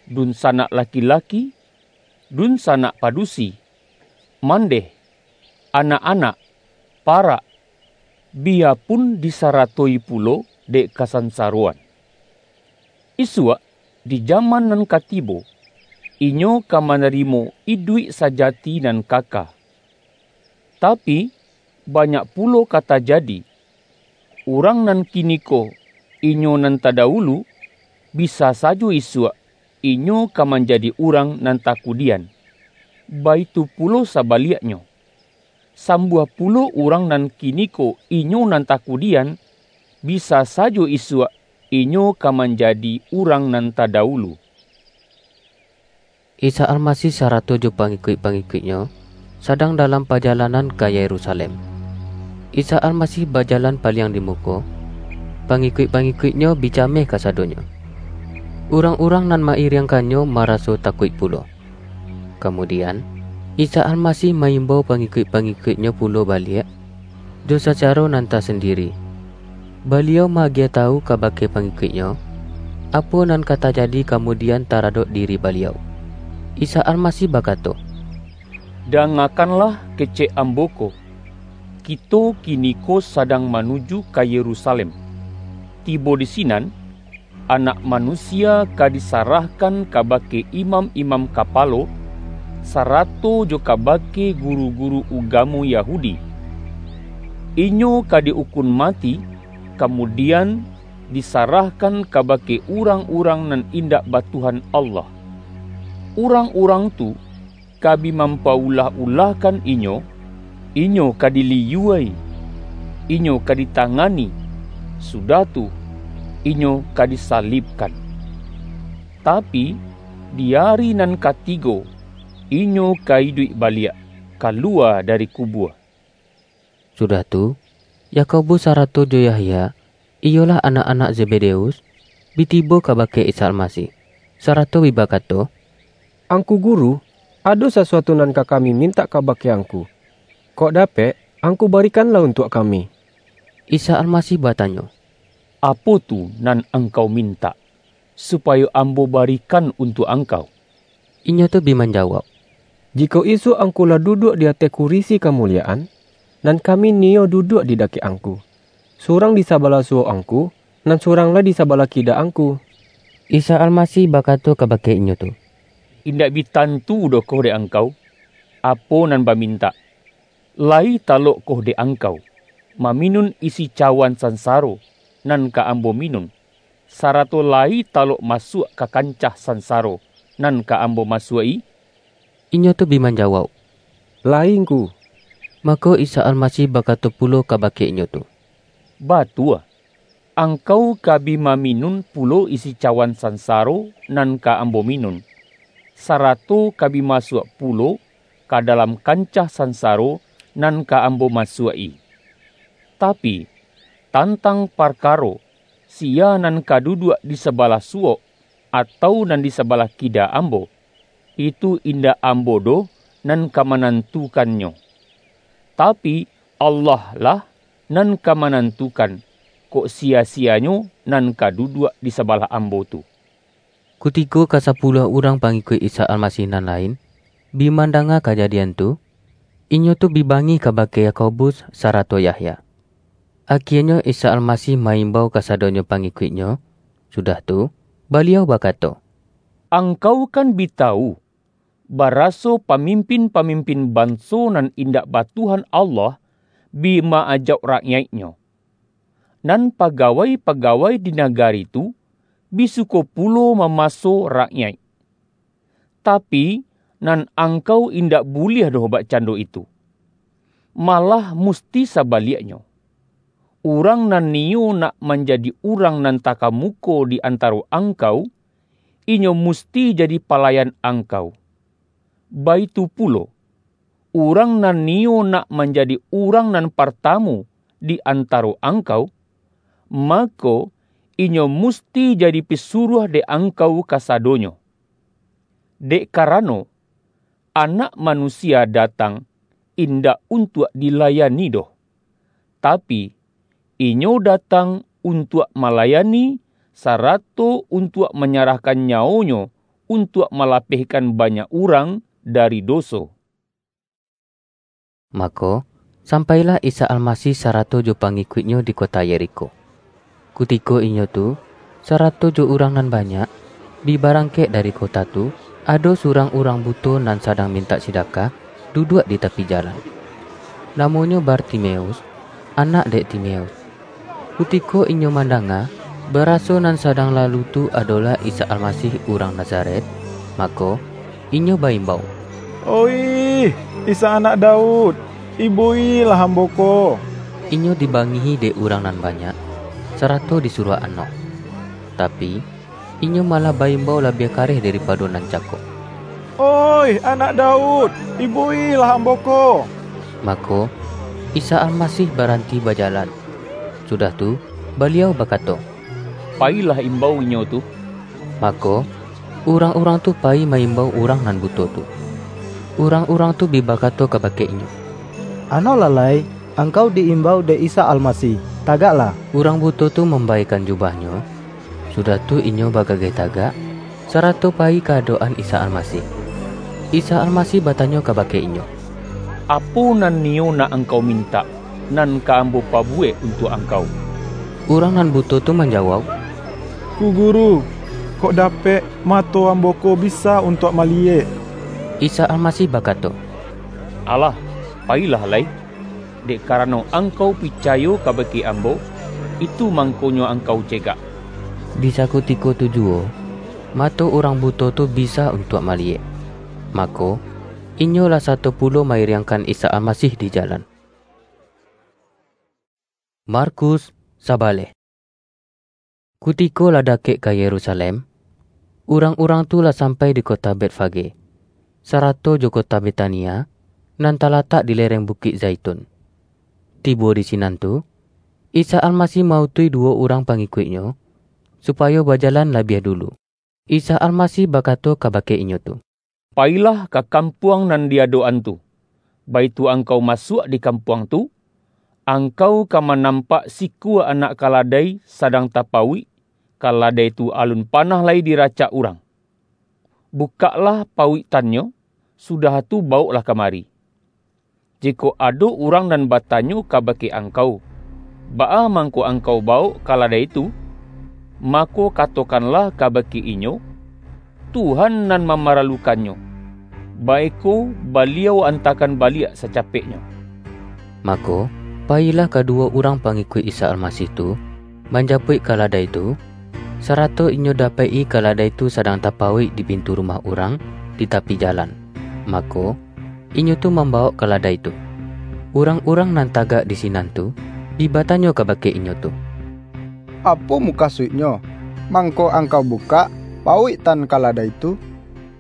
dunsanak laki-laki, dunsanak padusi, mandeh, anak-anak, parak, biyapun disaratoi pulo dek kasansaroan. Isuak, di jaman nan ka tibo, inyo ka manarimo iduik sajati nan kaka. Tapi, banyak pulo ka tajadi, urang nan kiniko inyo nan tadawulu, bisa sajo isuak inyo ka manjadi urang nan takudian. Baitu pulo sabaliaknyo, sambuah pulo urang nan kiniko inyo nan takudian, bisa sajo isuak inyo ka manjadi urang nan tadawulu." Isa Almasih sarato jo pangikuik-pangikuik-Nyo sadang dalam pajalanan ka Yerusalem. Isa Almasih bajalan paliang di muko, pangikuik-pangikuik-Nyo bi cameh kasadonyo. Urang-urang nan ma-iriangkan-Nyo maraso takuik pulo. Kamudian, Isa Almasih ma-imbau pangikuik-pangikuik-Nyo pulo baliak, jo sacaro nan tasandiri. Baliau ma-agiah tawu kabake pangikuik-Nyo, apo nan ka tajadi kamudian taradok diri Baliau. Isa Almasih bakato, "Dangakanlah kecek Ambo ko, kito kiniko sadang manuju ka Yerusalem. Tibo di sinan, Anak Manusia ka disarahkan kabake imam-imam kapalo, sarato jo kabake guru-guru ugamo Yahudi. Inyo ka di-ukun mati, kamudian, disarahkan kabake urang-urang nan indak ba Tuhan Allah. Urang-urang tu ka bi mampaulah-ulahkan inyo, inyo ka diliyua-i, inyo ka ditangani, sudah tu, inyo ka disalibkan. Tapi, di ari nan katigo, inyo ka iduik baliak, kalua dari kubua." Sudah tu, Yakobus sarato jo Yahya, iyolah anak-anak Zebedeus, bi tibo kabake Isa Almasih, sarato bi bakato, "Angku Guru, ado sasuatu nan ka kami mintak kabake Angku. Kok dapek, Angku barikanlah untuak kami." Isa Almasih batanyo, "Apo tu nan angkau mintak, supayo Ambo barikan untuak angkau?" Inyo tu bi manjawauk, "Jikok isuak Angku lah duduak di ateh kurisi kamulioan, nan kami niyo duduak di dakek Angku, surang di sabalah suok Angku, nan surang lai di sabalah kida Angku." Isa Almasih bakato kabake inyo tu, "Indak bi tantu doh ko dek angkau, apo nan bamintak. Lai talokkoh dek angkau, maminun isi cawan sansaro nan ka Ambo minun, sarato lai talok masuak ka kancah sansaro nan ka Ambo masuak-i?" Inyo tu bi manjawauk, "Lai, Ngku." Mako, Isa Almasih bakato pulo kabake inyo tu, "Batua, angkau ka bi maminun pulo isi cawan sansaro nan ka Ambo minun, sarato ka bi masuak pulo ka dalam kancah sansaro nan ka Ambo masuak-i. Tapi, tantang parkaro, sia nan ka duduak di sabalah suok, atau nan di sabalah kida Ambo, itu indak Ambo doh nan ka manantukannyo. Tapi, Allah lah nan ka manantukan, kok sia-sianyo nan ka duduak di sabalah Ambo tu." Kutiko kasapuluah urang pangikuik Isa Almasih nan lain, bi mandanga kajadian tu, inyo tu bi bangih kabake Yakobus sarato Yahya. Akienyo Isa Almasih ma-imbau kasadonyo pangikuik-Nyo, sudah tu, Baliau bakato, "Angkau kan bi tawu, baraso pamimpin-pamimpin banso nan indak ba Tuhan Allah bi ma-ajauk rakyaiknyo. Nan pagawai-pagawai di nagari tu bi suko pulo mamaso rakyaik. Tapi, nan angkau indak buliah doh bakcando itu. Malah musti sabaliaknyo. Urang nan niyo nak manjadi urang nan takamuko di antaro angkau, inyo musti jadi palayan angkau. Baitu pulo, urang nan niyo nak manjadi urang nan partamu di antaro angkau, mako, inyo musti jadi pisuruah dek angkau kasadonyo. Dek karano, Anak Manusia datang indak untuak dilayani doh, tapi, Inyo datang untuak malayani, sarato untuak manyarahkan nyawo-Nyo untuak malapehkan banyak urang dari doso." Mako, sampailah Isa Almasih sarato jo pangikuik-Nyo di kota Yerikho. Kutiko inyo tu, sarato jo urang nan banyak, bi barangkek dari kota tu, ado surang urang buto nan sadang mintak sidakah, duduak di tapi jalan. Namonyo Bartimeus, anak dek Timeus. Kutiko inyo mandanga, baraso nan sadang lalu tu adolah Isa Almasih urang Nazaret, mako, inyo baimbau, "Oih, Isa Anak Daud, ibo-ilah ambo ko!" Inyo dibangihi dek urang nan banyak, sarato disuruah anok. Tapi, inyo malah baimbau labiah kareh daripado nan cako, "Oih, Anak Daud, ibo-ilah ambo ko!" Mako, Isa Almasih baranti bajalan. Sudah tu, Baliau bakato, "Payilah imbau inyo tu." Mako, urang-urang tu payi ma-imbau urang nan buto tu. Urang-urang tu bi bakato kabake inyo, "Anoklah lai, angkau di-imbau dek Isa Almasih, tagaklah!" Urang buto tu mambaikan jubahnyo, sudah tu inyo bagageh tagak, sarato payi ka adok-an Isa Almasih. Isa Almasih batanyo kabake inyo, "Apo nan niyo nak angkau mintak, nan ka Ambo pabuwek untuak angkau?" Urang nan buto tu manjawauk, "Ngku Guru, kok dapek, mato ambo ko bisa untuak maliyek." Isa Almasih bakato, "Alah, payilah lai, dek karano angkau picayo kabake Ambo, itu mangkonyo angkau cegak." Di sakutiko tu juwo, mato urang buto tu bisa untuak maliyek. Mako, inyo lah sato pulo ma-iriangkan Isa Almasih di jalan. Markus sabaleh. Kutiko lah dakek ka Yerusalem, urang-urang tu lah sampai di kota Betfage, sarato jo kota Betania, nan talatak di lereng Bukik Zaitun. Tibo di sinan tu, Isa Almasih ma-utuih duwo urang pangikuik-Nyo, supayo bajalan labiah dulu. Isa Almasih bakato kabake inyo tu, "Payilah ka kampuang nan di adok-an tu. Baitu angkau masuak di kampuang tu, angkau ka manampak sikua anak kaladai sadang tapauik, kaladai tu alun panah lai diracak urang. Bukaklah pauiktannyo, sudah tu bawoklah kamari. Jikok ado urang nan batanyo kabake angkau, 'Baa mangko angkau bawok kaladai tu?' mako katokanlah kabake inyo, 'Tuhan nan mamaralukannyo.' Baiko, Baliau antakan baliak sacapeknyo." Mako, payilah kaduwo urang pangikuik Isa Almasih tu, manjapuik kaladai tu, sarato inyo dapek-i kaladai tu sadang tapauik di pintu rumah urang di tapi jalan. Mako, inyo tu mambawok kaladai tu. Urang-urang nan tagak di sinan tu, bi batanyo kabake inyo tu, "Apo mukasuiknyo, mangko angkau bukak pauiktan kaladai tu?"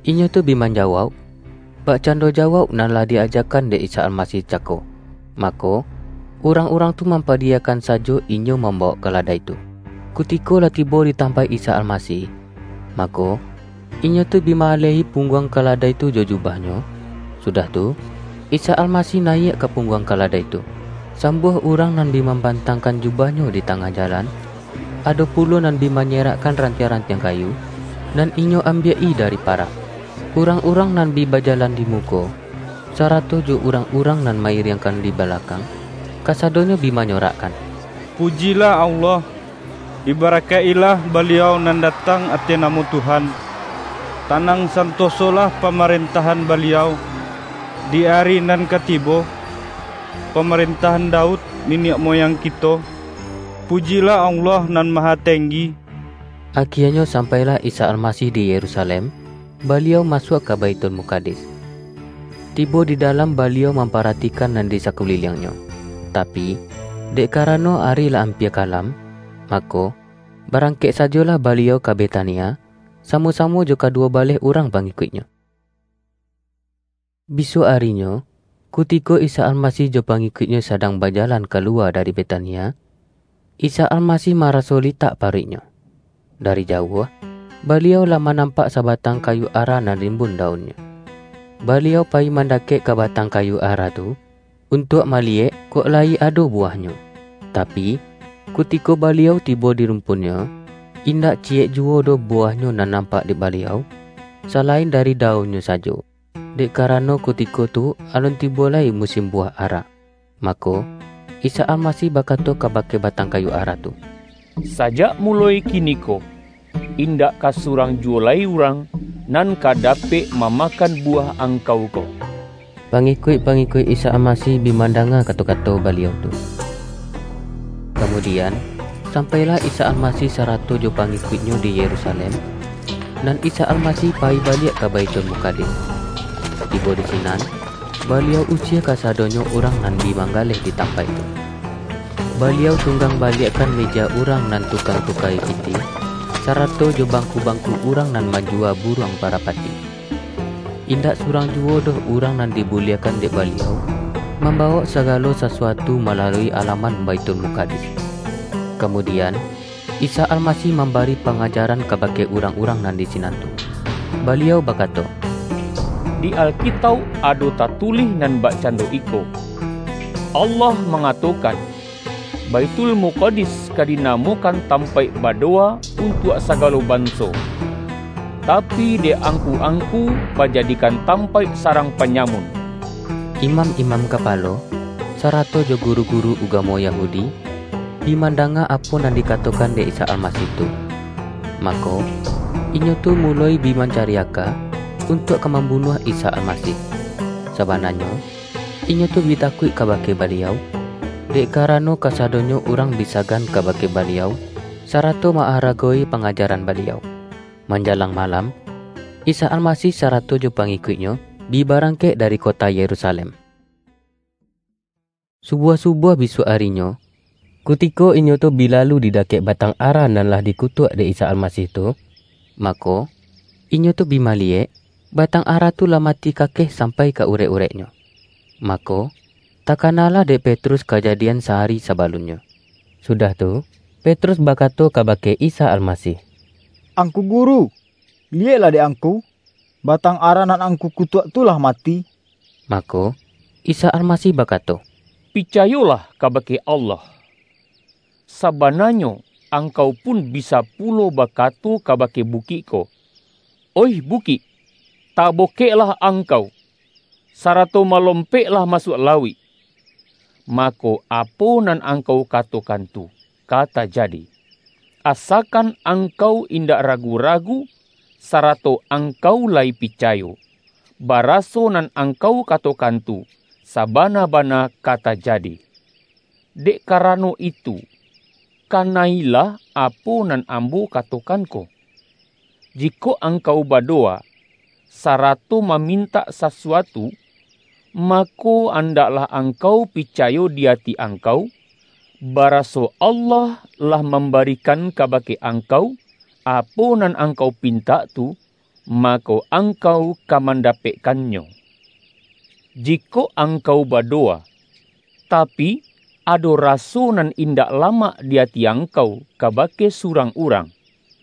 Inyo tu bi manjawauk, bakcando jawauk nan lah di-ajakan dek Isa Almasih cako. Mako, urang-urang tu mampadiyakan sajo inyo mambawok kaladai tu. Kutiko lah tibo di tampaik Isa Almasih, mako, inyo tu bi ma-alehi pungguang kaladai tu jo jubah-Nyo. Sudah tu, Isa Almasih nayiak ka pungguang kaladai tu. Sambuah urang nan bi mambantangkan jubah-Nyo di tangah jalan, ado pulo nan bi manyerakkan rantiang-rantiang kayu, nan inyo ambiak-i dari parak. Urang-urang nan bi bajalan di muko, sarato jo urang-urang nan ma-iriangkan di balakang, kasadonyo bi manyorakkan, "Pujilah Allah! Dibarakaik-ilah Baliau nan datang ateh namo Tuhan! Tanang santosolah pamarentahan Baliau di ari nan ka tibo, pamarentahan Daud, niniak moyang kito! Pujilah Allah Nan Mahatenggi!" Akienyo sampailah Isa Almasih di Yerusalem, Baliau masuak ka Baitul Mukadis. Tibo di dalam, Baliau mamparatikan nan di sakuliliang-Nyo. Tapi, dek karano ari lah ampia kalam, mako, barangkek sajolah Baliau ka Betania, samo-samo jo kaduwo baleh urang pangikuik-Nyo. Bisuak arinyo, kutiko Isa Almasih jo pangikuik-Nyo sadang bajalan kaluwa dari Betania, Isa Almasih maraso litak paruik-Nyo. Dari jauah, Baliau lah manampak sabatang kayu ara nan rimbun daunnyo. Baliau payi mandakek ka batang kayu ara tu, untuak maliyek kok lai ado buwahnyo. Tapi, kutiko Baliau tibo di rumpunnyo, indak ciyek juwo doh buwahnyo nan nampak dek Baliau, salain dari daunnyo sajo. Dek karano kutiko tu alun tibo lai musim buwah ara. Mako, Isa Almasih bakato kabake batang kayu ara tu, "Sajak muloi kiniko, indak ka surang juwo lai urang nan ka dapek mamakan buwah angkau ko." Pangikuik-pangikuik Isa Almasih bi mandanga kato-kato Baliau tu. Kamudian, sampailah Isa Almasih sarato jo pangikuik-Nyo di Yerusalem, nan Isa Almasih payi baliak ka Baitul Mukadis. Tibo di sinan, Baliau usie kasadonyo urang nan bi manggaleh di tampaik tu. Baliau tunggang baliakkan meja urang nan tukang tukai pitih, sarato jo bangku-bangku urang nan manjuwa buruang parapati. Indak surang juwo doh urang nan dibuliakan dek Baliau mambawok sagalo sasuatu malalui alaman Baitul Mukadis. Kamudian, Isa Almasih mambari pangajaran kabake urang-urang nan di sinan tu. Baliau bakato, "Di Alkitauk ado tatulih nan bakcando iko, 'Allah mangatokan, Baitul Mukadis ka dinamokan tampaik badowa untuak sagalo banso, tapi dek angku-angku bajadikan tampaik sarang panyamun.'" Imam-imam kapalo, sarato jo guru-guru ugamo Yahudi, bi mandanga apo nan dikatokan dek Isa Almasih tu. Mako, inyo tu muloi bi mancari aka untuak ka mambunuah Isa Almasih. Sabananyo, inyo tu bi takuik kabake Baliau, dek karano kasadonyo urang bi sagan kabake Baliau, sarato maaragowi pangajaran Baliau. Manjalang malam, Isa Almasih sarato jo pangikuik-Nyo bi barangkek dari kota Yerusalem. Subuah-subuah bisuak arinyo, kutiko inyo tu bi lalu di dakek batang ara nan lah dikutuak dek Isa Almasih tu, mako, inyo tu bi maliyek, batang ara tu lah mati kakeh sampai ka urek-ureknyo. Mako, Takanalah dek Petrus kajadian sahari sabalunnyo. Sudah tu, Petrus bakato kabake Isa Almasih, "Angku Guru, liyeklah dek Angku, batang ara nan Angku kutuak tu lah mati." Mako, Isa Almasih bakato, "Picayolah kabake Allah. Sabananyo angkau pun bisa pulo bakato kabake bukik ko, 'Oih bukik, tabokeklah angkau, sarato malompeklah masuak lauik.' Mako, apo nan angkau katokan tu ka tajadi. Asakan angkau indak ragu-ragu, sarato angkau lai picayo, baraso nan angkau katokan tu sabana-bana ka tajadi. Dek karano itu, kanailah apo nan Ambo katokan ko. Jikok angkau badowa, sarato mamintak sasuatu, mako, andaklah angkau picayo di ati angkau, baraso Allah lah mambarikan kabake angkau apo nan angkau pintak tu, mako, angkau ka mandapekkannyo. Jikok angkau badowa, tapi, ado raso nan indak lamak di ati angkau kabake surang urang,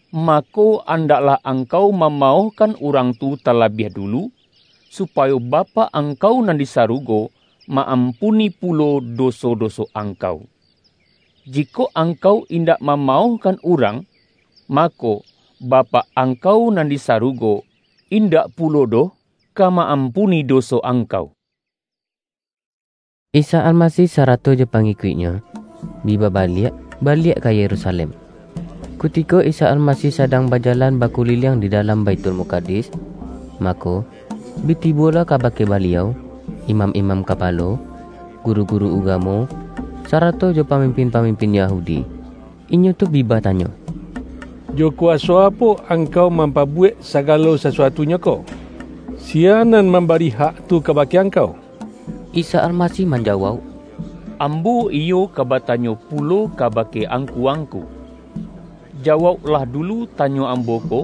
mako, andaklah angkau mamaohkan urang tu talabiah dulu, supayo Bapak angkau nan di sarugo ma-ampuni pulo doso-doso angkau. Jikok angkau indak mamaohkan urang, mako, Bapak angkau nan di sarugo indak pulo doh ka ma-ampuni doso angkau." Isa Almasih sarato jo pangikuik-Nyo bi babaliak, baliak ka Yerusalem. Kutiko Isa Almasih sadang bajalan bakuliliang di dalam Baitul Mukadis, mako, bi tibolah kabake Baliau, imam-imam kapalo, guru-guru ugamo, sarato jo pamimpin-pamimpin Yahudi. Inyo tu bi batanyo, "Jo kuwaso apo Angkau mampabuwek sagalo sasuatunyo ko? Sia nan mambari hak tu kabake Angkau?" Isa Almasih manjawauk, "Ambo iyo ka batanyo pulo kabake angku-angku. Jawauklah dulu tanyo Ambo ko,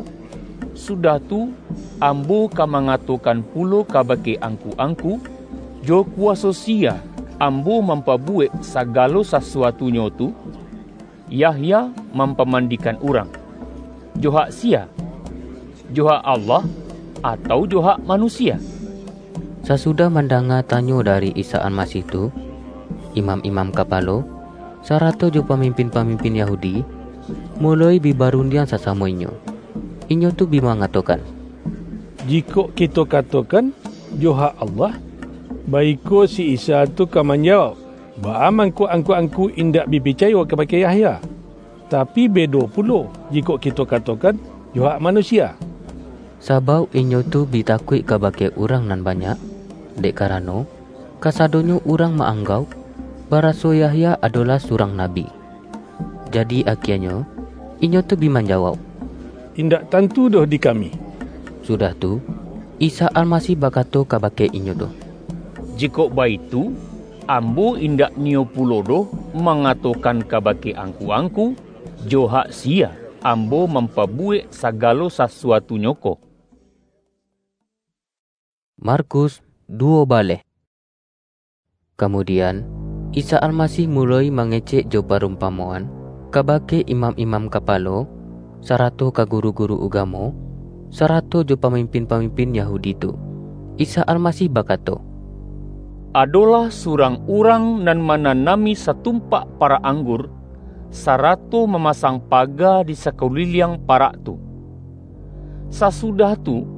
sudah tu, Ambo ka mangatokan pulo kabake angku-angku, jo kuwaso sia Ambo mampabuwek sagalo sasuatunyo tu." Yahya mampamandikan urang. Jo hak sia? Jo hak Allah, atau jo hak manusia? Sasudah mandanga tanyo dari Isa Almasih tu, imam-imam kapalo, sarato jo pamimpin-pamimpin Yahudi, muloi bi barundiang sasamo inyo. Inyo tu bi mangatokan, "Jikok kito katokan, jo hak Allah, baiko si Isa tu ka manjawauk, baa mangko angku-angku indak bi picayo kabake Yahya? Tapi, bedo pulo, jikok kito katokan, jo hak manusia." Sabauk inyo tu bi takuik kabake urang nan banyak, dek karano, kasadonyo urang ma-anggauk, baraso Yahya adolah surang nabi. Jadi, akianyo, inyo tu bi manjawauk, "Indak tantu doh di kami." Sudah tu, Isa Almasih bakato kabake inyo tu, "Jikok baitu, Ambo indak niyo pulo doh mangatokan kabake angku-angku, jo hak sia Ambo mampabuwek sagalo sasuatunyo ko." Markus duwo baleh. Kamudian, Isa Almasih muloi mangecek jo parumpamoan kabake imam-imam kapalo, sarato ka guru-guru ugamo, sarato jo pamimpin-pamimpin Yahudi tu. Isa Almasih bakato, "Adolah surang urang nan mananami satumpak parak anggur, sarato mamasang paga di sakuliliang parak tu. Sasudah tu,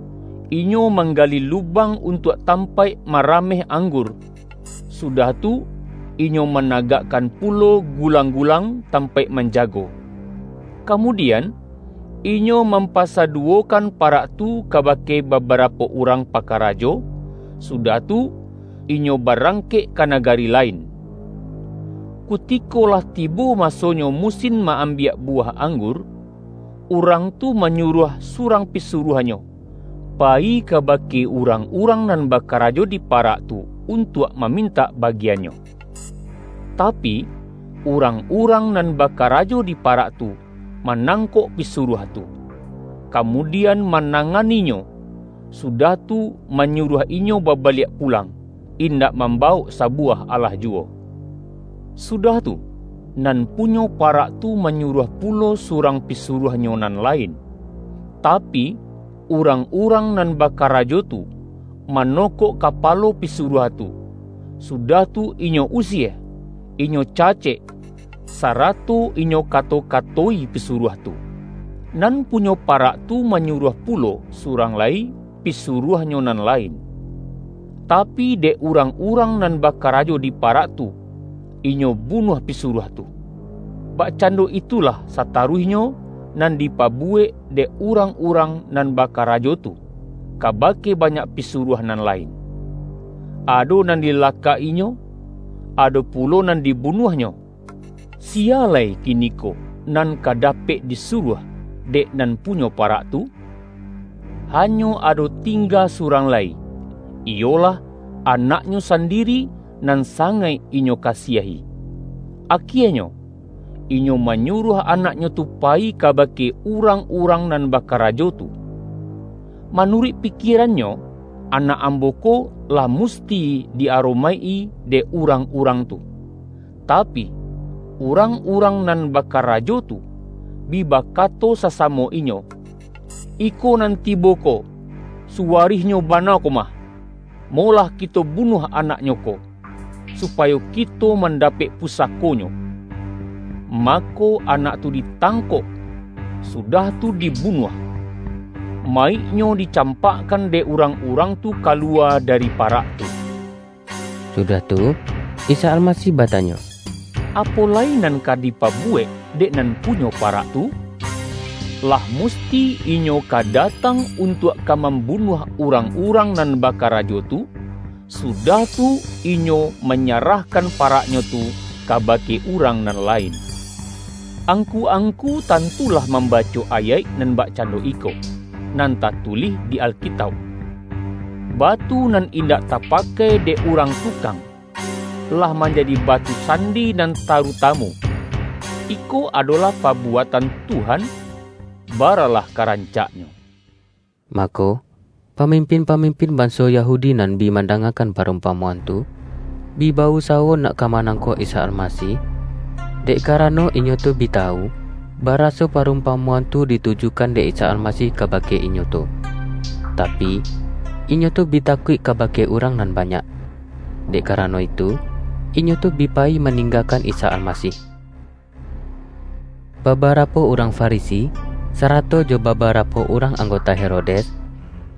inyo manggali lubang untuak tampaik marameh anggur, sudah tu, inyo managakkan pulo gulang-gulang tampaik manjago. Kamudian, inyo mampasaduwokan parak tu kabake babarapo urang pakarajo, sudah tu, inyo barangkek ka nagari lain. Kutiko lah tibo masonyo musin ma-ambiak buwah anggur, urang tu manyuruah surang pisuruahnyo, payi kabake urang-urang nan bakarajo di parak tu untuak mamintak bagiannyo. Tapi, urang-urang nan bakarajo di parak tu manangkok pisuruah tu, kamudian mananganinyo, sudah tu manyuruah inyo babaliak pulang. indak mambawok sabuwah alah juwo. Sudah tu, nan punyo parak tu manyuruah pulo surang pisuruahnyo nan lain. Tapi, urang-urang nan bakarajo tu manokok kapalo pisuruah tu, sudah tu inyo usie, inyo cacek, sarato inyo kato-katoi pisuruah tu. Nan punyo parak tu manyuruah pulo surang lai pisuruahnyo nan lain. Tapi, dek urang-urang nan bakarajo di parak tu, inyo bunuah pisuruah tu. Bakcando itulah sataruihnyo nan dipabuwek dek urang-urang nan bakarajo tu, kabake banyak pisuruah nan lain. Ado nan dilakak-inyo, ado pulo nan dibunuahnyo. Sia lai kiniko nan ka dapek disuruah dek nan punyo parak tu? Hanyo ado tingga surang lai, iyolah anaknyo sandiri nan sangaik inyo kasiahi. Akienyo, inyo manyuruah anaknyo tu payi kabake urang-urang nan bakarajo tu. Manuruik pikierannyo, anak ambo ko lah musti di-aromaik-i dek urang-urang tu. Tapi, urang-urang nan bakarajo tu bi bakato sasamo inyo, "Iko nan tibo ko, suwarihnyo bana ko mah. Molah kito bunuah anaknyo ko, supayo kito mandapek pusakonyo." Mako, anak tu ditangkok, sudah tu dibunuah. Maiknyo dicampakkan dek urang-urang tu kaluwa dari parak tu. Sudah tu, Isa Almasih batanyo, "Apo lai nan ka dipabuwek dek nan punyo parak tu? Lah musti inyo ka datang untuak ka mambunuah urang-urang nan bakarajo tu, sudah tu inyo manyarahkan paraknyo tu kabake urang nan lain." Angku-angku tantulah mambaco ayaik nan bakcando iko, nan tatulih di Alkitauk, "Batu nan indak tapakai dek urang tukang, lah manjadi batu sandi nan tarutamu. Iko adolah pabuatan Tuhan, baralah ka rancaknyo." Mako, pamimpin-pamimpin banso Yahudi nan bi mandangakan parumpamoan tu, bi bausawo nak ka manangkok Isa Almasih, dek karano inyo tu bi tawu, baraso parumpamoan tu ditujukan dek Isa Almasih kabake inyo tu. Tapi, inyo tu bi takuik kabake urang nan banyak. Dek karano itu, inyo tu bi payi maninggakan Isa Almasih. Babarapo urang Farisi, sarato jo babarapo urang anggota Herodes,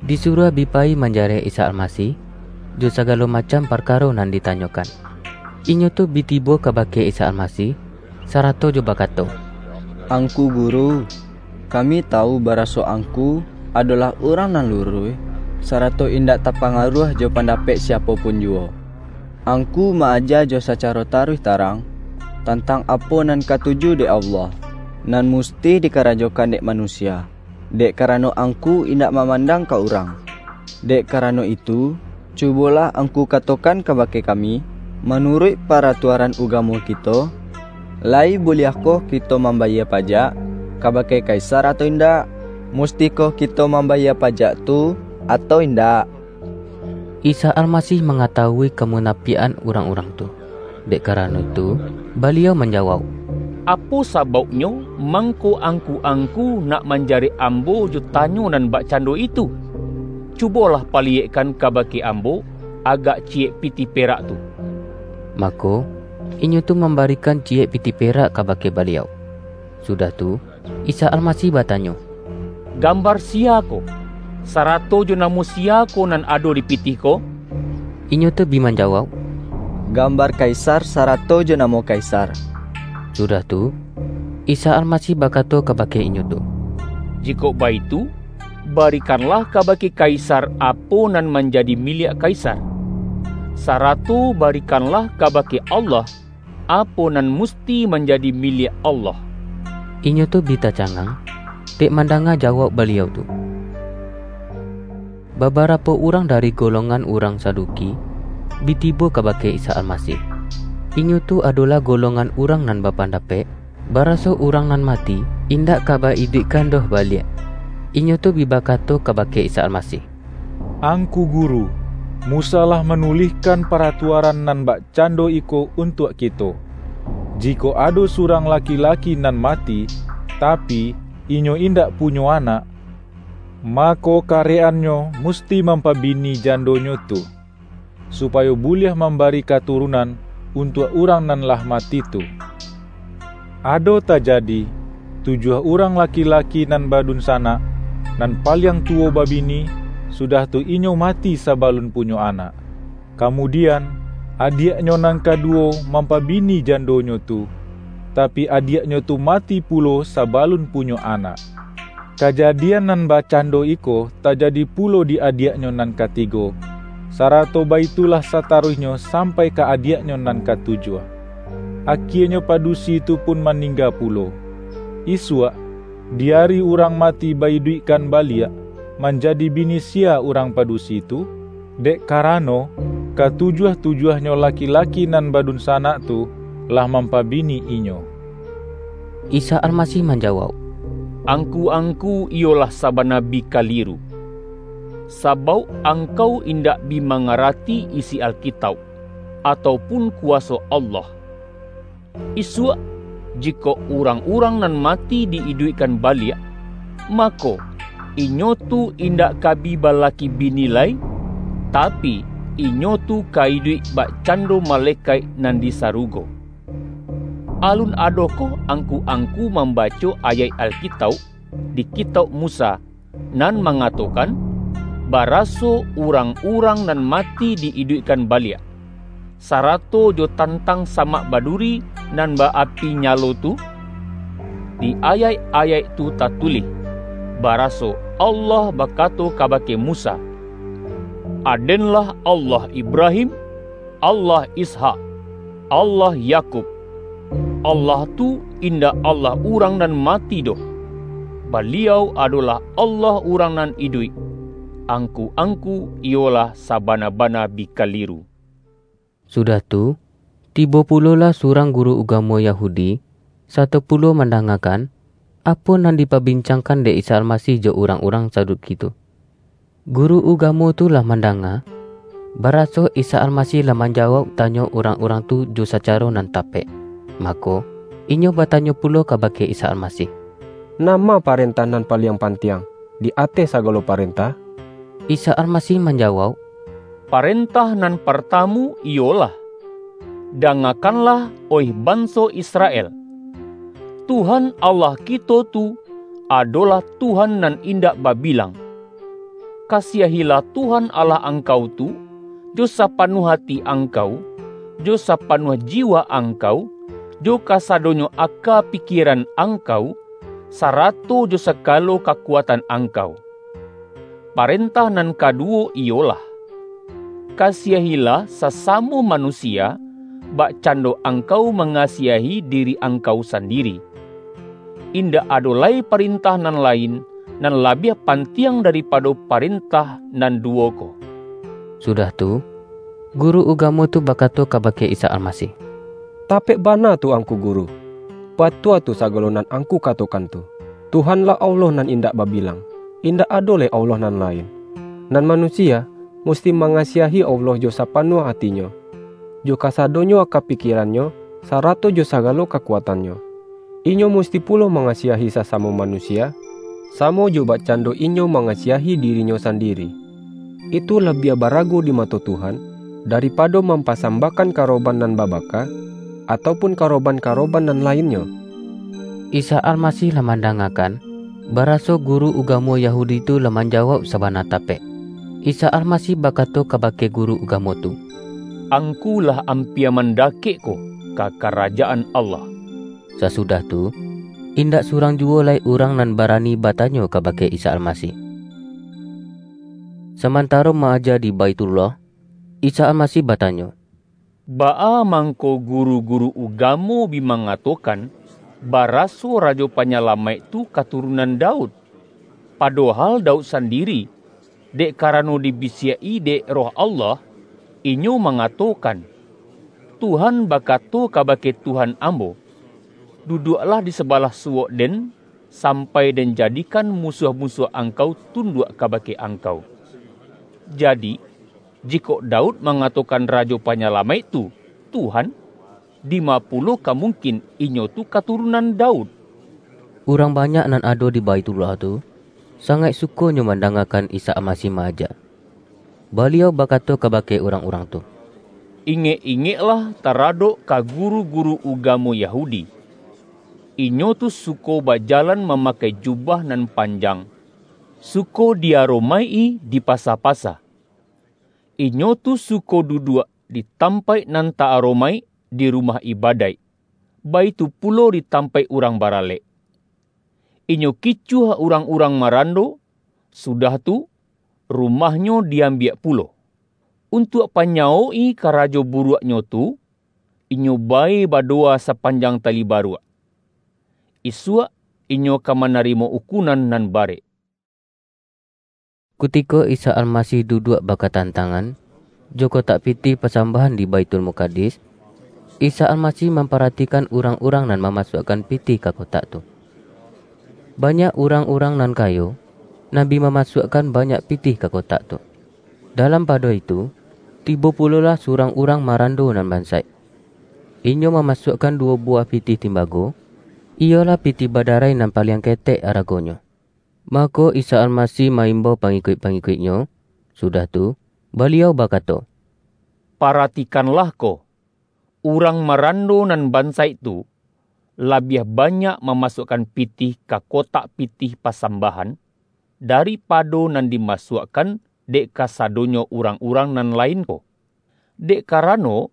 disuruah bi payi manjarek Isa Almasih, jo sagalo macam parkaro nan ditanyokan. Inyo tu bi tibo kabake Isa Almasih, sarato jo bakato, "Angku Guru, kami tawu baraso Angku adolah urang nan luruih, sarato indak tapangaruah jo pandapek siapo pun juwo. Angku ma-aja jo sacaro taruih tarang, tantang apo nan katuju dek Allah, nan musti dikarajokan dek manusia, dek karano Angku indak mamandang ka urang. Dek karano itu, cubolah Angku katokan kabake kami, manuruik paratuaran ugamo kito, lai buliahkoh kito mambayia pajak kabake Kaisar atau indak? Mustikoh kito mambayia pajak tu atau indak?" Isa Almasih mangatawui kamunapiakan urang-urang tu. Dek karano itu, Baliau manjawauk, "Apo sabauknyo mangko angku-angku nak manjarek Ambo jo tanyo nan bakcando itu? Cubolah paliyekkan kabake Ambo agak ciyek pitih perak tu." Mako, inyo tu mambarikan ciyek pitih perak kabake Baliau. Sudah tu, Isa Almasih batanyo, "Gambar sia ko, sarato jo namo sia ko nan ado di pitih ko?" Inyo tu bi manjawauk, "Gambar Kaisar sarato jo namo Kaisar." Sudah tu, Isa Almasih bakato kabake inyo tu, "Jikok baitu, barikanlah kabake Kaisar apo nan manjadi miliak Kaisar, sarato barikanlah kabake Allah apo nan musti manjadi miliak Allah." Inyo tu bi tacangang, dek mandanga jawauk Baliau tu. Babarapo urang dari golongan urang Saduki bi tibo kabake Isa Almasih. Inyo tu adolah golongan urang nan bapandapek, baraso urang nan mati indak ka ba-iduikkan doh baliak. Inyo tu bi bakato kabake Isa Almasih, "Angku Guru, Musa lah manulihkan paratuaran nan bakcando iko untuak kito: Jikok ado surang laki-laki nan mati, tapi, inyo indak punyo anak, mako, karek-annyo musti mampabini jandonyo tu, supayo buliah mambari katurunan untuak urang nan lah mati tu. Ado tajadi, tujuah urang laki-laki nan badunsanak, nan paliang tuwo babini, sudah tu inyo mati sabalun punyo anak. Kamudian, adiaknyo nan kaduwo mampabini jandonyo tu, tapi, adiaknyo tu mati pulo sabalun punyo anak. Kajadian nan bakcando iko tajadi pulo di adiaknyo nan katigo, sarato baitulah sataruihnyo sampai ka adiaknyo nan katujuah. Akienyo padusi tu pun maningga pulo. Isuak, di ari urang mati baiduikkan baliak, manjadi bini sia urang padusi tu? Dek karano, katujuah-tujuahnyo laki-laki nan badunsanak tu lah mampabini inyo. Isa Almasih manjawauk, "Angku-angku iyolah sabana bi kaliru, sabauk angkau indak bi mangarati isi Alkitauk, atau pun kuwaso Allah. Isuak, jikok urang-urang nan mati di-iduikkan baliak, mako, inyo tu indak ka bi balaki bini lai, tapi, inyo tu ka iduik bakcando malekaik nan di sarugo. Alun adokoh angku-angku mambaco ayaik Alkitauk di Kitauk Musa, nan mangatokan, baraso urang-urang nan mati di-iduikkan baliak, sarato jo tantang samak baduri nan ba-api nyalo tu? Di ayaik-ayaik tu tatulih, baraso Allah bakato kabake Musa, 'Adenlah Allah Ibrahim, Allah Ishak, Allah Yakub.' Allah tu indak Allah urang nan mati doh. Baliau adolah Allah urang nan iduik. Angku-angku iyolah sabana-bana bi kaliru." Sudah tu, tibo pulolah surang guru ugamo Yahudi, sato pulo mandangakan, apo nan dipabincangkan dek Isa Almasih jo urang-urang Saduki tu. Guru ugamo tu lah mandanga, baraso Isa Almasih lah manjawauk tanyo urang-urang tu jo sacaro nan tapek. Mako, inyo batanyo pulo kabake Isa Almasih, "Nama parentah nan paliang pantiang di ateh sagalo parentah?" Isa Almasih manjawauk, "Parentah nan partamu iyolah, 'Dangakanlah, oih banso Israel, Tuhan Allah kito tu adolah Tuhan nan indak babilang. Kasiahilah Tuhan Allah angkau tu, jo sapanuah ati angkau, jo sapanuah jiwa angkau, jo kasadonyo aka pikieran angkau, sarato jo sagalo kakuatan angkau.' Parentah nan kaduwo iyolah, 'Kasiahilah sasamo manusia, bakcando angkau mangasiahi diri angkau sandiri.' Indak ado lai parentah nan lain, nan labiah pantiang daripado parentah nan duwo ko." Sudah tu, guru ugamo tu bakato kabake Isa Almasih, "Tapek bana tu Angku Guru. Batua tu sagalo nan Angku katokan tu. Tuhanlah Allah nan indak babilang, indak ado lai Allah nan lain. Nan manusia musti mangasiahi Allah jo sapanuah atinyo, jo kasadonyo aka pikierannyo, sarato jo sagalo kakuatannyo. Inyo musti pulo mangasiahi sasamo manusia, samo jo bakcando inyo mangasiahi dirinyo sandiri. Itu labiah barago di mato Tuhan, daripado mampasambahkan karoban nan babaka, atau pun karoban-karoban nan lainnyo." Isa Almasih lah mandangakan, baraso guru ugamo Yahudi tu lah manjawauk sabana tapek. Isa Almasih bakato kabake guru ugamo tu, "Angku lah ampia mandakek ko ka Karajaan Allah." Sasudah tu, indak surang juwo lai urang nan barani batanyo kabake Isa Almasih. Samantaro ma-aja di Baithullah, Isa Almasih batanyo, "Baa mangko guru-guru ugamo bi mangatokan, baraso Rajo Panyalamaik tu katurunan Daud? Padohal Daud sandiri, dek karano dibisiak-i dek Roh Allah, inyo mangatokan, 'Tuhan bakato kabake Tuhan ambo, duduaklah di sabalah suwok Den, sampai Den jadikan musuah-musuah Angkau tunduak kabake Angkau.' Jadi, Jikok Daud mangatokan Rajo Panyalamaik tu, Tuhan, dima pulo ka mungkin inyo tu katurunan Daud?" Urang banyak nan ado di Baitullah tu, sangaik sukonyo mandangakan Isa Almasih maaja. Baliau bakato kabake urang-urang tu, "Ingek-ingeklah taradok ka guru-guru ugamo Yahudi. Inyo tu suko bajalan mamakai jubah nan panjang, suko diaromaik-i di pasa-pasa. Inyo tu suko duduak di tampaik nan ta-aromaik di rumah ibadaik, baitu pulo di tampaik urang baralek. Inyo kicuah urang-urang marando, sudah tu, rumahnyo diambiak pulo. Untuak panyawok-i karajo buruaknyo tu, inyo bae badowa sapanjang tali baruak. Isuak, inyo ka manarimo ukunan nan barek." Kutiko Isa Almasih duduak bakatantangan jo kotak pitih pasambahan di Baitul Mukadis, Isa Almasih mamparatikan urang-urang nan mamasuakkan pitih ka kotak tu. Banyak urang-urang nan kayo, nan bi mamasuakkan banyak pitih ka kotak tu. Dalam pado itu, tibo pulolah surang urang marando nan bansaik. Inyo mamasuakkan duwo buwah pitih timbago, iyolah pitih badarai nan paliang ketek aragonyo. Mako, Isa Almasih ma-imbau pangikuik-pangikuik-Nyo, sudah tu, Baliau bakato, "Paratikanlah ko! Urang marando nan bansaik tu, labiah banyak mamasuakkan pitih ka kotak pitih pasambahan, daripado nan dimasuakkan dek kasadonyo urang-urang nan lain ko. Dek karano,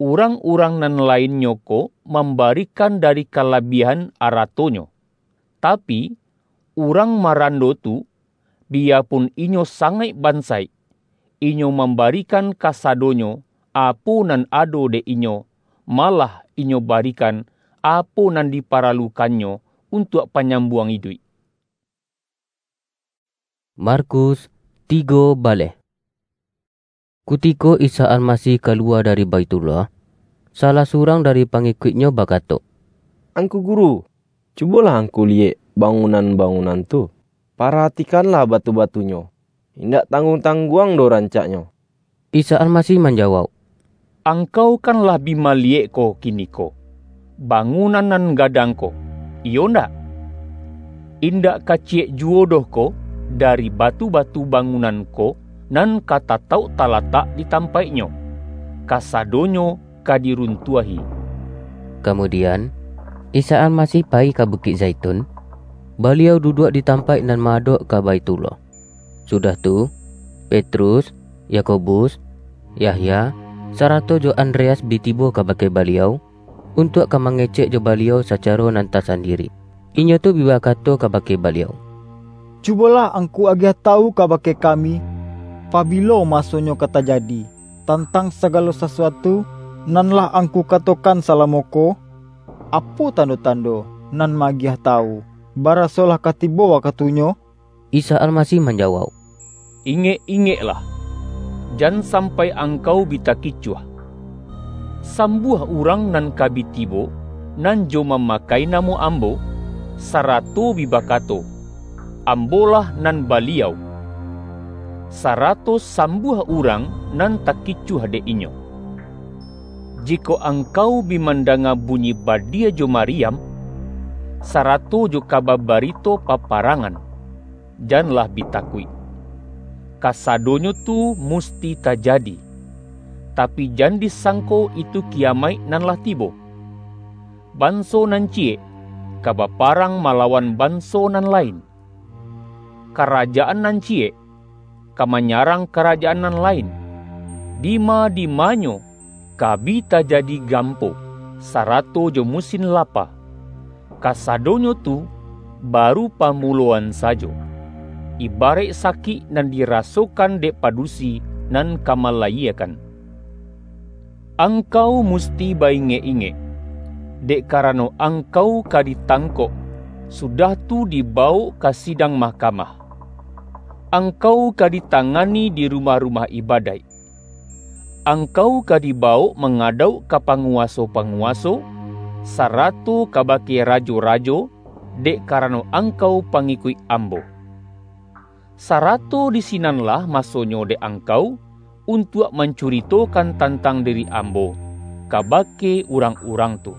urang-urang nan lainnyo ko mambarikan dari kalabiahan aratonyo. Tapi, urang marando tu, biyapun inyo sangaik bansaik, inyo mambarikan kasadonyo apo nan ado dek inyo, malah inyo barikan apo nan diparalukannyo untuak panyambuang iduik." Markus tigo baleh. Kutiko Isa Almasih kaluwa dari Baitullah, salah surang dari pangikuik-Nyo bakato, "Angku Guru, cubolah Angku liyek bangunan-bangunan tu. Paratikanlah batu-batunyo, indak tangguang-tangguang doh rancaknyo." Isa Almasih manjawauk, "Angkau kan lah bi maliyek ko kiniko, bangunan nan gadang ko, iyo ndak? Indak ka ciyek juwo doh ko dari batu-batu bangunan ko nan ka tatauk talatak di tampaiknyo, kasadonyo ka diruntuahi." Kamudian, Isa Almasih payi ka Bukik Zaitun, Baliau duduak di tampaik nan maadok ka Baitullah. Sudah tu, Petrus, Yakobus, Yahya, sarato jo Andreas bi tibo kabake Baliau, untuak ka mangecek jo Baliau sacaro nan tasandiri. Inyo tu bi bakato kabake Baliau, "Cubolah Angku agiah tawu kabake kami, pabilo masonyo ka tajadi, tantang sagalo sasuatu nan lah Angku katokan salamo ko? Apo tando-tando nan maagiah tawu, baraso lah ka tibo wakatunyo?" Isa Almasih manjawauk, "Ingek-ingeklah, jan sampai angkau bi takicuah. Sambuah urang nan ka bi tibo, nan jo mamakai namo Ambo, sarato bi bakato, 'Ambolah nan Baliau,' sarato sambuah urang nan takicuah dek inyo. Jikok angkau bi mandanga bunyi badia jo mariam, sarato jo kaba barito paparangan, janlah bi takuik. Kasadonyo tu musti tajadi, tapi, jan disangko itu kiyamaik nan lah tibo. Banso nan ciyek ka baparang malawan banso nan lain. Karajaan nan ciyek ka manyarang karajaan nan lain. Dima-dimanyo ka bi tajadi gampo, sarato jo musin lapa. Kasadonyo tu baru pamuloan sajo, ibaraik sakik nan dirasokan dek padusi nan ka malayiekan. Angkau musti baingek-ingek, dek karano angkau ka ditangkok, sudah tu dibawok ka sidang mahkamah. Angkau ka ditangani di rumah-rumah ibadaik. Angkau ka dibawok mangadauk ka panguwaso-panguwaso, sarato kabake rajo-rajo, dek karano angkau pangikuik Ambo. Sarato di sinanlah masonyo dek angkau, untuak mancuritokan tantang diri ambo kabake urang-urang tu.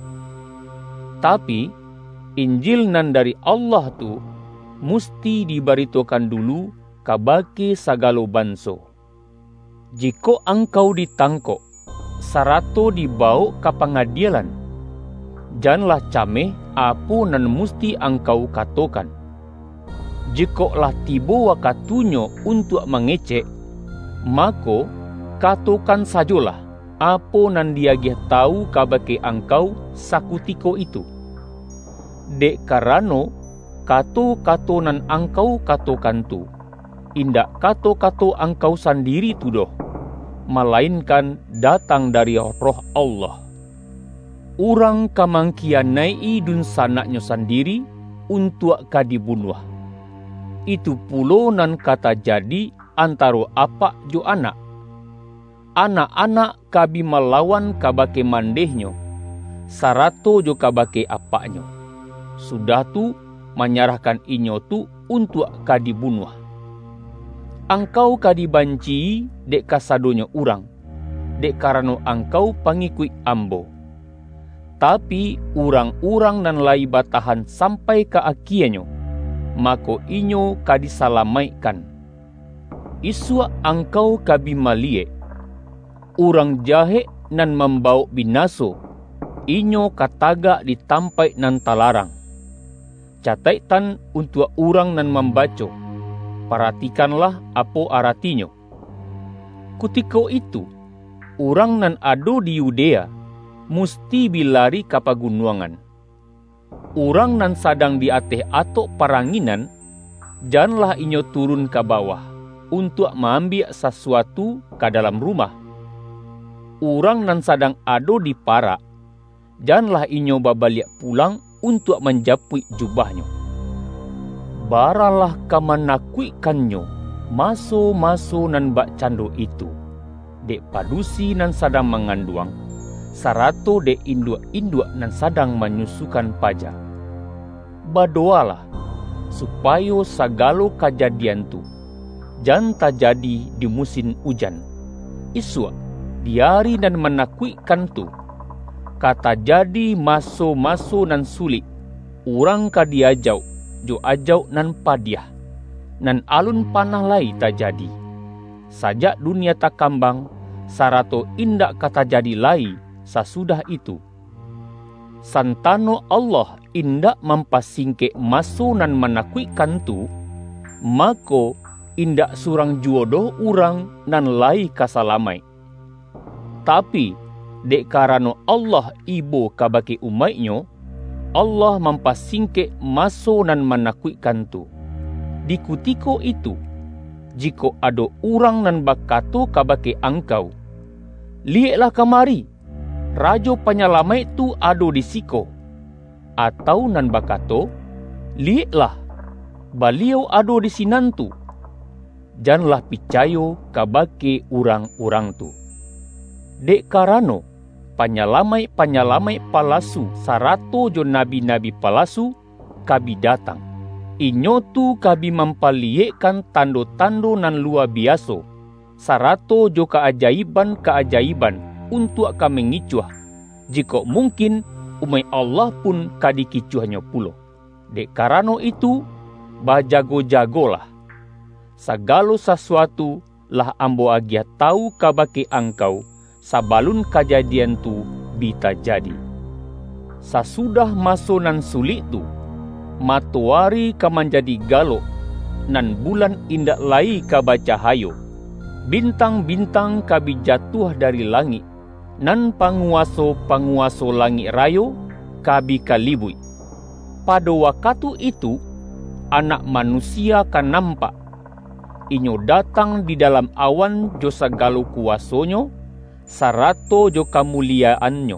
Tapi, Injil nan dari Allah tu musti dibaritokan dulu kabake sagalo banso. Jikok angkau ditangkok, sarato dibawok ka pangadielan, janlah cameh apo nan musti angkau katokan. Jikok lah tibo wakatunyo untuak mangecek, mako, katokan sajolah apo nan diagiah tawu kabake angkau sakutiko itu. Dek karano, kato-kato nan angkau katokan tu, indak kato-kato angkau sandiri tu doh, malainkan datang dari Roh Allah. Urang ka mangkiyanaik-i dunsanaknyo sandiri untuak ka dibunuah. Itu pulo nan ka tajadi antaro apak jo anak. Anak-anak ka bi malawan kabake mandehnyo, sarato jo kabake apaknyo, sudah tu manyarahkan inyo tu untuak ka dibunuah. Angkau ka dibanci-i dek kasadonyo urang, dek karano angkau pangikuik Ambo. Tapi, urang-urang nan layi batahan sampai ka akienyo, mako, inyo ka disalamaikkan. Isuak angkau ka bi maliyek, urang jahek nan mambawok binaso, inyo ka tagak di tampaik nan talarang. Cataiktan untuak urang nan mambaco, paratikanlah apo aratinyo. Kutiko itu, urang nan ado di Yudea musti bi lari ka pagunuangan. Urang nan sadang di ateh atok paranginan, janlah inyo turun ka bawah, untuak ma-ambiak sasuatu ka dalam rumah. Urang nan sadang ado di parak, janlah inyo babaliak pulang untuak manjapuik jubahnyo. Baralah ka manakuikkannyo maso-maso nan bakcando itu, dek padusi nan sadang manganduang, sarato dek induak-induak nan sadang manyusukan paja. Badowalah, supayo sagalo kajadian tu jan tajadi di musin ujan. Isuak, di ari nan manakuikkan tu, ka tajadi maso-maso nan sulik, urang ka diajauk jo ajauk nan padiah, nan alun panah lai tajadi, sajak dunia takambang, sarato indak ka tajadi lai sasudah itu. Santano Allah indak mampasingkek maso nan manakuikkan tu, mako, indak surang juwo doh urang nan layi ka salamaik. Tapi, dek karano Allah ibo kabake umaik-Nyo, Allah mampasingkek maso nan manakuikkan tu. Di kutiko itu, jikok ado urang nan bakato kabake angkau, "Liyeklah kamari, Rajo Panyalamaik tu ado di siko," atau nan bakato, "Liyeklah, Baliau ado di sinan tu," janlah picayo kabake urang-urang tu. Dek karano, panyalamaik-panyalamaik palasu sarato jo nabi-nabi palasu ka bi datang. Inyo tu ka bi mampaliyekkan tando-tando nan luwa biaso, sarato jo kaajaiban-kaajaiban untuak ka mangicuah, jikok mungkin, umaik Allah pun ka dikicuahnyo pulo. Dek karano itu, bajago-jagolah! Sagalo sasuatu lah Ambo agiah tawu kabake angkau, sabalun kajadian tu bi tajadi. Sasudah maso nan sulik tu, matoari ka manjadi galok, nan bulan indak lai ka bacahayo, bintang-bintang ka bi jatuah dari langik, nan panguwaso-panguwaso langik rayo ka bi kalibuik. Pado wakatu itu, Anak Manusia ka nampak. Inyo datang di dalam awan jo sagalo kuwaso-Nyo, sarato jo kamuliyaan-Nyo.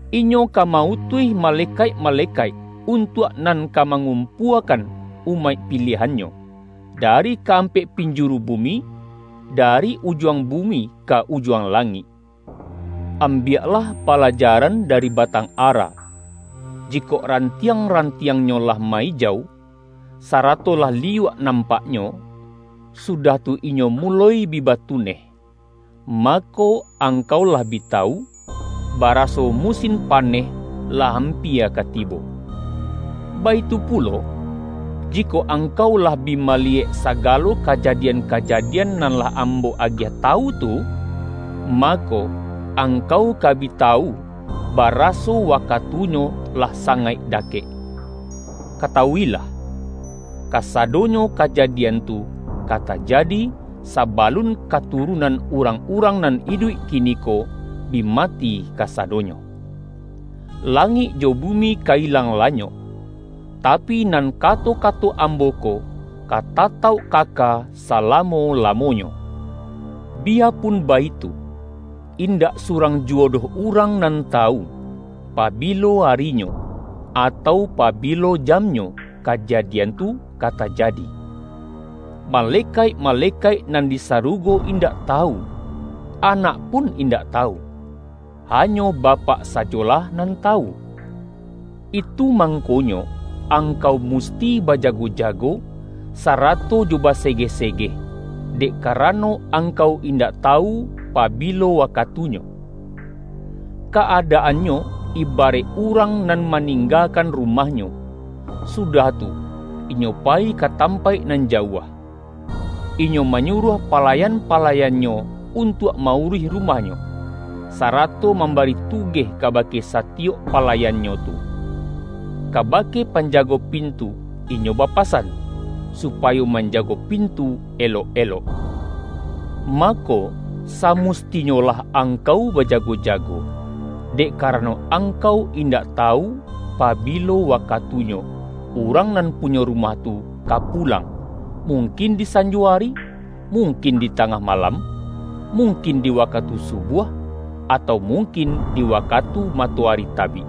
Inyo ka ma-utuih malekaik-malekaik untuak nan ka mangumpuakan umaik pilihan-Nyo, dari kaampek pinjuru bumi, dari ujuang bumi ka ujuang langik. Ambiaklah palajaran dari batang ara. Jikok rantiang-rantiangnyo lah ma-ijau, sarato lah liyuak nampaknyo, sudah tu inyo muloi bi batuneh. mako angkau lah bi tawu, baraso musin paneh lah ampia ka tibo. Baitu pulo, jikok angkau lah bi maliyek sagalo kajadian-kajadian nan lah Ambo agiah tawu tu, mako, angkau ka bi tawu, baraso wakatunyo lah sangaik dakek. Katawuilah, kasadonyo kajadian tu ka tajadi, sabalun katurunan urang-urang nan iduik kiniko bi mati kasadonyo. Langik jo bumi ka ilang lanyok, tapi nan kato-kato Ambo ko ka tatauk kaka salamo-lamonyo. Biyapun baitu, indak surang juwo doh urang nan tawu, pabilo arinyo, atau pabilo jamnyo kajadian tu ka tajadi. Malekaik-malekaik nan di sarugo indak tawu, Anak pun indak tawu, hanyo Bapak sajolah nan tawu. Itu mangkonyo, angkau musti bajago-jago, sarato jo basegeh-segeh, dek karano angkau indak tawu pabilo wakatunyo. Kaadaannyo ibaraik urang nan maninggakan rumahnyo, sudah tu, inyo payi ka tampaik nan jauah. Inyo manyuruah palayan-palayannyo untuak ma-uruih rumahnyo, sarato mambari tugeh kabake satiyok palayannyo tu. Kabake panjago pintu inyo bapasan, supayo manjago pintu elok-elok. Mako, samustinyolah angkau bajago-jago, dek karano angkau indak tawu pabilo wakatunyo urang nan punyo rumah tu ka pulang, mungkin di sanjo ari, mungkin di tangah malam, mungkin di wakatu subuah, atau mungkin di wakatu matoari tabik.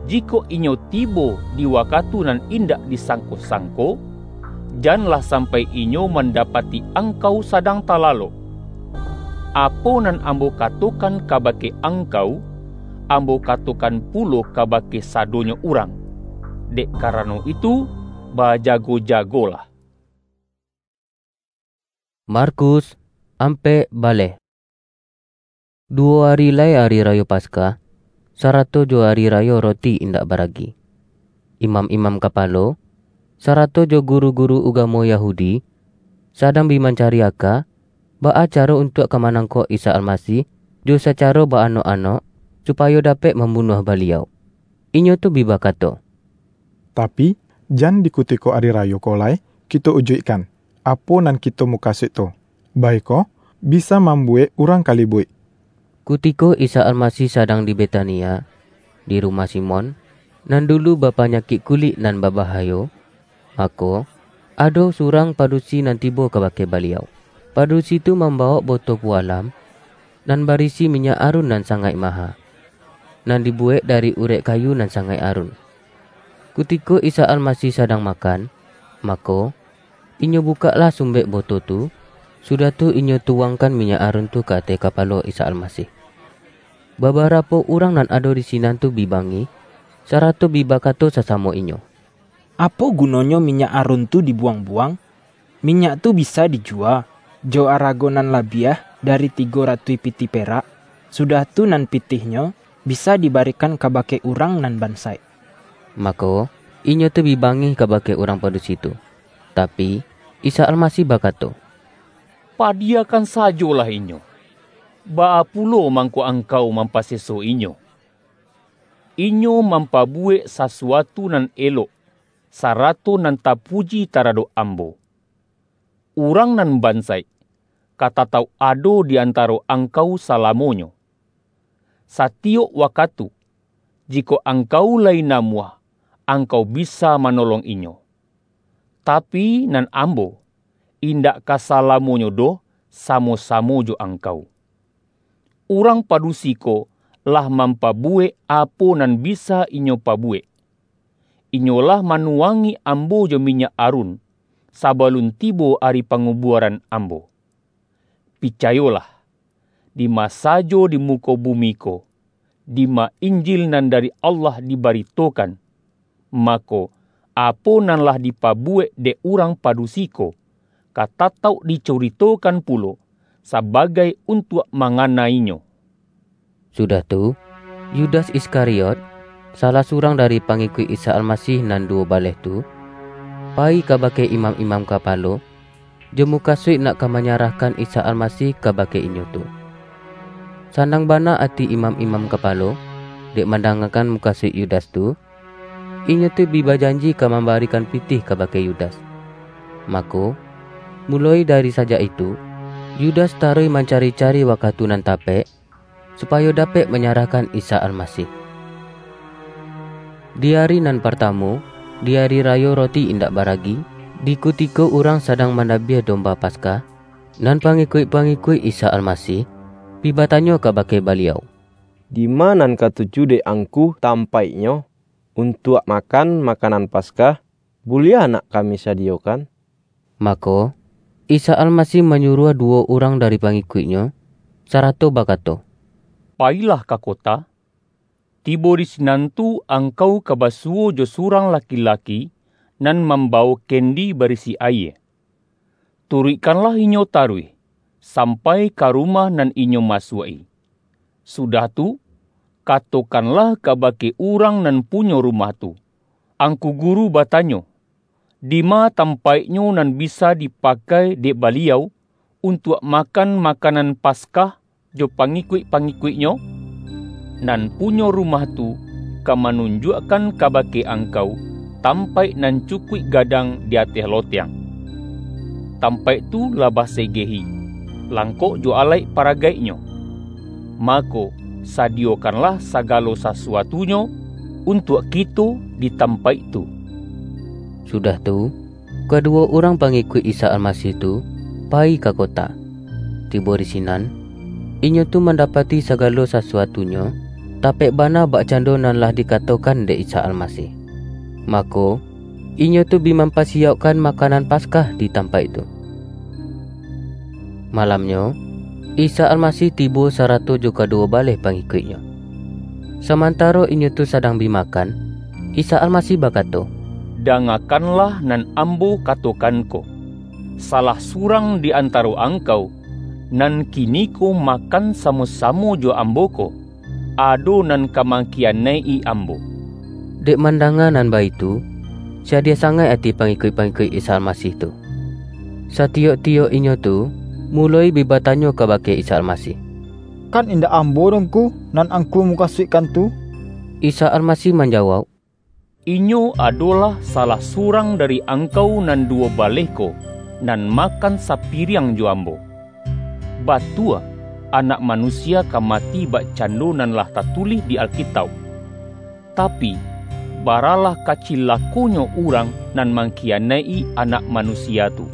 Jikok inyo tibo di wakatu nan indak disangko-sangko, janlah sampai inyo mandapati angkau sadang talalok. Apo nan Ambo katokan kabake angkau, Ambo katokan pulo kabake sadonyo urang. Dek karano itu, bajago-jagolah. Markus, ampek baleh. Duwo ari lai Ari Rayo Paskah, sarato jo Ari Rayo Roti Indak Baragi. Imam-imam kapalo, sarato jo guru-guru ugamo Yahudi, sadang bi mancari aka, baa caro untuak ka manangkok Isa Almasih, jo sacaro baanok-anok, supayo dapek mambunuah Baliau. Inyo tu bi bakato, Tapi, jan di kutiko ari rayo ko lai kito ujuikkan, apo nan kito mukasuik tu, baiko bisa mambuwek urang kalibuik. Kutiko Isa Almasih sadang di Betania, di rumah Simon, nan dulu bapanyakik kulik nan babahayo, mako, ado surang padusi nan tibo kabake Baliau. Padusi tu mambawok boto pualam, nan barisi minyak arun nan sangaik maha, nan dibuwek dari urek kayu nan sangaik arun. Kutiko Isa Almasih sadang makan, mako, inyo bukaklah sumbek boto tu, sudah tu inyo tuwangkan minyak arun tu ka ateh kapalo Isa Almasih. Babarapo urang nan ado di sinan tu bi bangih, sarato bi bakato sasamo inyo, "Apo gunonyo minyak arun tu dibuwang-buwang? Minyak tu bisa dijuwa jo arago nan labiah dari tigo ratuih pitih perak, sudah tu nan pitihnyo bisa dibarikan kabake urang nan bansaik." Mako, inyo tu bi bangih kabake urang padusi tu. Tapi, Isa Almasih bakato, "Padiyakan sajolah inyo. Baa pulo mangko angkau mampaseso inyo? Inyo mampabuwek sasuatu nan elok, sarato nan tapuji taradok Ambo. Urang nan bansaik ka tatauk ado di antaro angkau salamonyo. Satiyok wakatu, jikok angkau lai namuah, angkau bisa manolong inyo. Tapi, nan Ambo, indak ka salamonyo doh samo-samo jo angkau." Urang padusi ko lah mampabuwek apo nan bisa inyo pabuwek. Inyo lah manuwangi Ambo jo minyak arun, sabalun tibo ari pangubuaran Ambo. Picayolah, dima sajo di muko bumi ko, dima Injil nan dari Allah dibaritokan, mako, apo nan lah dipabuwek dek urang padusi ko, ka tatauk dicaritokan pulo, sabagai untuak manganai-Nyo." Sudah tu, Yudas Iskariot, salah surang dari pangikuik Isa Almasih nan duwo baleh tu, payi kabake imam-imam kapalo, jo mukasuik nak ka manyarahkan Isa Almasih kabake inyo tu. Sanang bana ati imam-imam kapalo, dek mandangakan mukasuik Yudas tu, inyo tu bi bajanji ka mambarikan pitih kabake Yudas. Mako, muloi dari sajak itu, Yudas taruih mancari-cari wakatu nan tapek, supayo dapek manyarahkan Isa Almasih. Di ari nan partamo, di ari rayo Roti Indak Baragi, di kutiko urang sadang mandabiah domba Paskah, nan pangikuik-pangikuik Isa Almasih bi batanyo kabake Baliau, "Dima nan katuju dek Angku tampaiknyo untuak makan makanan Paskah? Buliah nak kami sadiyokan?" Mako, Isa Almasih manyuruah duwo urang dari pangikuik-Nyo, sarato bakato, "Payilah ka kota. Tibo di sinan tu angkau ka basuwo jo surang laki-laki nan mambawo kendi barisi ayie. Turuikkanlah inyo taruih, sampai ka rumah nan inyo masuak-i. Sudah tu, katokanlah kabake urang nan punyo rumah tu, 'Angku Guru batanyo, dima tampaiknyo nan bisa dipakai dek Baliau untuak makan makanan Paskah jo pangikuik-pangikuik-Nyo?' Nan punyo rumah tu ka manunjuakkan kabake angkau tampaik nan cukuik gadang di ateh lotiang. Tampaik tu lah basegehi, langkok jo alaik paragaiknyo. Mako, sadiyokanlah sagalo sasuatunyo untuak kito di tampaik tu." Sudah tu, kaduwo urang pangikuik Isa Almasih tu payi ka kota. Tibo di sinan, inyo tu mandapati sagalo sasuatunyo tapek bana bakcando nan lah dikatokan dek Isa Almasih. Mako, inyo tu bi mampasiyaukkan makanan Paskah di tampaik tu. Malamnyo, Isa Almasih tibo sarato jo kaduwo baleh pangikuik-Nyo. Samantaro inyo tu sadang bi makan, Isa Almasih bakato, "Dangakanlah nan Ambo katokan ko. Salah surang di antaro angkau, nan kiniko makan samo-samo jo Ambo ko, ado nan ka mangkiyanaik-i Ambo." Dek mandanga nan baitu, sadiah sangaik ati pangikuik-pangikuik Isa Almasih tu. Satiyok-tiyok inyo tu muloi bi batanyo kabake Isa Almasih, "Kan indak ambo doh, Ngku, nan Angku mukasuikkan tu?" Isa Almasih manjawauk, "Inyo adolah salah surang dari angkau nan duwo baleh ko, nan makan sapiriang jo Ambo. Batua, Anak Manusia ka mati bakcando nan lah tatulih di Alkitauk. Tapi, baralah kacilakonyo urang nan mangkiyanaik-i Anak Manusia tu!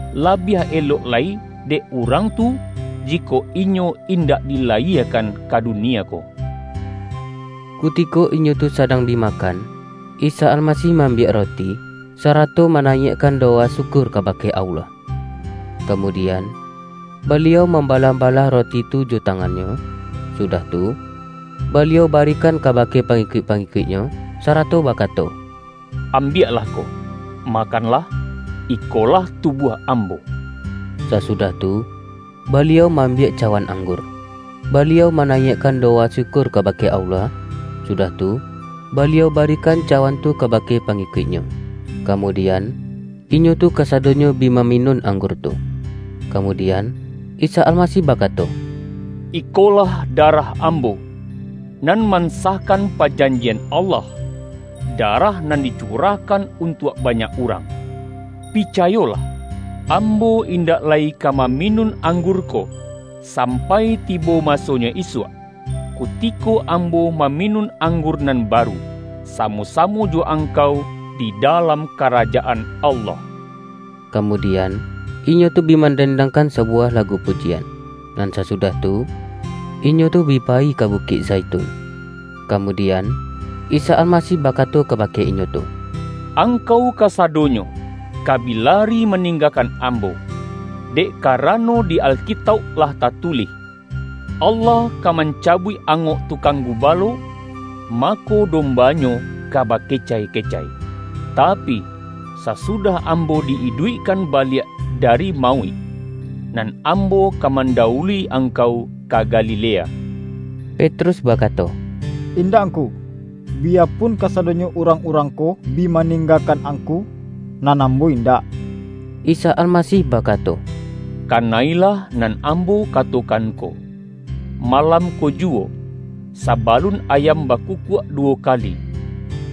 Labiah elok lai dek urang tu, jikok inyo indak dilayiekan ka dunia ko." Kutiko inyo tu sadang bi makan, Isa Almasih maambiak roti, sarato manaiakkan dowa syukur kabake Allah. Kamudian, Baliau mambalah-balah roti tu jo tangan-Nyo, sudah tu, Baliau barikan kabake pangikuik-pangikuik-Nyo, sarato bakato, "Ambiaklah ko, makanlah, ikolah tubuah Ambo." Sasudah tu, Baliau maambiak cawan anggur. Baliau manaiakkan dowa syukur kabake Allah, sudah tu, Baliau barikan cawan tu kabake pangikuik-Nyo. Kamudian, inyo tu kasadonyo bi maminun anggur tu. Kamudian, Isa Almasih bakato, "Ikolah darah Ambo, nan mansahkan pajanjian Allah, darah nan dicurahkan untuak banyak urang. Picayolah, Ambo indak lai ka maminun anggur ko, sampai tibo masonyo isuak, kutiko Ambo maminun anggur nan baru, samo-samo jo angkau di dalam Karajaan Allah." Kamudian, inyo tu bi mandendangkan sabuwah lagu pujian, nan sasudah tu, inyo tu bi payi ka Bukik Zaitun. Kamudian, Isa Almasih bakato kabake inyo tu, "Angkau kasadonyo ka bi lari maninggakan Ambo, dek karano di Alkitauk lah tatulih, 'Allah ka mancabuik angok tukang gubalo, mako domba-Nyo ka bakecai-kecai.' Tapi, sasudah Ambo di-iduikkan baliak dari mauik, nan Ambo ka mandawului angkau ka Galilea." Petrus bakato, "Indak, Ngku, biyapun kasadonyo urang-urang ko bi maninggakan Angku, nan ambo indak." Isa Almasih bakato, "Kanailah nan Ambo katokan ko. Malam ko juwo, sabalun ayam bakukuak duwo kali,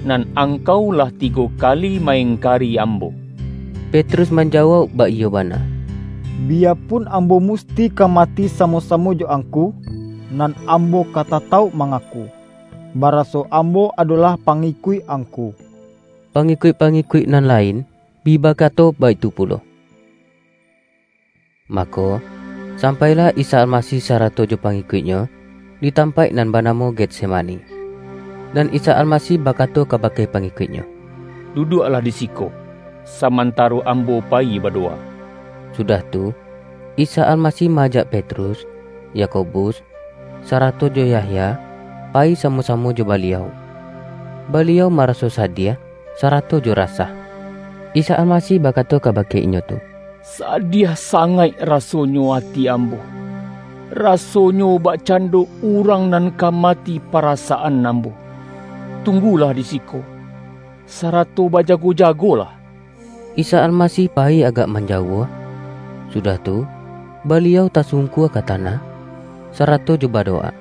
nan angkau lah tigo kali ma-ingkari Ambo." Petrus manjawauk baiyo bana, "Biyapun ambo musti ka mati samo-samo jo Angku, nan ambo ka tatauk mangaku, baraso ambo adolah pangikuik Angku." Pangikuik-pangikuik nan lain bi bakato baitu pulo. Mako, sampailah Isa Almasih sarato jo pangikuik-Nyo di tampaik nan banamo Getsemani. Dan Isa Almasih bakato kabake pangikuik-Nyo, "Duduaklah di siko, samantaro Ambo payi badowa." Sudah tu, Isa Almasih ma-ajak Petrus, Yakobus, sarato jo Yahya payi samo-samo jo Baliau. Baliau maraso sadiah sarato jo rasah. Isa Almasih bakato kabake inyo tu, "Sadiah sangaik rasonyo ati Ambo. Rasonyo bakcando urang nan ka mati parasaan Ambo. Tunggulah di siko, sarato bajago-jagolah." Isa Almasih payi agak manjauah. Sudah tu, Baliau tasungkua ka tanah, sarato jo badowa.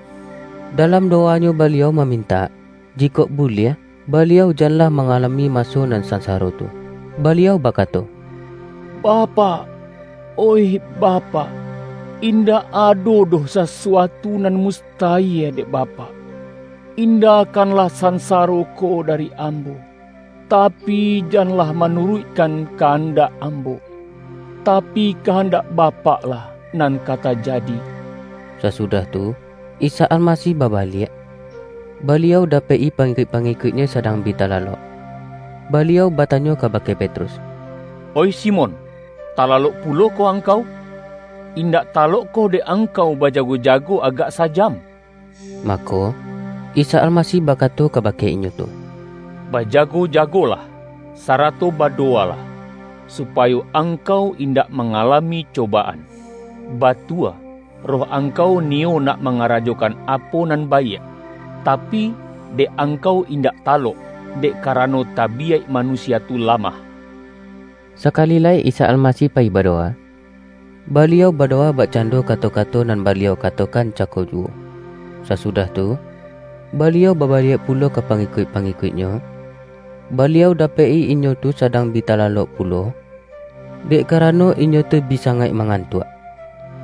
Dalam dowa-Nyo Baliau mamintak, jikok buliah, Baliau janlah mangalami maso nan sansaro tu. Baliau bakato, "Bapak, oih Bapak, indak ado doh sasuatu nan mustayie dek Bapak. Indakanlah sansaro ko dari Ambo. Tapi, janlah manuruikkan kahandak Ambo, tapi, kahandak Bapak-lah nan ka tajadi." Sasudah tu, Isa Almasih babaliak. Baliau dapek-i pangikuik-pangikuik-Nyo sadang bi talalok. Baliau batanyo kabake Petrus, "Oih Simon, talalok pulo ko angkau? Indak talokkoh dek angkau bajago-jago agak sajam?" Mako, Isa Almasih bakato kabake inyo tu, "Bajago-jagolah, sarato badowalah, supayo angkau indak mangalami cobaan. Batua, roh angkau niyo nak mangarajokan apo nan baiak, tapi, dek angkau indak talok, dek karano tabiyaik manusia tu lamah." Sakali lai Isa Almasih payi badowa, Baliau badowa bakcando kato-kato nan Baliau katokan cako juwo. Sasudah tu, Baliau babaliak pulo ka pangikuik-pangikuik-Nyo. Baliau dapek-i inyo tu sadang bi talalok pulo, dek karano inyo tu bi sangaik mangantuak.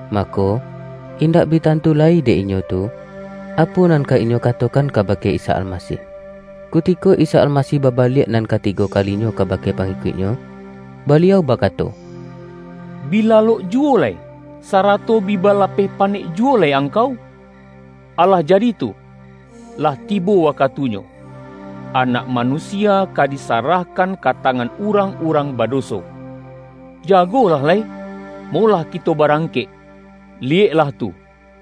Mako, indak bi tantu lai dek inyo tu, apo nan ka inyo katokan kabake Isa Almasih. Kutiko Isa Almasih babaliak nan katigo kalinyo kabake pangikuik-Nyo, Baliau bakato, "Bi lalok juwo lai, sarato bi balapeh panek juwo lai angkau? Alah jadi tu, lah tibo wakatunyo, Anak Manusia ka disarahkan ka tangan urang-urang badoso. Jagolah lai, molah kito barangkek. Liyeklah tu,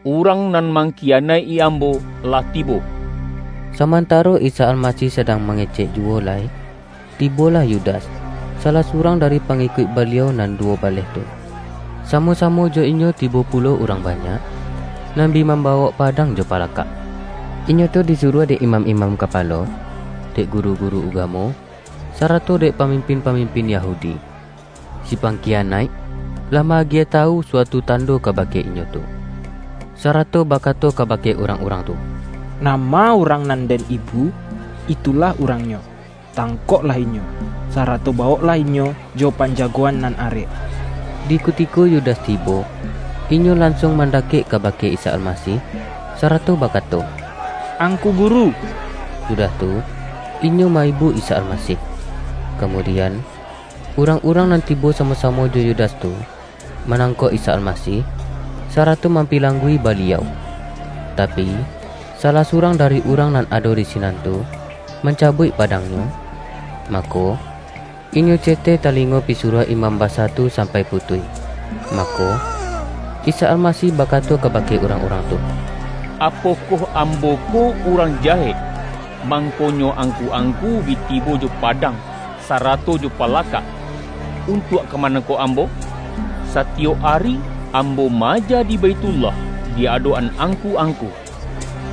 urang nan mangkiyanaik-i Ambo lah tibo." Samantaro Isa Almasih sadang mangecek juwo lai, tibolah Yudas, salah surang dari pangikuik Baliau nan duwo baleh tu. Samo-samo jo inyo tibo pulo urang banyak, nan bi mambawok padang jo palakak. Inyo tu disuruah dek imam-imam kapalo, dek guru-guru ugamo, sarato dek pamimpin-pamimpin Yahudi. Si pangkiyanaik lah ma-agiah tawu suatu tando kabake inyo tu, sarato bakato kabake urang-urang tu, "Nama urang nan den ibu, itulah urangnyo. Tangkoklah inyo, sarato bawoklah inyo jo panjagoan nan arek." Di kutiko Yudas tibo, inyo lansuang mandakek kabake Isa Almasih, sarato bakato, "Angku Guru!" Sudah tu, inyo maibu Isa Almasih. Kamudian, urang-urang nan tibo samo-samo jo Yudas tu, manangkok Isa Almasih, sarato mampilanggui Baliau. Tapi, salah surang dari urang nan ado di sinan tu, mancabuik padangnyo, mako, inyo ceteh talingo pisuruah imam basa tu sampai putuih. Mako, Isa Almasih bakato kabake urang-urang tu, "Apokoh Ambo ko urang jahek, mangkonyo angku-angku bi tibo jo padang, sarato jo palakak, untuak ka manangkok Ambo? Satiyok ari Ambo maaja di Baitullah, di adok-an angku-angku.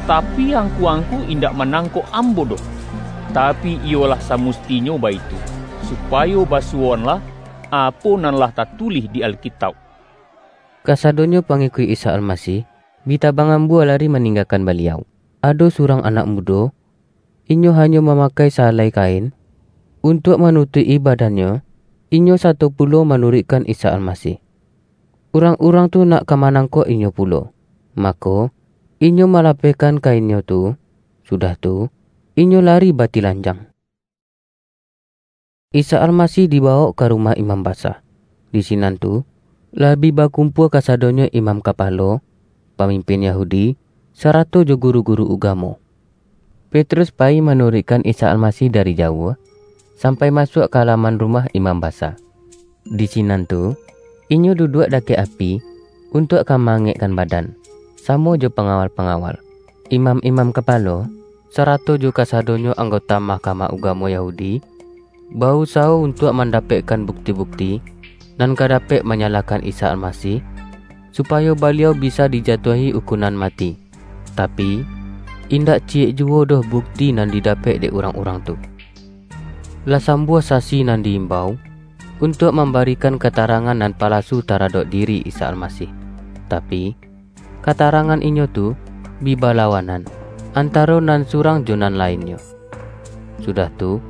Tapi, angku-angku indak manangkok ambo doh. Tapi, iyolah samustinyo baitu, supayo basuwoanlah apo nan lah tatulih di Alkitauk." Kasadonyo pangikuik Isa Almasih bi tabang ambua lari maninggakan Baliau. Ado surang anak mudo, inyo hanyo mamakai sahalai kain, untuak manutuik-i badannyo, inyo sato pulo manuruikkan Isa Almasih. Urang-urang tu nak ka manangkok inyo pulo, mako, inyo malapehkan kainnyo tu, sudah tu, inyo lari batilanjang. Isa Almasih dibawok ka rumah imam basa. Di sinan tu, lah bi bakumpua kasadonyo imam kapalo, pamimpin Yahudi, sarato jo guru-guru ugamo. Petrus payi manuruikkan Isa Almasih dari jauah, sampai masuak ka alaman rumah imam basa. Di sinan tu, inyo duduak dakek api, untuak ka maangekkan badan, samo jo pangawal-pangawal, imam-imam kapalo, sarato jo kasadonyo anggota Mahkamah Ugamo Yahudi, bausaho untuak mandapekkan bukti-bukti nan ka dapek manyalahkan Isa Almasih, supayo Baliau bisa dijatuahi ukunan mati. Tapi, indak ciyek juwo doh bukti nan didapek dek urang-urang tu. Lah sambuah sasi nan di-imbau untuak mambarikan katarangan nan palasu taradok diri Isa Almasih. Tapi, katarangan inyo tu bi balawanan, antaro nan surang jo nan lainnyo. Sudah tu,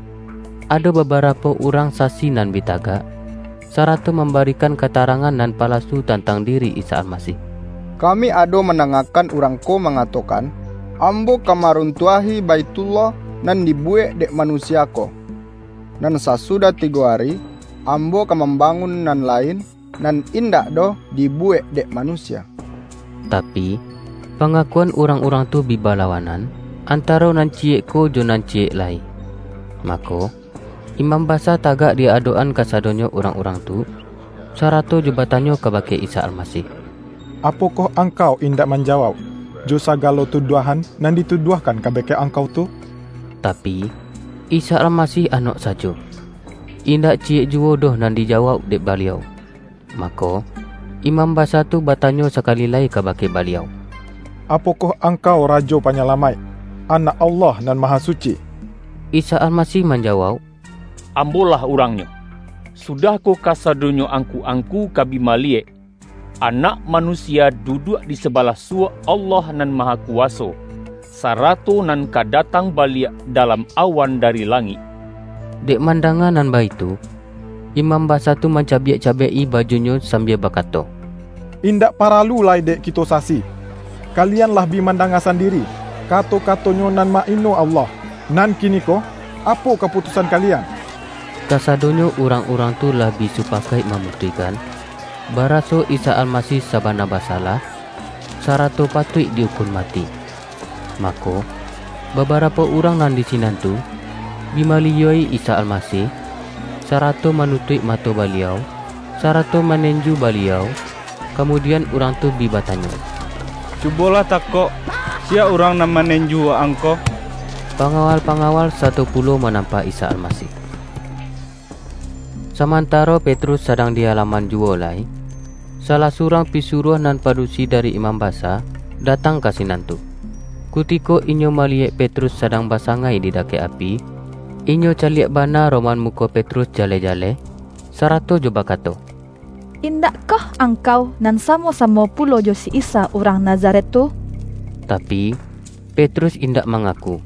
ado babarapo urang sasi nan bi tagak, sarato mambarikan katarangan nan palasu tantang diri Isa Almasih. "Kami ado mandangakan urang ko mangatokan, 'Ambo ka maruntuahi Baitullah nan dibuwek dek manusia ko, nan sasudah tigo ari, ambo ka mambangun nan lain, nan indak doh dibuwek dek manusia.'" Tapi, pangakuan urang-urang tu bi balawanan, antaro nan ciyek ko jo nan ciyek lai. Mako, imam basa tagak di adok-an kasadonyo urang-urang tu, sarato jo batanyo kabake Isa Almasih, "Apokoh Angkau indak manjawauk jo sagalo tuduahan nan dituduahkan kabake Angkau tu?" Tapi, Isa Almasih anok sajo. Indak ciyek juwo doh nan dijawauk dek Baliau. Mako, imam basa tu batanyo sakali lai kabake Baliau, "Apokoh Angkau Rajo Panyalamaik, Anak Allah Nan Mahasuci?" Isa Almasih manjawauk, "Ambo-lah urangnyo. Sudah ko kasadonyo angku-angku ka bi maliyek, Anak Manusia duduak di sabalah suwok Allah Nan Mahakuwaso, sarato nan ka datang baliak dalam awan dari langik." Dek mandanga nan baitu, imam basa tu mancabiak-cabiak-i bajunyo sambia bakato, "Indak paralu lai dek kito sasi. Kalian lah bi mandanga sandiri kato-kato-Nyo nan ma-ino Allah. Nan kiniko, apo kaputusan kalian?" Kasadonyo urang-urang tu lah bi supakaik mamutuihkan, baraso Isa Almasih sabana basalah, sarato patuik di-ukun mati. Mako, babarapo urang nan di sinan tu, bi maliyua-i Isa Almasih, sarato manutuik mato Baliau, sarato manenju Baliau, kamudian urang tu bi batanyo, "Cubolah takok, siya urang nan manenju Waang ko?" Pangawal-pangawal sato pulo manampa Isa Almasih. Samantaro Petrus sadang di alaman juwo lai, salah surang pisuruah nan padusi dari imam basa datang ka sinan tu. Kutiko inyo maliyek Petrus sadang basangai di dakek api, inyo caliak bana roman muko Petrus jaleh-jaleh, sarato jo bakato, "Indakkoh angkau nan samo-samo pulo jo si Isa urang Nazaret tu?" Tapi, Petrus indak mangaku.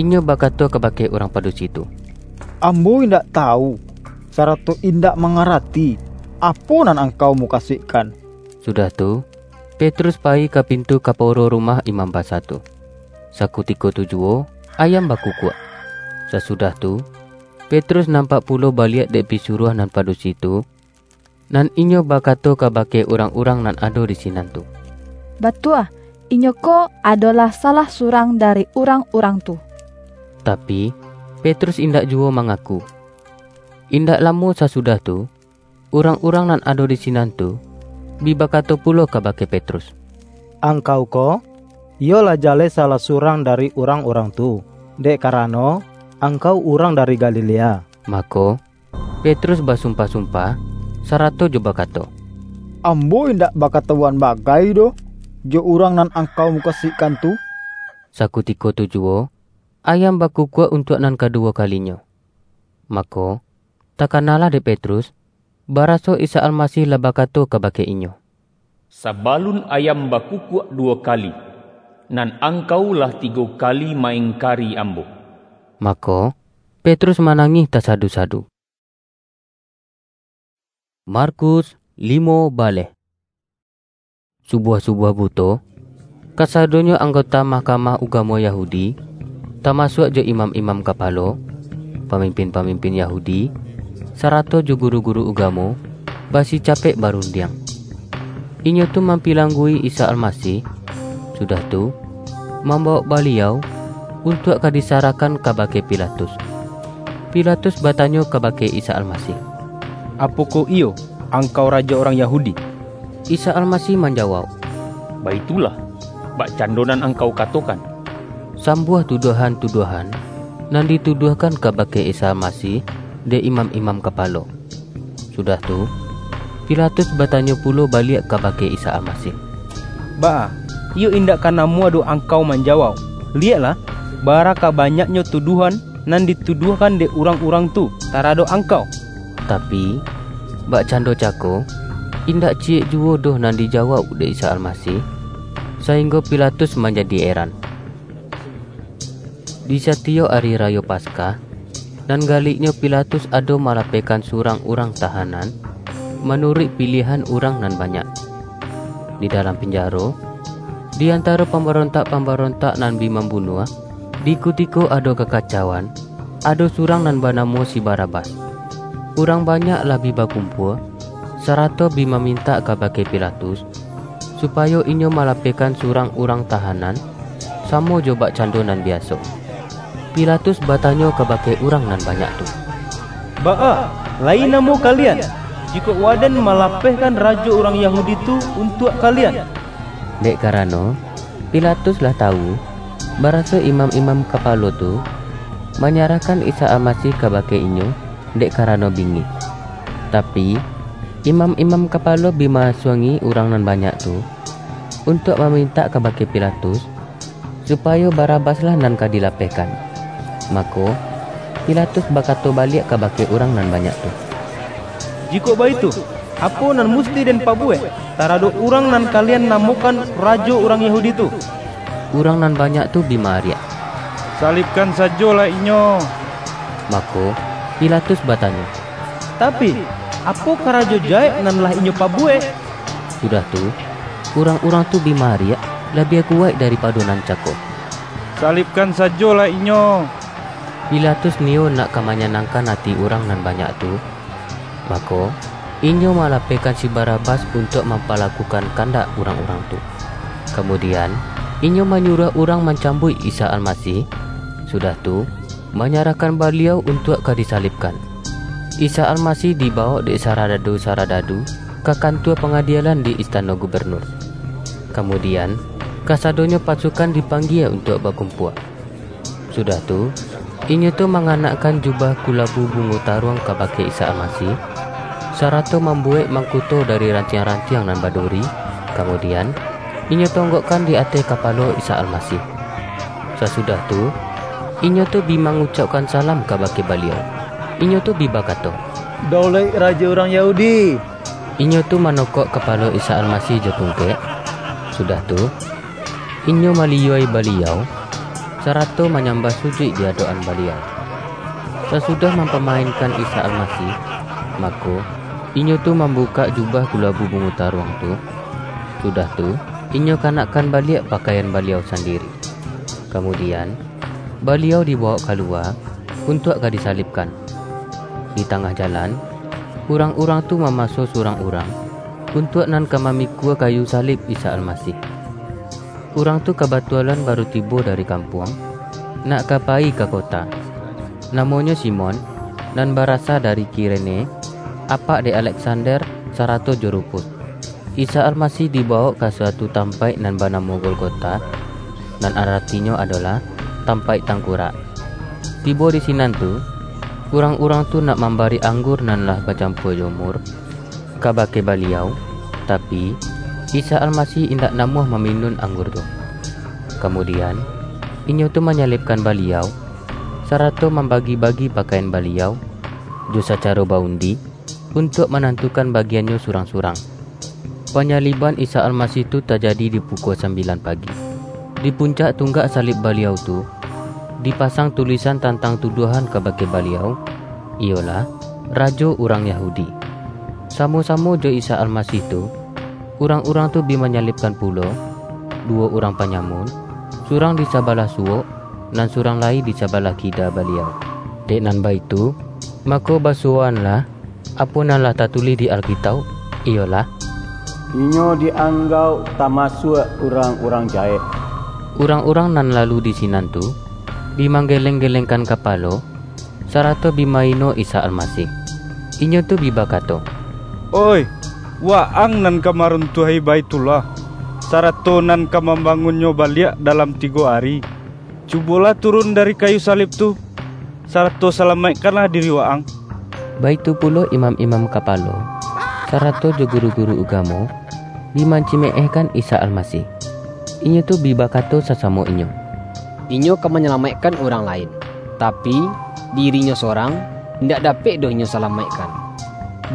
Inyo bakato kabake urang padusi tu, "Ambo indak tawu, sarato indak mangarati, apo nan angkau mukasuikkan." Sudah tu, Petrus payi ka pintu kaporo rumah imam basa tu. Sakutiko tu juwo, ayam bakukuak. Sasudah tu, Petrus nampak pulo baliak dek pisuruah nan padusi tu, nan inyo bakato kabake urang-urang nan ado di sinan tu, "Batua, inyo ko adolah salah surang dari urang-urang tu." Tapi, Petrus indak juwo mangaku. Indak lamo sasudah tu, urang-urang nan ado di sinan tu, bi bakato pulo kabake Petrus, "Angkau ko, iyo lah jaleh salah surang dari urang-urang tu, dek karano, angkau urang dari Galilea." Mako, Petrus basumpah-sumpah, sarato jo bakato, "Ambo indak bakatawuan bagai doh jo urang nan angkau mukasuikkan tu." Sakutiko tu juwo, ayam bakukuak untuak nan kaduwo kalinyo. Mako, takanalah dek Petrus, baraso Isa Almasih lah bakato kabake inyo, "Sabalun ayam bakukuak duwo kali, nan angkau lah tigo kali ma-ingkari Ambo." Mako, Petrus manangih tasadu-sadu. Markus limo baleh. Subuah-subuah buto, kasadonyo anggota Mahkamah Ugamo Yahudi, tamasuak jo imam-imam kapalo, pamimpin-pamimpin Yahudi, sarato jo guru-guru ugamo, basicapek barundiang. Inyo tu mampilanggui Isa Almasih, sudah tu, mambawok Baliau untuak ka disarahkan kabake Pilatus. Pilatus batanyo kabake Isa Almasih, "Apokoh iyo Angkau rajo urang Yahudi?" Isa Almasih manjawauk, "Baitulah, bakcando nan angkau katokan." Sambuah tuduahan-tuduahan nan dituduahkan kabake Isa Almasih dek imam-imam kapalo. Sudah tu, Pilatus batanyo pulo baliak kabake Isa Almasih, "Baa, iyo indak ka namuah doh Angkau manjawauk? Liyeklah, bara ka banyaknyo tuduahan nan dituduahkan dek urang-urang tu taradok Angkau." Tapi, bakcando cako, indak ciyek juwo doh nan dijawauk dek Isa Almasih, sainggo Pilatus manjadi eran. Di satiyok ari rayo Paskah, nan galiknyo Pilatus ado malapehkan surang urang tahanan, manuruik piliahan urang nan banyak. Di dalam pinjaro, di antaro pambarontak-pambarontak nan bi mambunuah, di kutiko ado kakacauan, ado surang nan banamo si Barabas. Urang banyak lah bi bakumpua, sarato bi mamintak kabake Pilatus, supayo inyo malapehkan surang urang tahanan, samo jo bakcando nan biaso. Pilatus batanyo kabake urang nan banyak tu, "Baa, lai namuah kalian, jikok waden malapehkan rajo urang Yahudi tu untuak kalian?" Dek karano, Pilatus lah tawu, baraso imam-imam kapalo tu manyarahkan Isa Almasih kabake inyo dek karano bingih. Tapi, imam-imam kapalo bi maasuangi urang nan banyak tu, untuak mamintak kabake Pilatus, supayo Barabaslah nan ka dilapehkan. Mako, Pilatus bakato baliak kabake urang nan banyak tu, "Jikok baitu, apo nan musti den pabuwek taradok urang nan kalian namokan rajo urang Yahudi tu?" Urang nan banyak tu bi maariak, "Salibkan sajolah Inyo!" Mako, Pilatus batanyo, "Tapi, apo karajo jahek nan lah Inyo pabuwek?" Sudah tu, urang-urang tu bi maariak labiah kuwaik daripado nan cako, "Salibkan sajolah Inyo!" Pilatus niyo nak ka manyanangkan ati urang nan banyak tu, mako, inyo malapehkan si Barabas untuak mampalakukan kandak urang-urang tu. Kamudian, inyo manyuruah urang mancambuik Isa Almasih, sudah tu, manyarahkan Baliau untuak ka disalibkan. Isa Almasih dibawok dek saradadu-saradadu ka kantua pangadilan di istano gubernur. Kamudian, kasadonyo pasukan dipanggia untuak bakumpua. Sudah tu, inyo tu manganakkan jubah kulabu bungo taruang kabake Isa Almasih, sarato mambuwek mangkuto dari rantiang-rantiang nan baduri, kamudian, inyo tonggokkan di ateh kapalo Isa Almasih. Sasudah tu, inyo tu bi mangucaukkan salam kabake Baliau. Inyo tu bi bakato, "Daulaik Rajo urang Yahudi!" Inyo tu manokok kapalo Isa Almasih jo tungkek, sudah tu, inyo maliyua-i Baliau, sarato manyambah sujuik di adok-an Baliau. Sasudah mampamainkan Isa Almasih, mako, inyo tu mambukak jubah kulabu bungo taruang tu, sudah tu, inyo kanakkan baliak pakaian Baliau sandiri. Kamudian, Baliau dibawok kaluwa untuak ka disalibkan. Di tangah jalan, urang-urang tu mamaso surang urang untuak nan ka mamikua kayu salib Isa Almasih. Urang tu kabatualan baru tibo dari kampuang, nak ka payi ka kota. Namonyo Simon, nan barasa dari Kirene, apak dek Aleksander, sarato jo Rufus. Isa Almasih dibawok ka suatu tampaik nan banamo Golgota, nan aratinyo adolah, Tampaik Tangkurak. Tibo di sinan tu, urang-urang tu nak mambari anggur nan lah bacampua jo mur, kabake Baliau, Tapi, Isa Almasih indak namuah maminun anggur tu. Kamudian, inyo tu manyalibkan Baliau, sarato mambagi-bagi pakaian Baliau jo sacaro baundi, untuak manantukan bagiannyo surang-surang. Panyaliban Isa Almasih tu tajadi di pukua sambilan pagi. Di puncak tunggak salib Baliau tu, dipasang tulisan tantang tuduahan kabake Baliau, iyolah, Rajo urang Yahudi. Samo-samo jo Isa Almasih tu, urang-urang tu bi manyalibkan pulo, duwo urang panyamun, surang di sabalah suwok, nan surang lai di sabalah kida Baliau. Dek nan baitu, mako basuwoanlah apo nan lah tatulih di Alkitauk, iyolah, "Inyo dianggauk tamasuak urang-urang jahek." Urang-urang nan lalu di sinan tu, bi manggeleng-gelengkan kapalo, sarato bi maino Isa Almasih. Inyo tu bi bakato, "Oih, Waang nan ka maruntuahi Baitullah, sarato nan ka mambangunnyo baliak dalam tigo ari, cubolah turun dari kayu salib tu, sarato salamaikkanlah diri Waang." Baitu pulo imam-imam kapalo, sarato jo guru-guru ugamo, bi mancimeehkan Isa Almasih. Inyo tu bi bakato sasamo inyo, "Inyo ka manyalamaikkan urang lain, tapi, diri-Nyo sorang, indak dapek doh Inyo salamaikkan.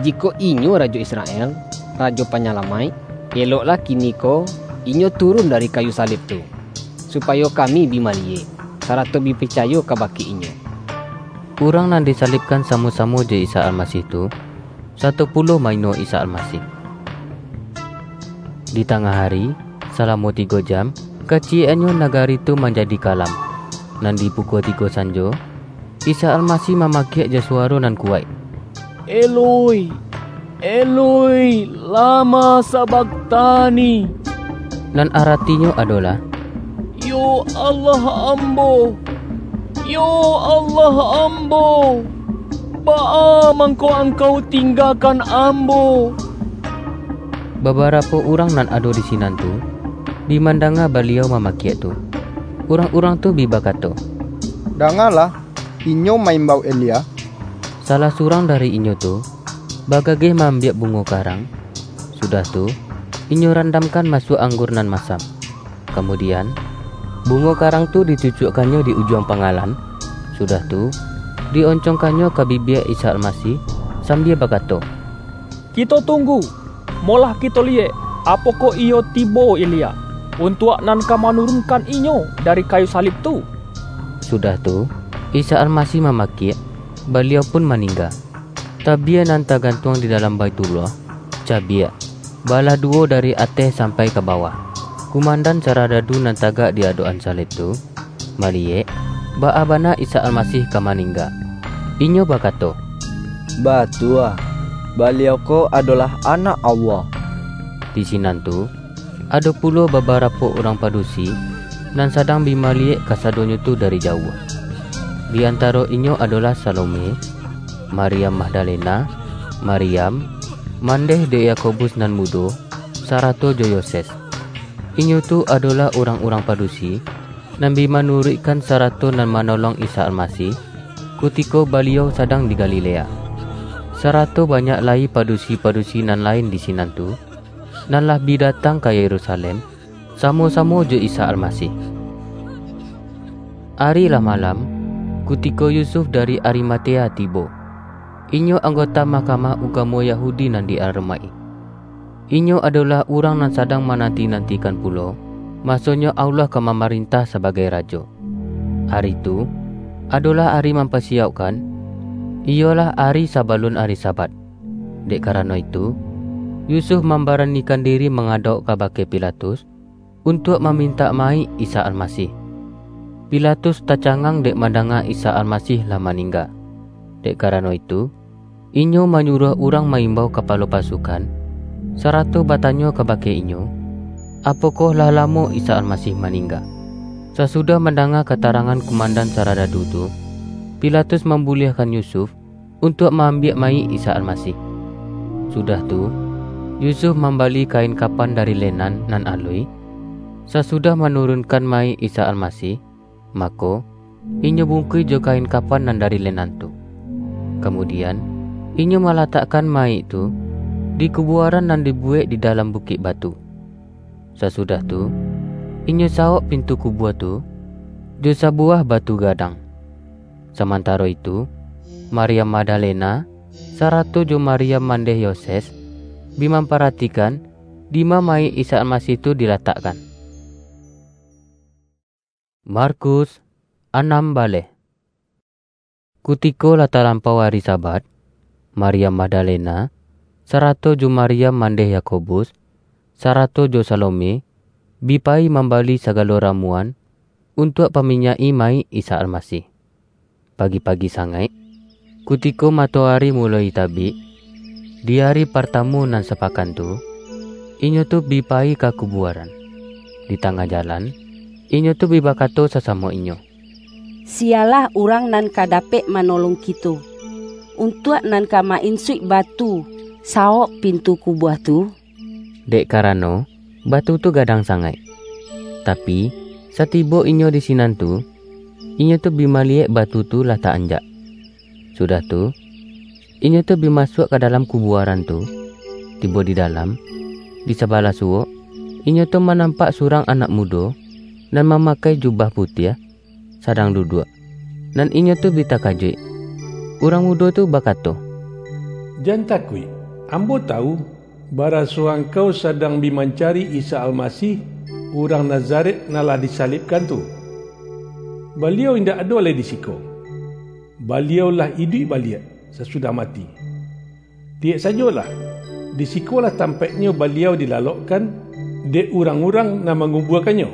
Jikok Inyo Rajo Israel, Rajo Panyalamaik, eloklah kiniko Inyo turun dari kayu salib tu, supayo kami bi maliyek, sarato bi picayo kabake Inyo." Urang nan disalibkan samo-samo jo Isa Almasih tu, sato pulo maino Isa Almasih. Di tangah ari, salamo tigo jam, kaciyek-annyo nagari tu manjadi kalam. Nan di pukua tigo sanjo, Isa Almasih mamakiak jo suwaro nan kuwaik, "Eloi, Eloi, lama sabaktani?" Nan aratinyo adolah, "Yo Allah ambo, yo Allah ambo, baa mangko Angkau tinggakan ambo?" Babarapo urang nan ado di sinan tu, bi mandanga Baliau mamakiak tu. Urang-urang tu bi bakato, "Dangalah, inyo maimbau Elia." Salah surang dari inyo tu, bagageh maambiak bungo karang, sudah tu, inyo randamkan masuak anggur nan masam. Kamudian, bungo karang tu dicucuakkannyo di ujuang pangalan, sudah tu, di-oncongkannyo ka bibia Isa Almasih, sambia bakato, "Kito tunggu, molah kito liyek, apokoh iyo tibo Elia, untuak nan ka manurunkan inyo dari kayu salib tu." Sudah tu, Isa Almasih mamakiak, Baliau pun maningga. Tabia nan tagantuang di dalam Baitullah, cabiak, balah duwo dari ateh sampai ka bawah. Kumandan saradadu nan tagak di adok-an salib tu, maliyek, baa bana Isa Almasih ka maningga. Inyo bakato, "Batua, Baliau ko adolah Anak Allah." Di sinan tu, ado pulo babarapo urang padusi, nan sadang bi maliyek kasadonyo tu dari jauah. Di antaro inyo adolah Salome, Maryam Magdalena, Maryam, mandeh dek Yakobus nan mudo, sarato jo Yoses. Inyo tu adolah urang-urang padusi, nan bi manuruikkan sarato nan manolong Isa Almasih, kutiko Baliau sadang di Galilea. Sarato banyak lai padusi-padusi nan lain di sinan tu, nan lah bi datang ka Yerusalem, samo-samo jo Isa Almasih. Ari lah malam, kutiko Yusuf dari Arimatea tibo. Inyo anggota mahkamah ugamo Yahudi nan di-aromaik. Inyo adolah urang nan sadang mananti-nantikan pulo, masonyo Allah ka mamarintah sabagai Rajo. Ari tu, adolah ari mampasiyaukkan, iyolah ari sabalun ari Sabat. Dek karano itu, Yusuf mambaranikan diri mangadauk kabake Pilatus, untuak mamintak mayik Isa Almasih. Pilatus tacangang dek mandanga Isa Almasih lah maningga. Dek karano itu, inyo manyuruah urang maimbau kapalo pasukan, sarato batanyo kabake inyo, apokoh lah lamo Isa Almasih maningga. Sasudah mandanga katarangan kumandan saradadu tu, Pilatus mambuliahkan Yusuf untuak maambiak mayik Isa Almasih. Sudah tu, Yusuf mambali kain kapan dari lenan nan aluih, sasudah manurunkan mayik Isa Almasih, mako, inyo bungkuih jo kain kapan nan dari lenan tu. Kamudian, inyo malatakkan mayik tu di kubuaran nan dibuwek di dalam bukik batu. Sasudah tu, inyo sawok pintu kubua tu jo sabuwah batu gadang. Samantaro itu, Maryam Magdalena, sarato jo Maryam mandeh Yoses, bi mamparatikan dima mayik Isa Almasih tu dilatakkan. Markus, anam baleh. Kutiko lah talampau ari Sabat, Maryam Magdalena, sarato jo Maryam mandeh Yakobus, sarato jo Salome, bi payi mambali sagalo ramuan untuak paminyak-i mayik Isa Almasih. Pagi-pagi sangaik, kutiko matoari muloi tabik, di ari partamo nan sapakan tu, inyo tu bi payi ka kubuaran. Di tangah jalan, inyo tu bi bakato sasamo inyo, "Siyalah urang nan ka dapek manolong kito, untuak nan ka ma-insuik batu sawok pintu kubua tu?" Dek karano, batu tu gadang sangaik. Tapi, satibo inyo di sinan tu, inyo tu bi maliyek batu tu lah ta-anjak. Sudah tu, inyo tu bi masuak ka dalam kubuaran tu. Tibo di dalam, di sabalah suwok, inyo tu manampak surang anak mudo, nan mamakai jubah putiah, sadang duduak. Nan inyo tu bi takajuik. Urang mudo tu bakato, "Jan takuik, ambo tawu, baraso angkau sadang bi mancari Isa Almasih, urang Nazaret nan lah disalibkan tu. Baliau indak ado lai di siko. Baliau lah iduik baliak, sasudah mati. Liyek sajolah, di sikolah tampaiknyo Baliau dilalokkan dek urang-urang nan mangubuakan-Nyo.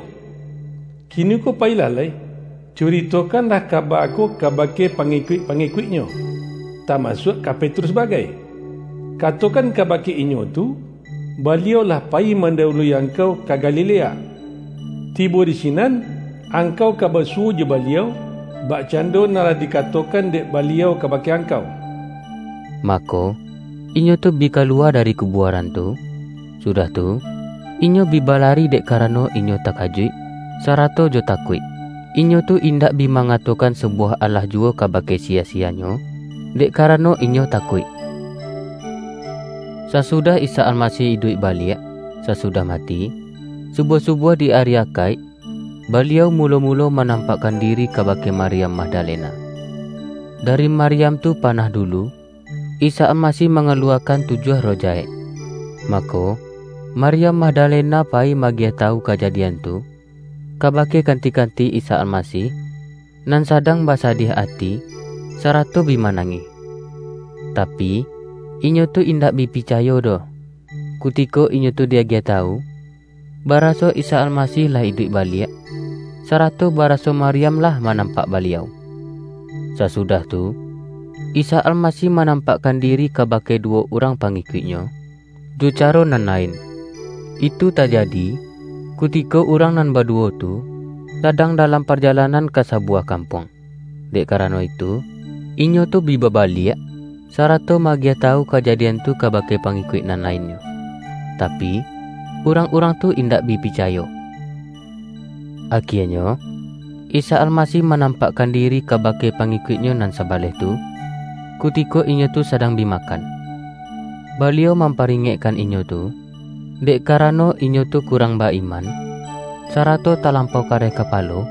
Kiniko payilah lai, curitokanlah kaba ko kabake pangikuik-pangikuik-Nyo, tamasuak ka Petrus bagai. Katokan kabake inyo tu, Baliau lah payi mandahului angkau ka Galilea. Tibo di sinan, angkau ka basuwo jo Baliau, bakcando nan lah dikatokan dek Baliau kabake angkau." Mako, inyo tu bi kaluwa dari kubuaran tu. Sudah tu, inyo bi balari dek karano inyo takajuik, sarato jo takuik. Inyo tu indak bi mangatokan sabuwah alah juwo kabake siya-siyanyo, dek karano inyo takuik. Sasudah Isa Almasih iduik baliak, sasudah mati, subuah-subuah di ari Akaik, Baliau mulo-mulo manampakkan diri kabake Maryam Magdalena. Dari Maryam tu panah dulu, Isa Almasih mangaluwakan tujuah roh jahek. Mako, Maryam Magdalena payi magiah tawu kajadian tu kabake kanti-kanti Isa Almasih, nan sadang basadiah ati, sarato bi manangih. Tapi, inyo tu indak bi picayo doh, kutiko inyo tu diagiah tawu, baraso Isa Almasih lah iduik baliak, sarato baraso Maryam lah manampak Baliau. Sasudah tu, Isa Almasih manampakkan diri kabake duwo urang pangikuik-Nyo, jo caro nan lain. Itu tajadi, kutiko urang nan baduwo tu sadang dalam parjalanan ka sabuwah kampuang. Dek karano itu, inyo tu bi babaliak, sarato magiah tawu kajadian tu kabake pangikuik nan lainnyo. Tapi, urang-urang tu indak bi picayo. Akienyo, Isa Almasih manampakkan diri kabake pangikuik-Nyo nan sabaleh tu, kutiko inyo tu sadang bi makan. Baliau mamparingekkan inyo tu, dek karano inyo tu kurang ba-iman, sarato talampau kareh kapalo,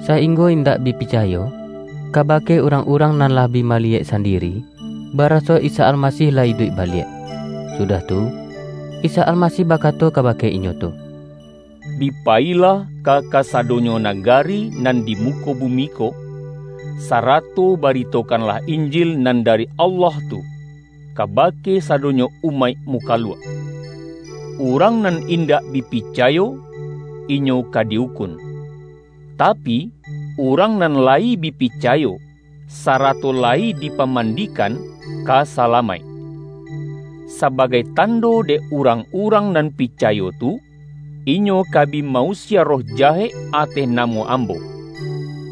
sainggo indak bi picayo kabake urang-urang nan lah bi maliyek sandiri, baraso Isa Almasih lah iduik baliak. Sudah tu, Isa Almasih bakato kabake inyo tu, "Bi payilah ka kasadonyo nagari nan di muko bumi ko, sarato baritokanlah Injil nan dari Allah tu kabake sadonyo umaik mukaluak. Urang nan indak bi picayo, inyo ka di-ukun. Tapi, urang nan layi bi picayo, sarato layi dipamandikan, ka salamaik. Sabagai tando dek urang-urang nan picayo tu, inyo ka bi ma-usia roh jahek ateh namo Ambo.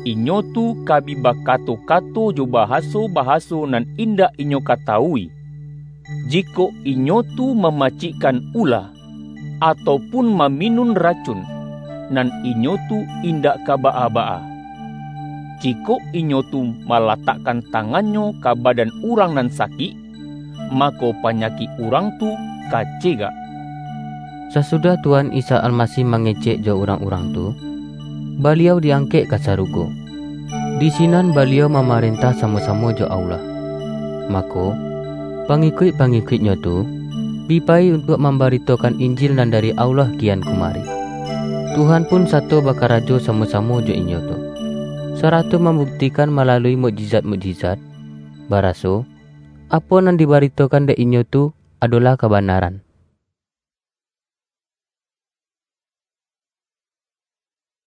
Inyo tu ka bi bakato-kato jo bahaso-bahaso nan indak inyo katawui. Jikok inyo tu mamacikkan ula, atau pun maminun racun, nan inyo tu indak ka baa-baa. Jikok inyo tu malatakkan tangannyo ka badan urang nan sakik, mako panyakik urang tu ka cegak." Sasudah Tuhan Isa Almasih mangecek jo urang-urang tu, Baliau di-angkek ka sarugo. Di sinan Baliau mamarentah samo-samo jo Allah. Mako, pangikuik-pangikuik-Nyo tu bi payi untuak mambaritokan Injil nan dari Allah kian kumari. Tuhan pun sato bakarajo samo-samo jo inyo tu, sarato mambuktikan malalui mukjizat-mukjizat, baraso, apo nan dibaritokan dek inyo tu adolah kabanaran.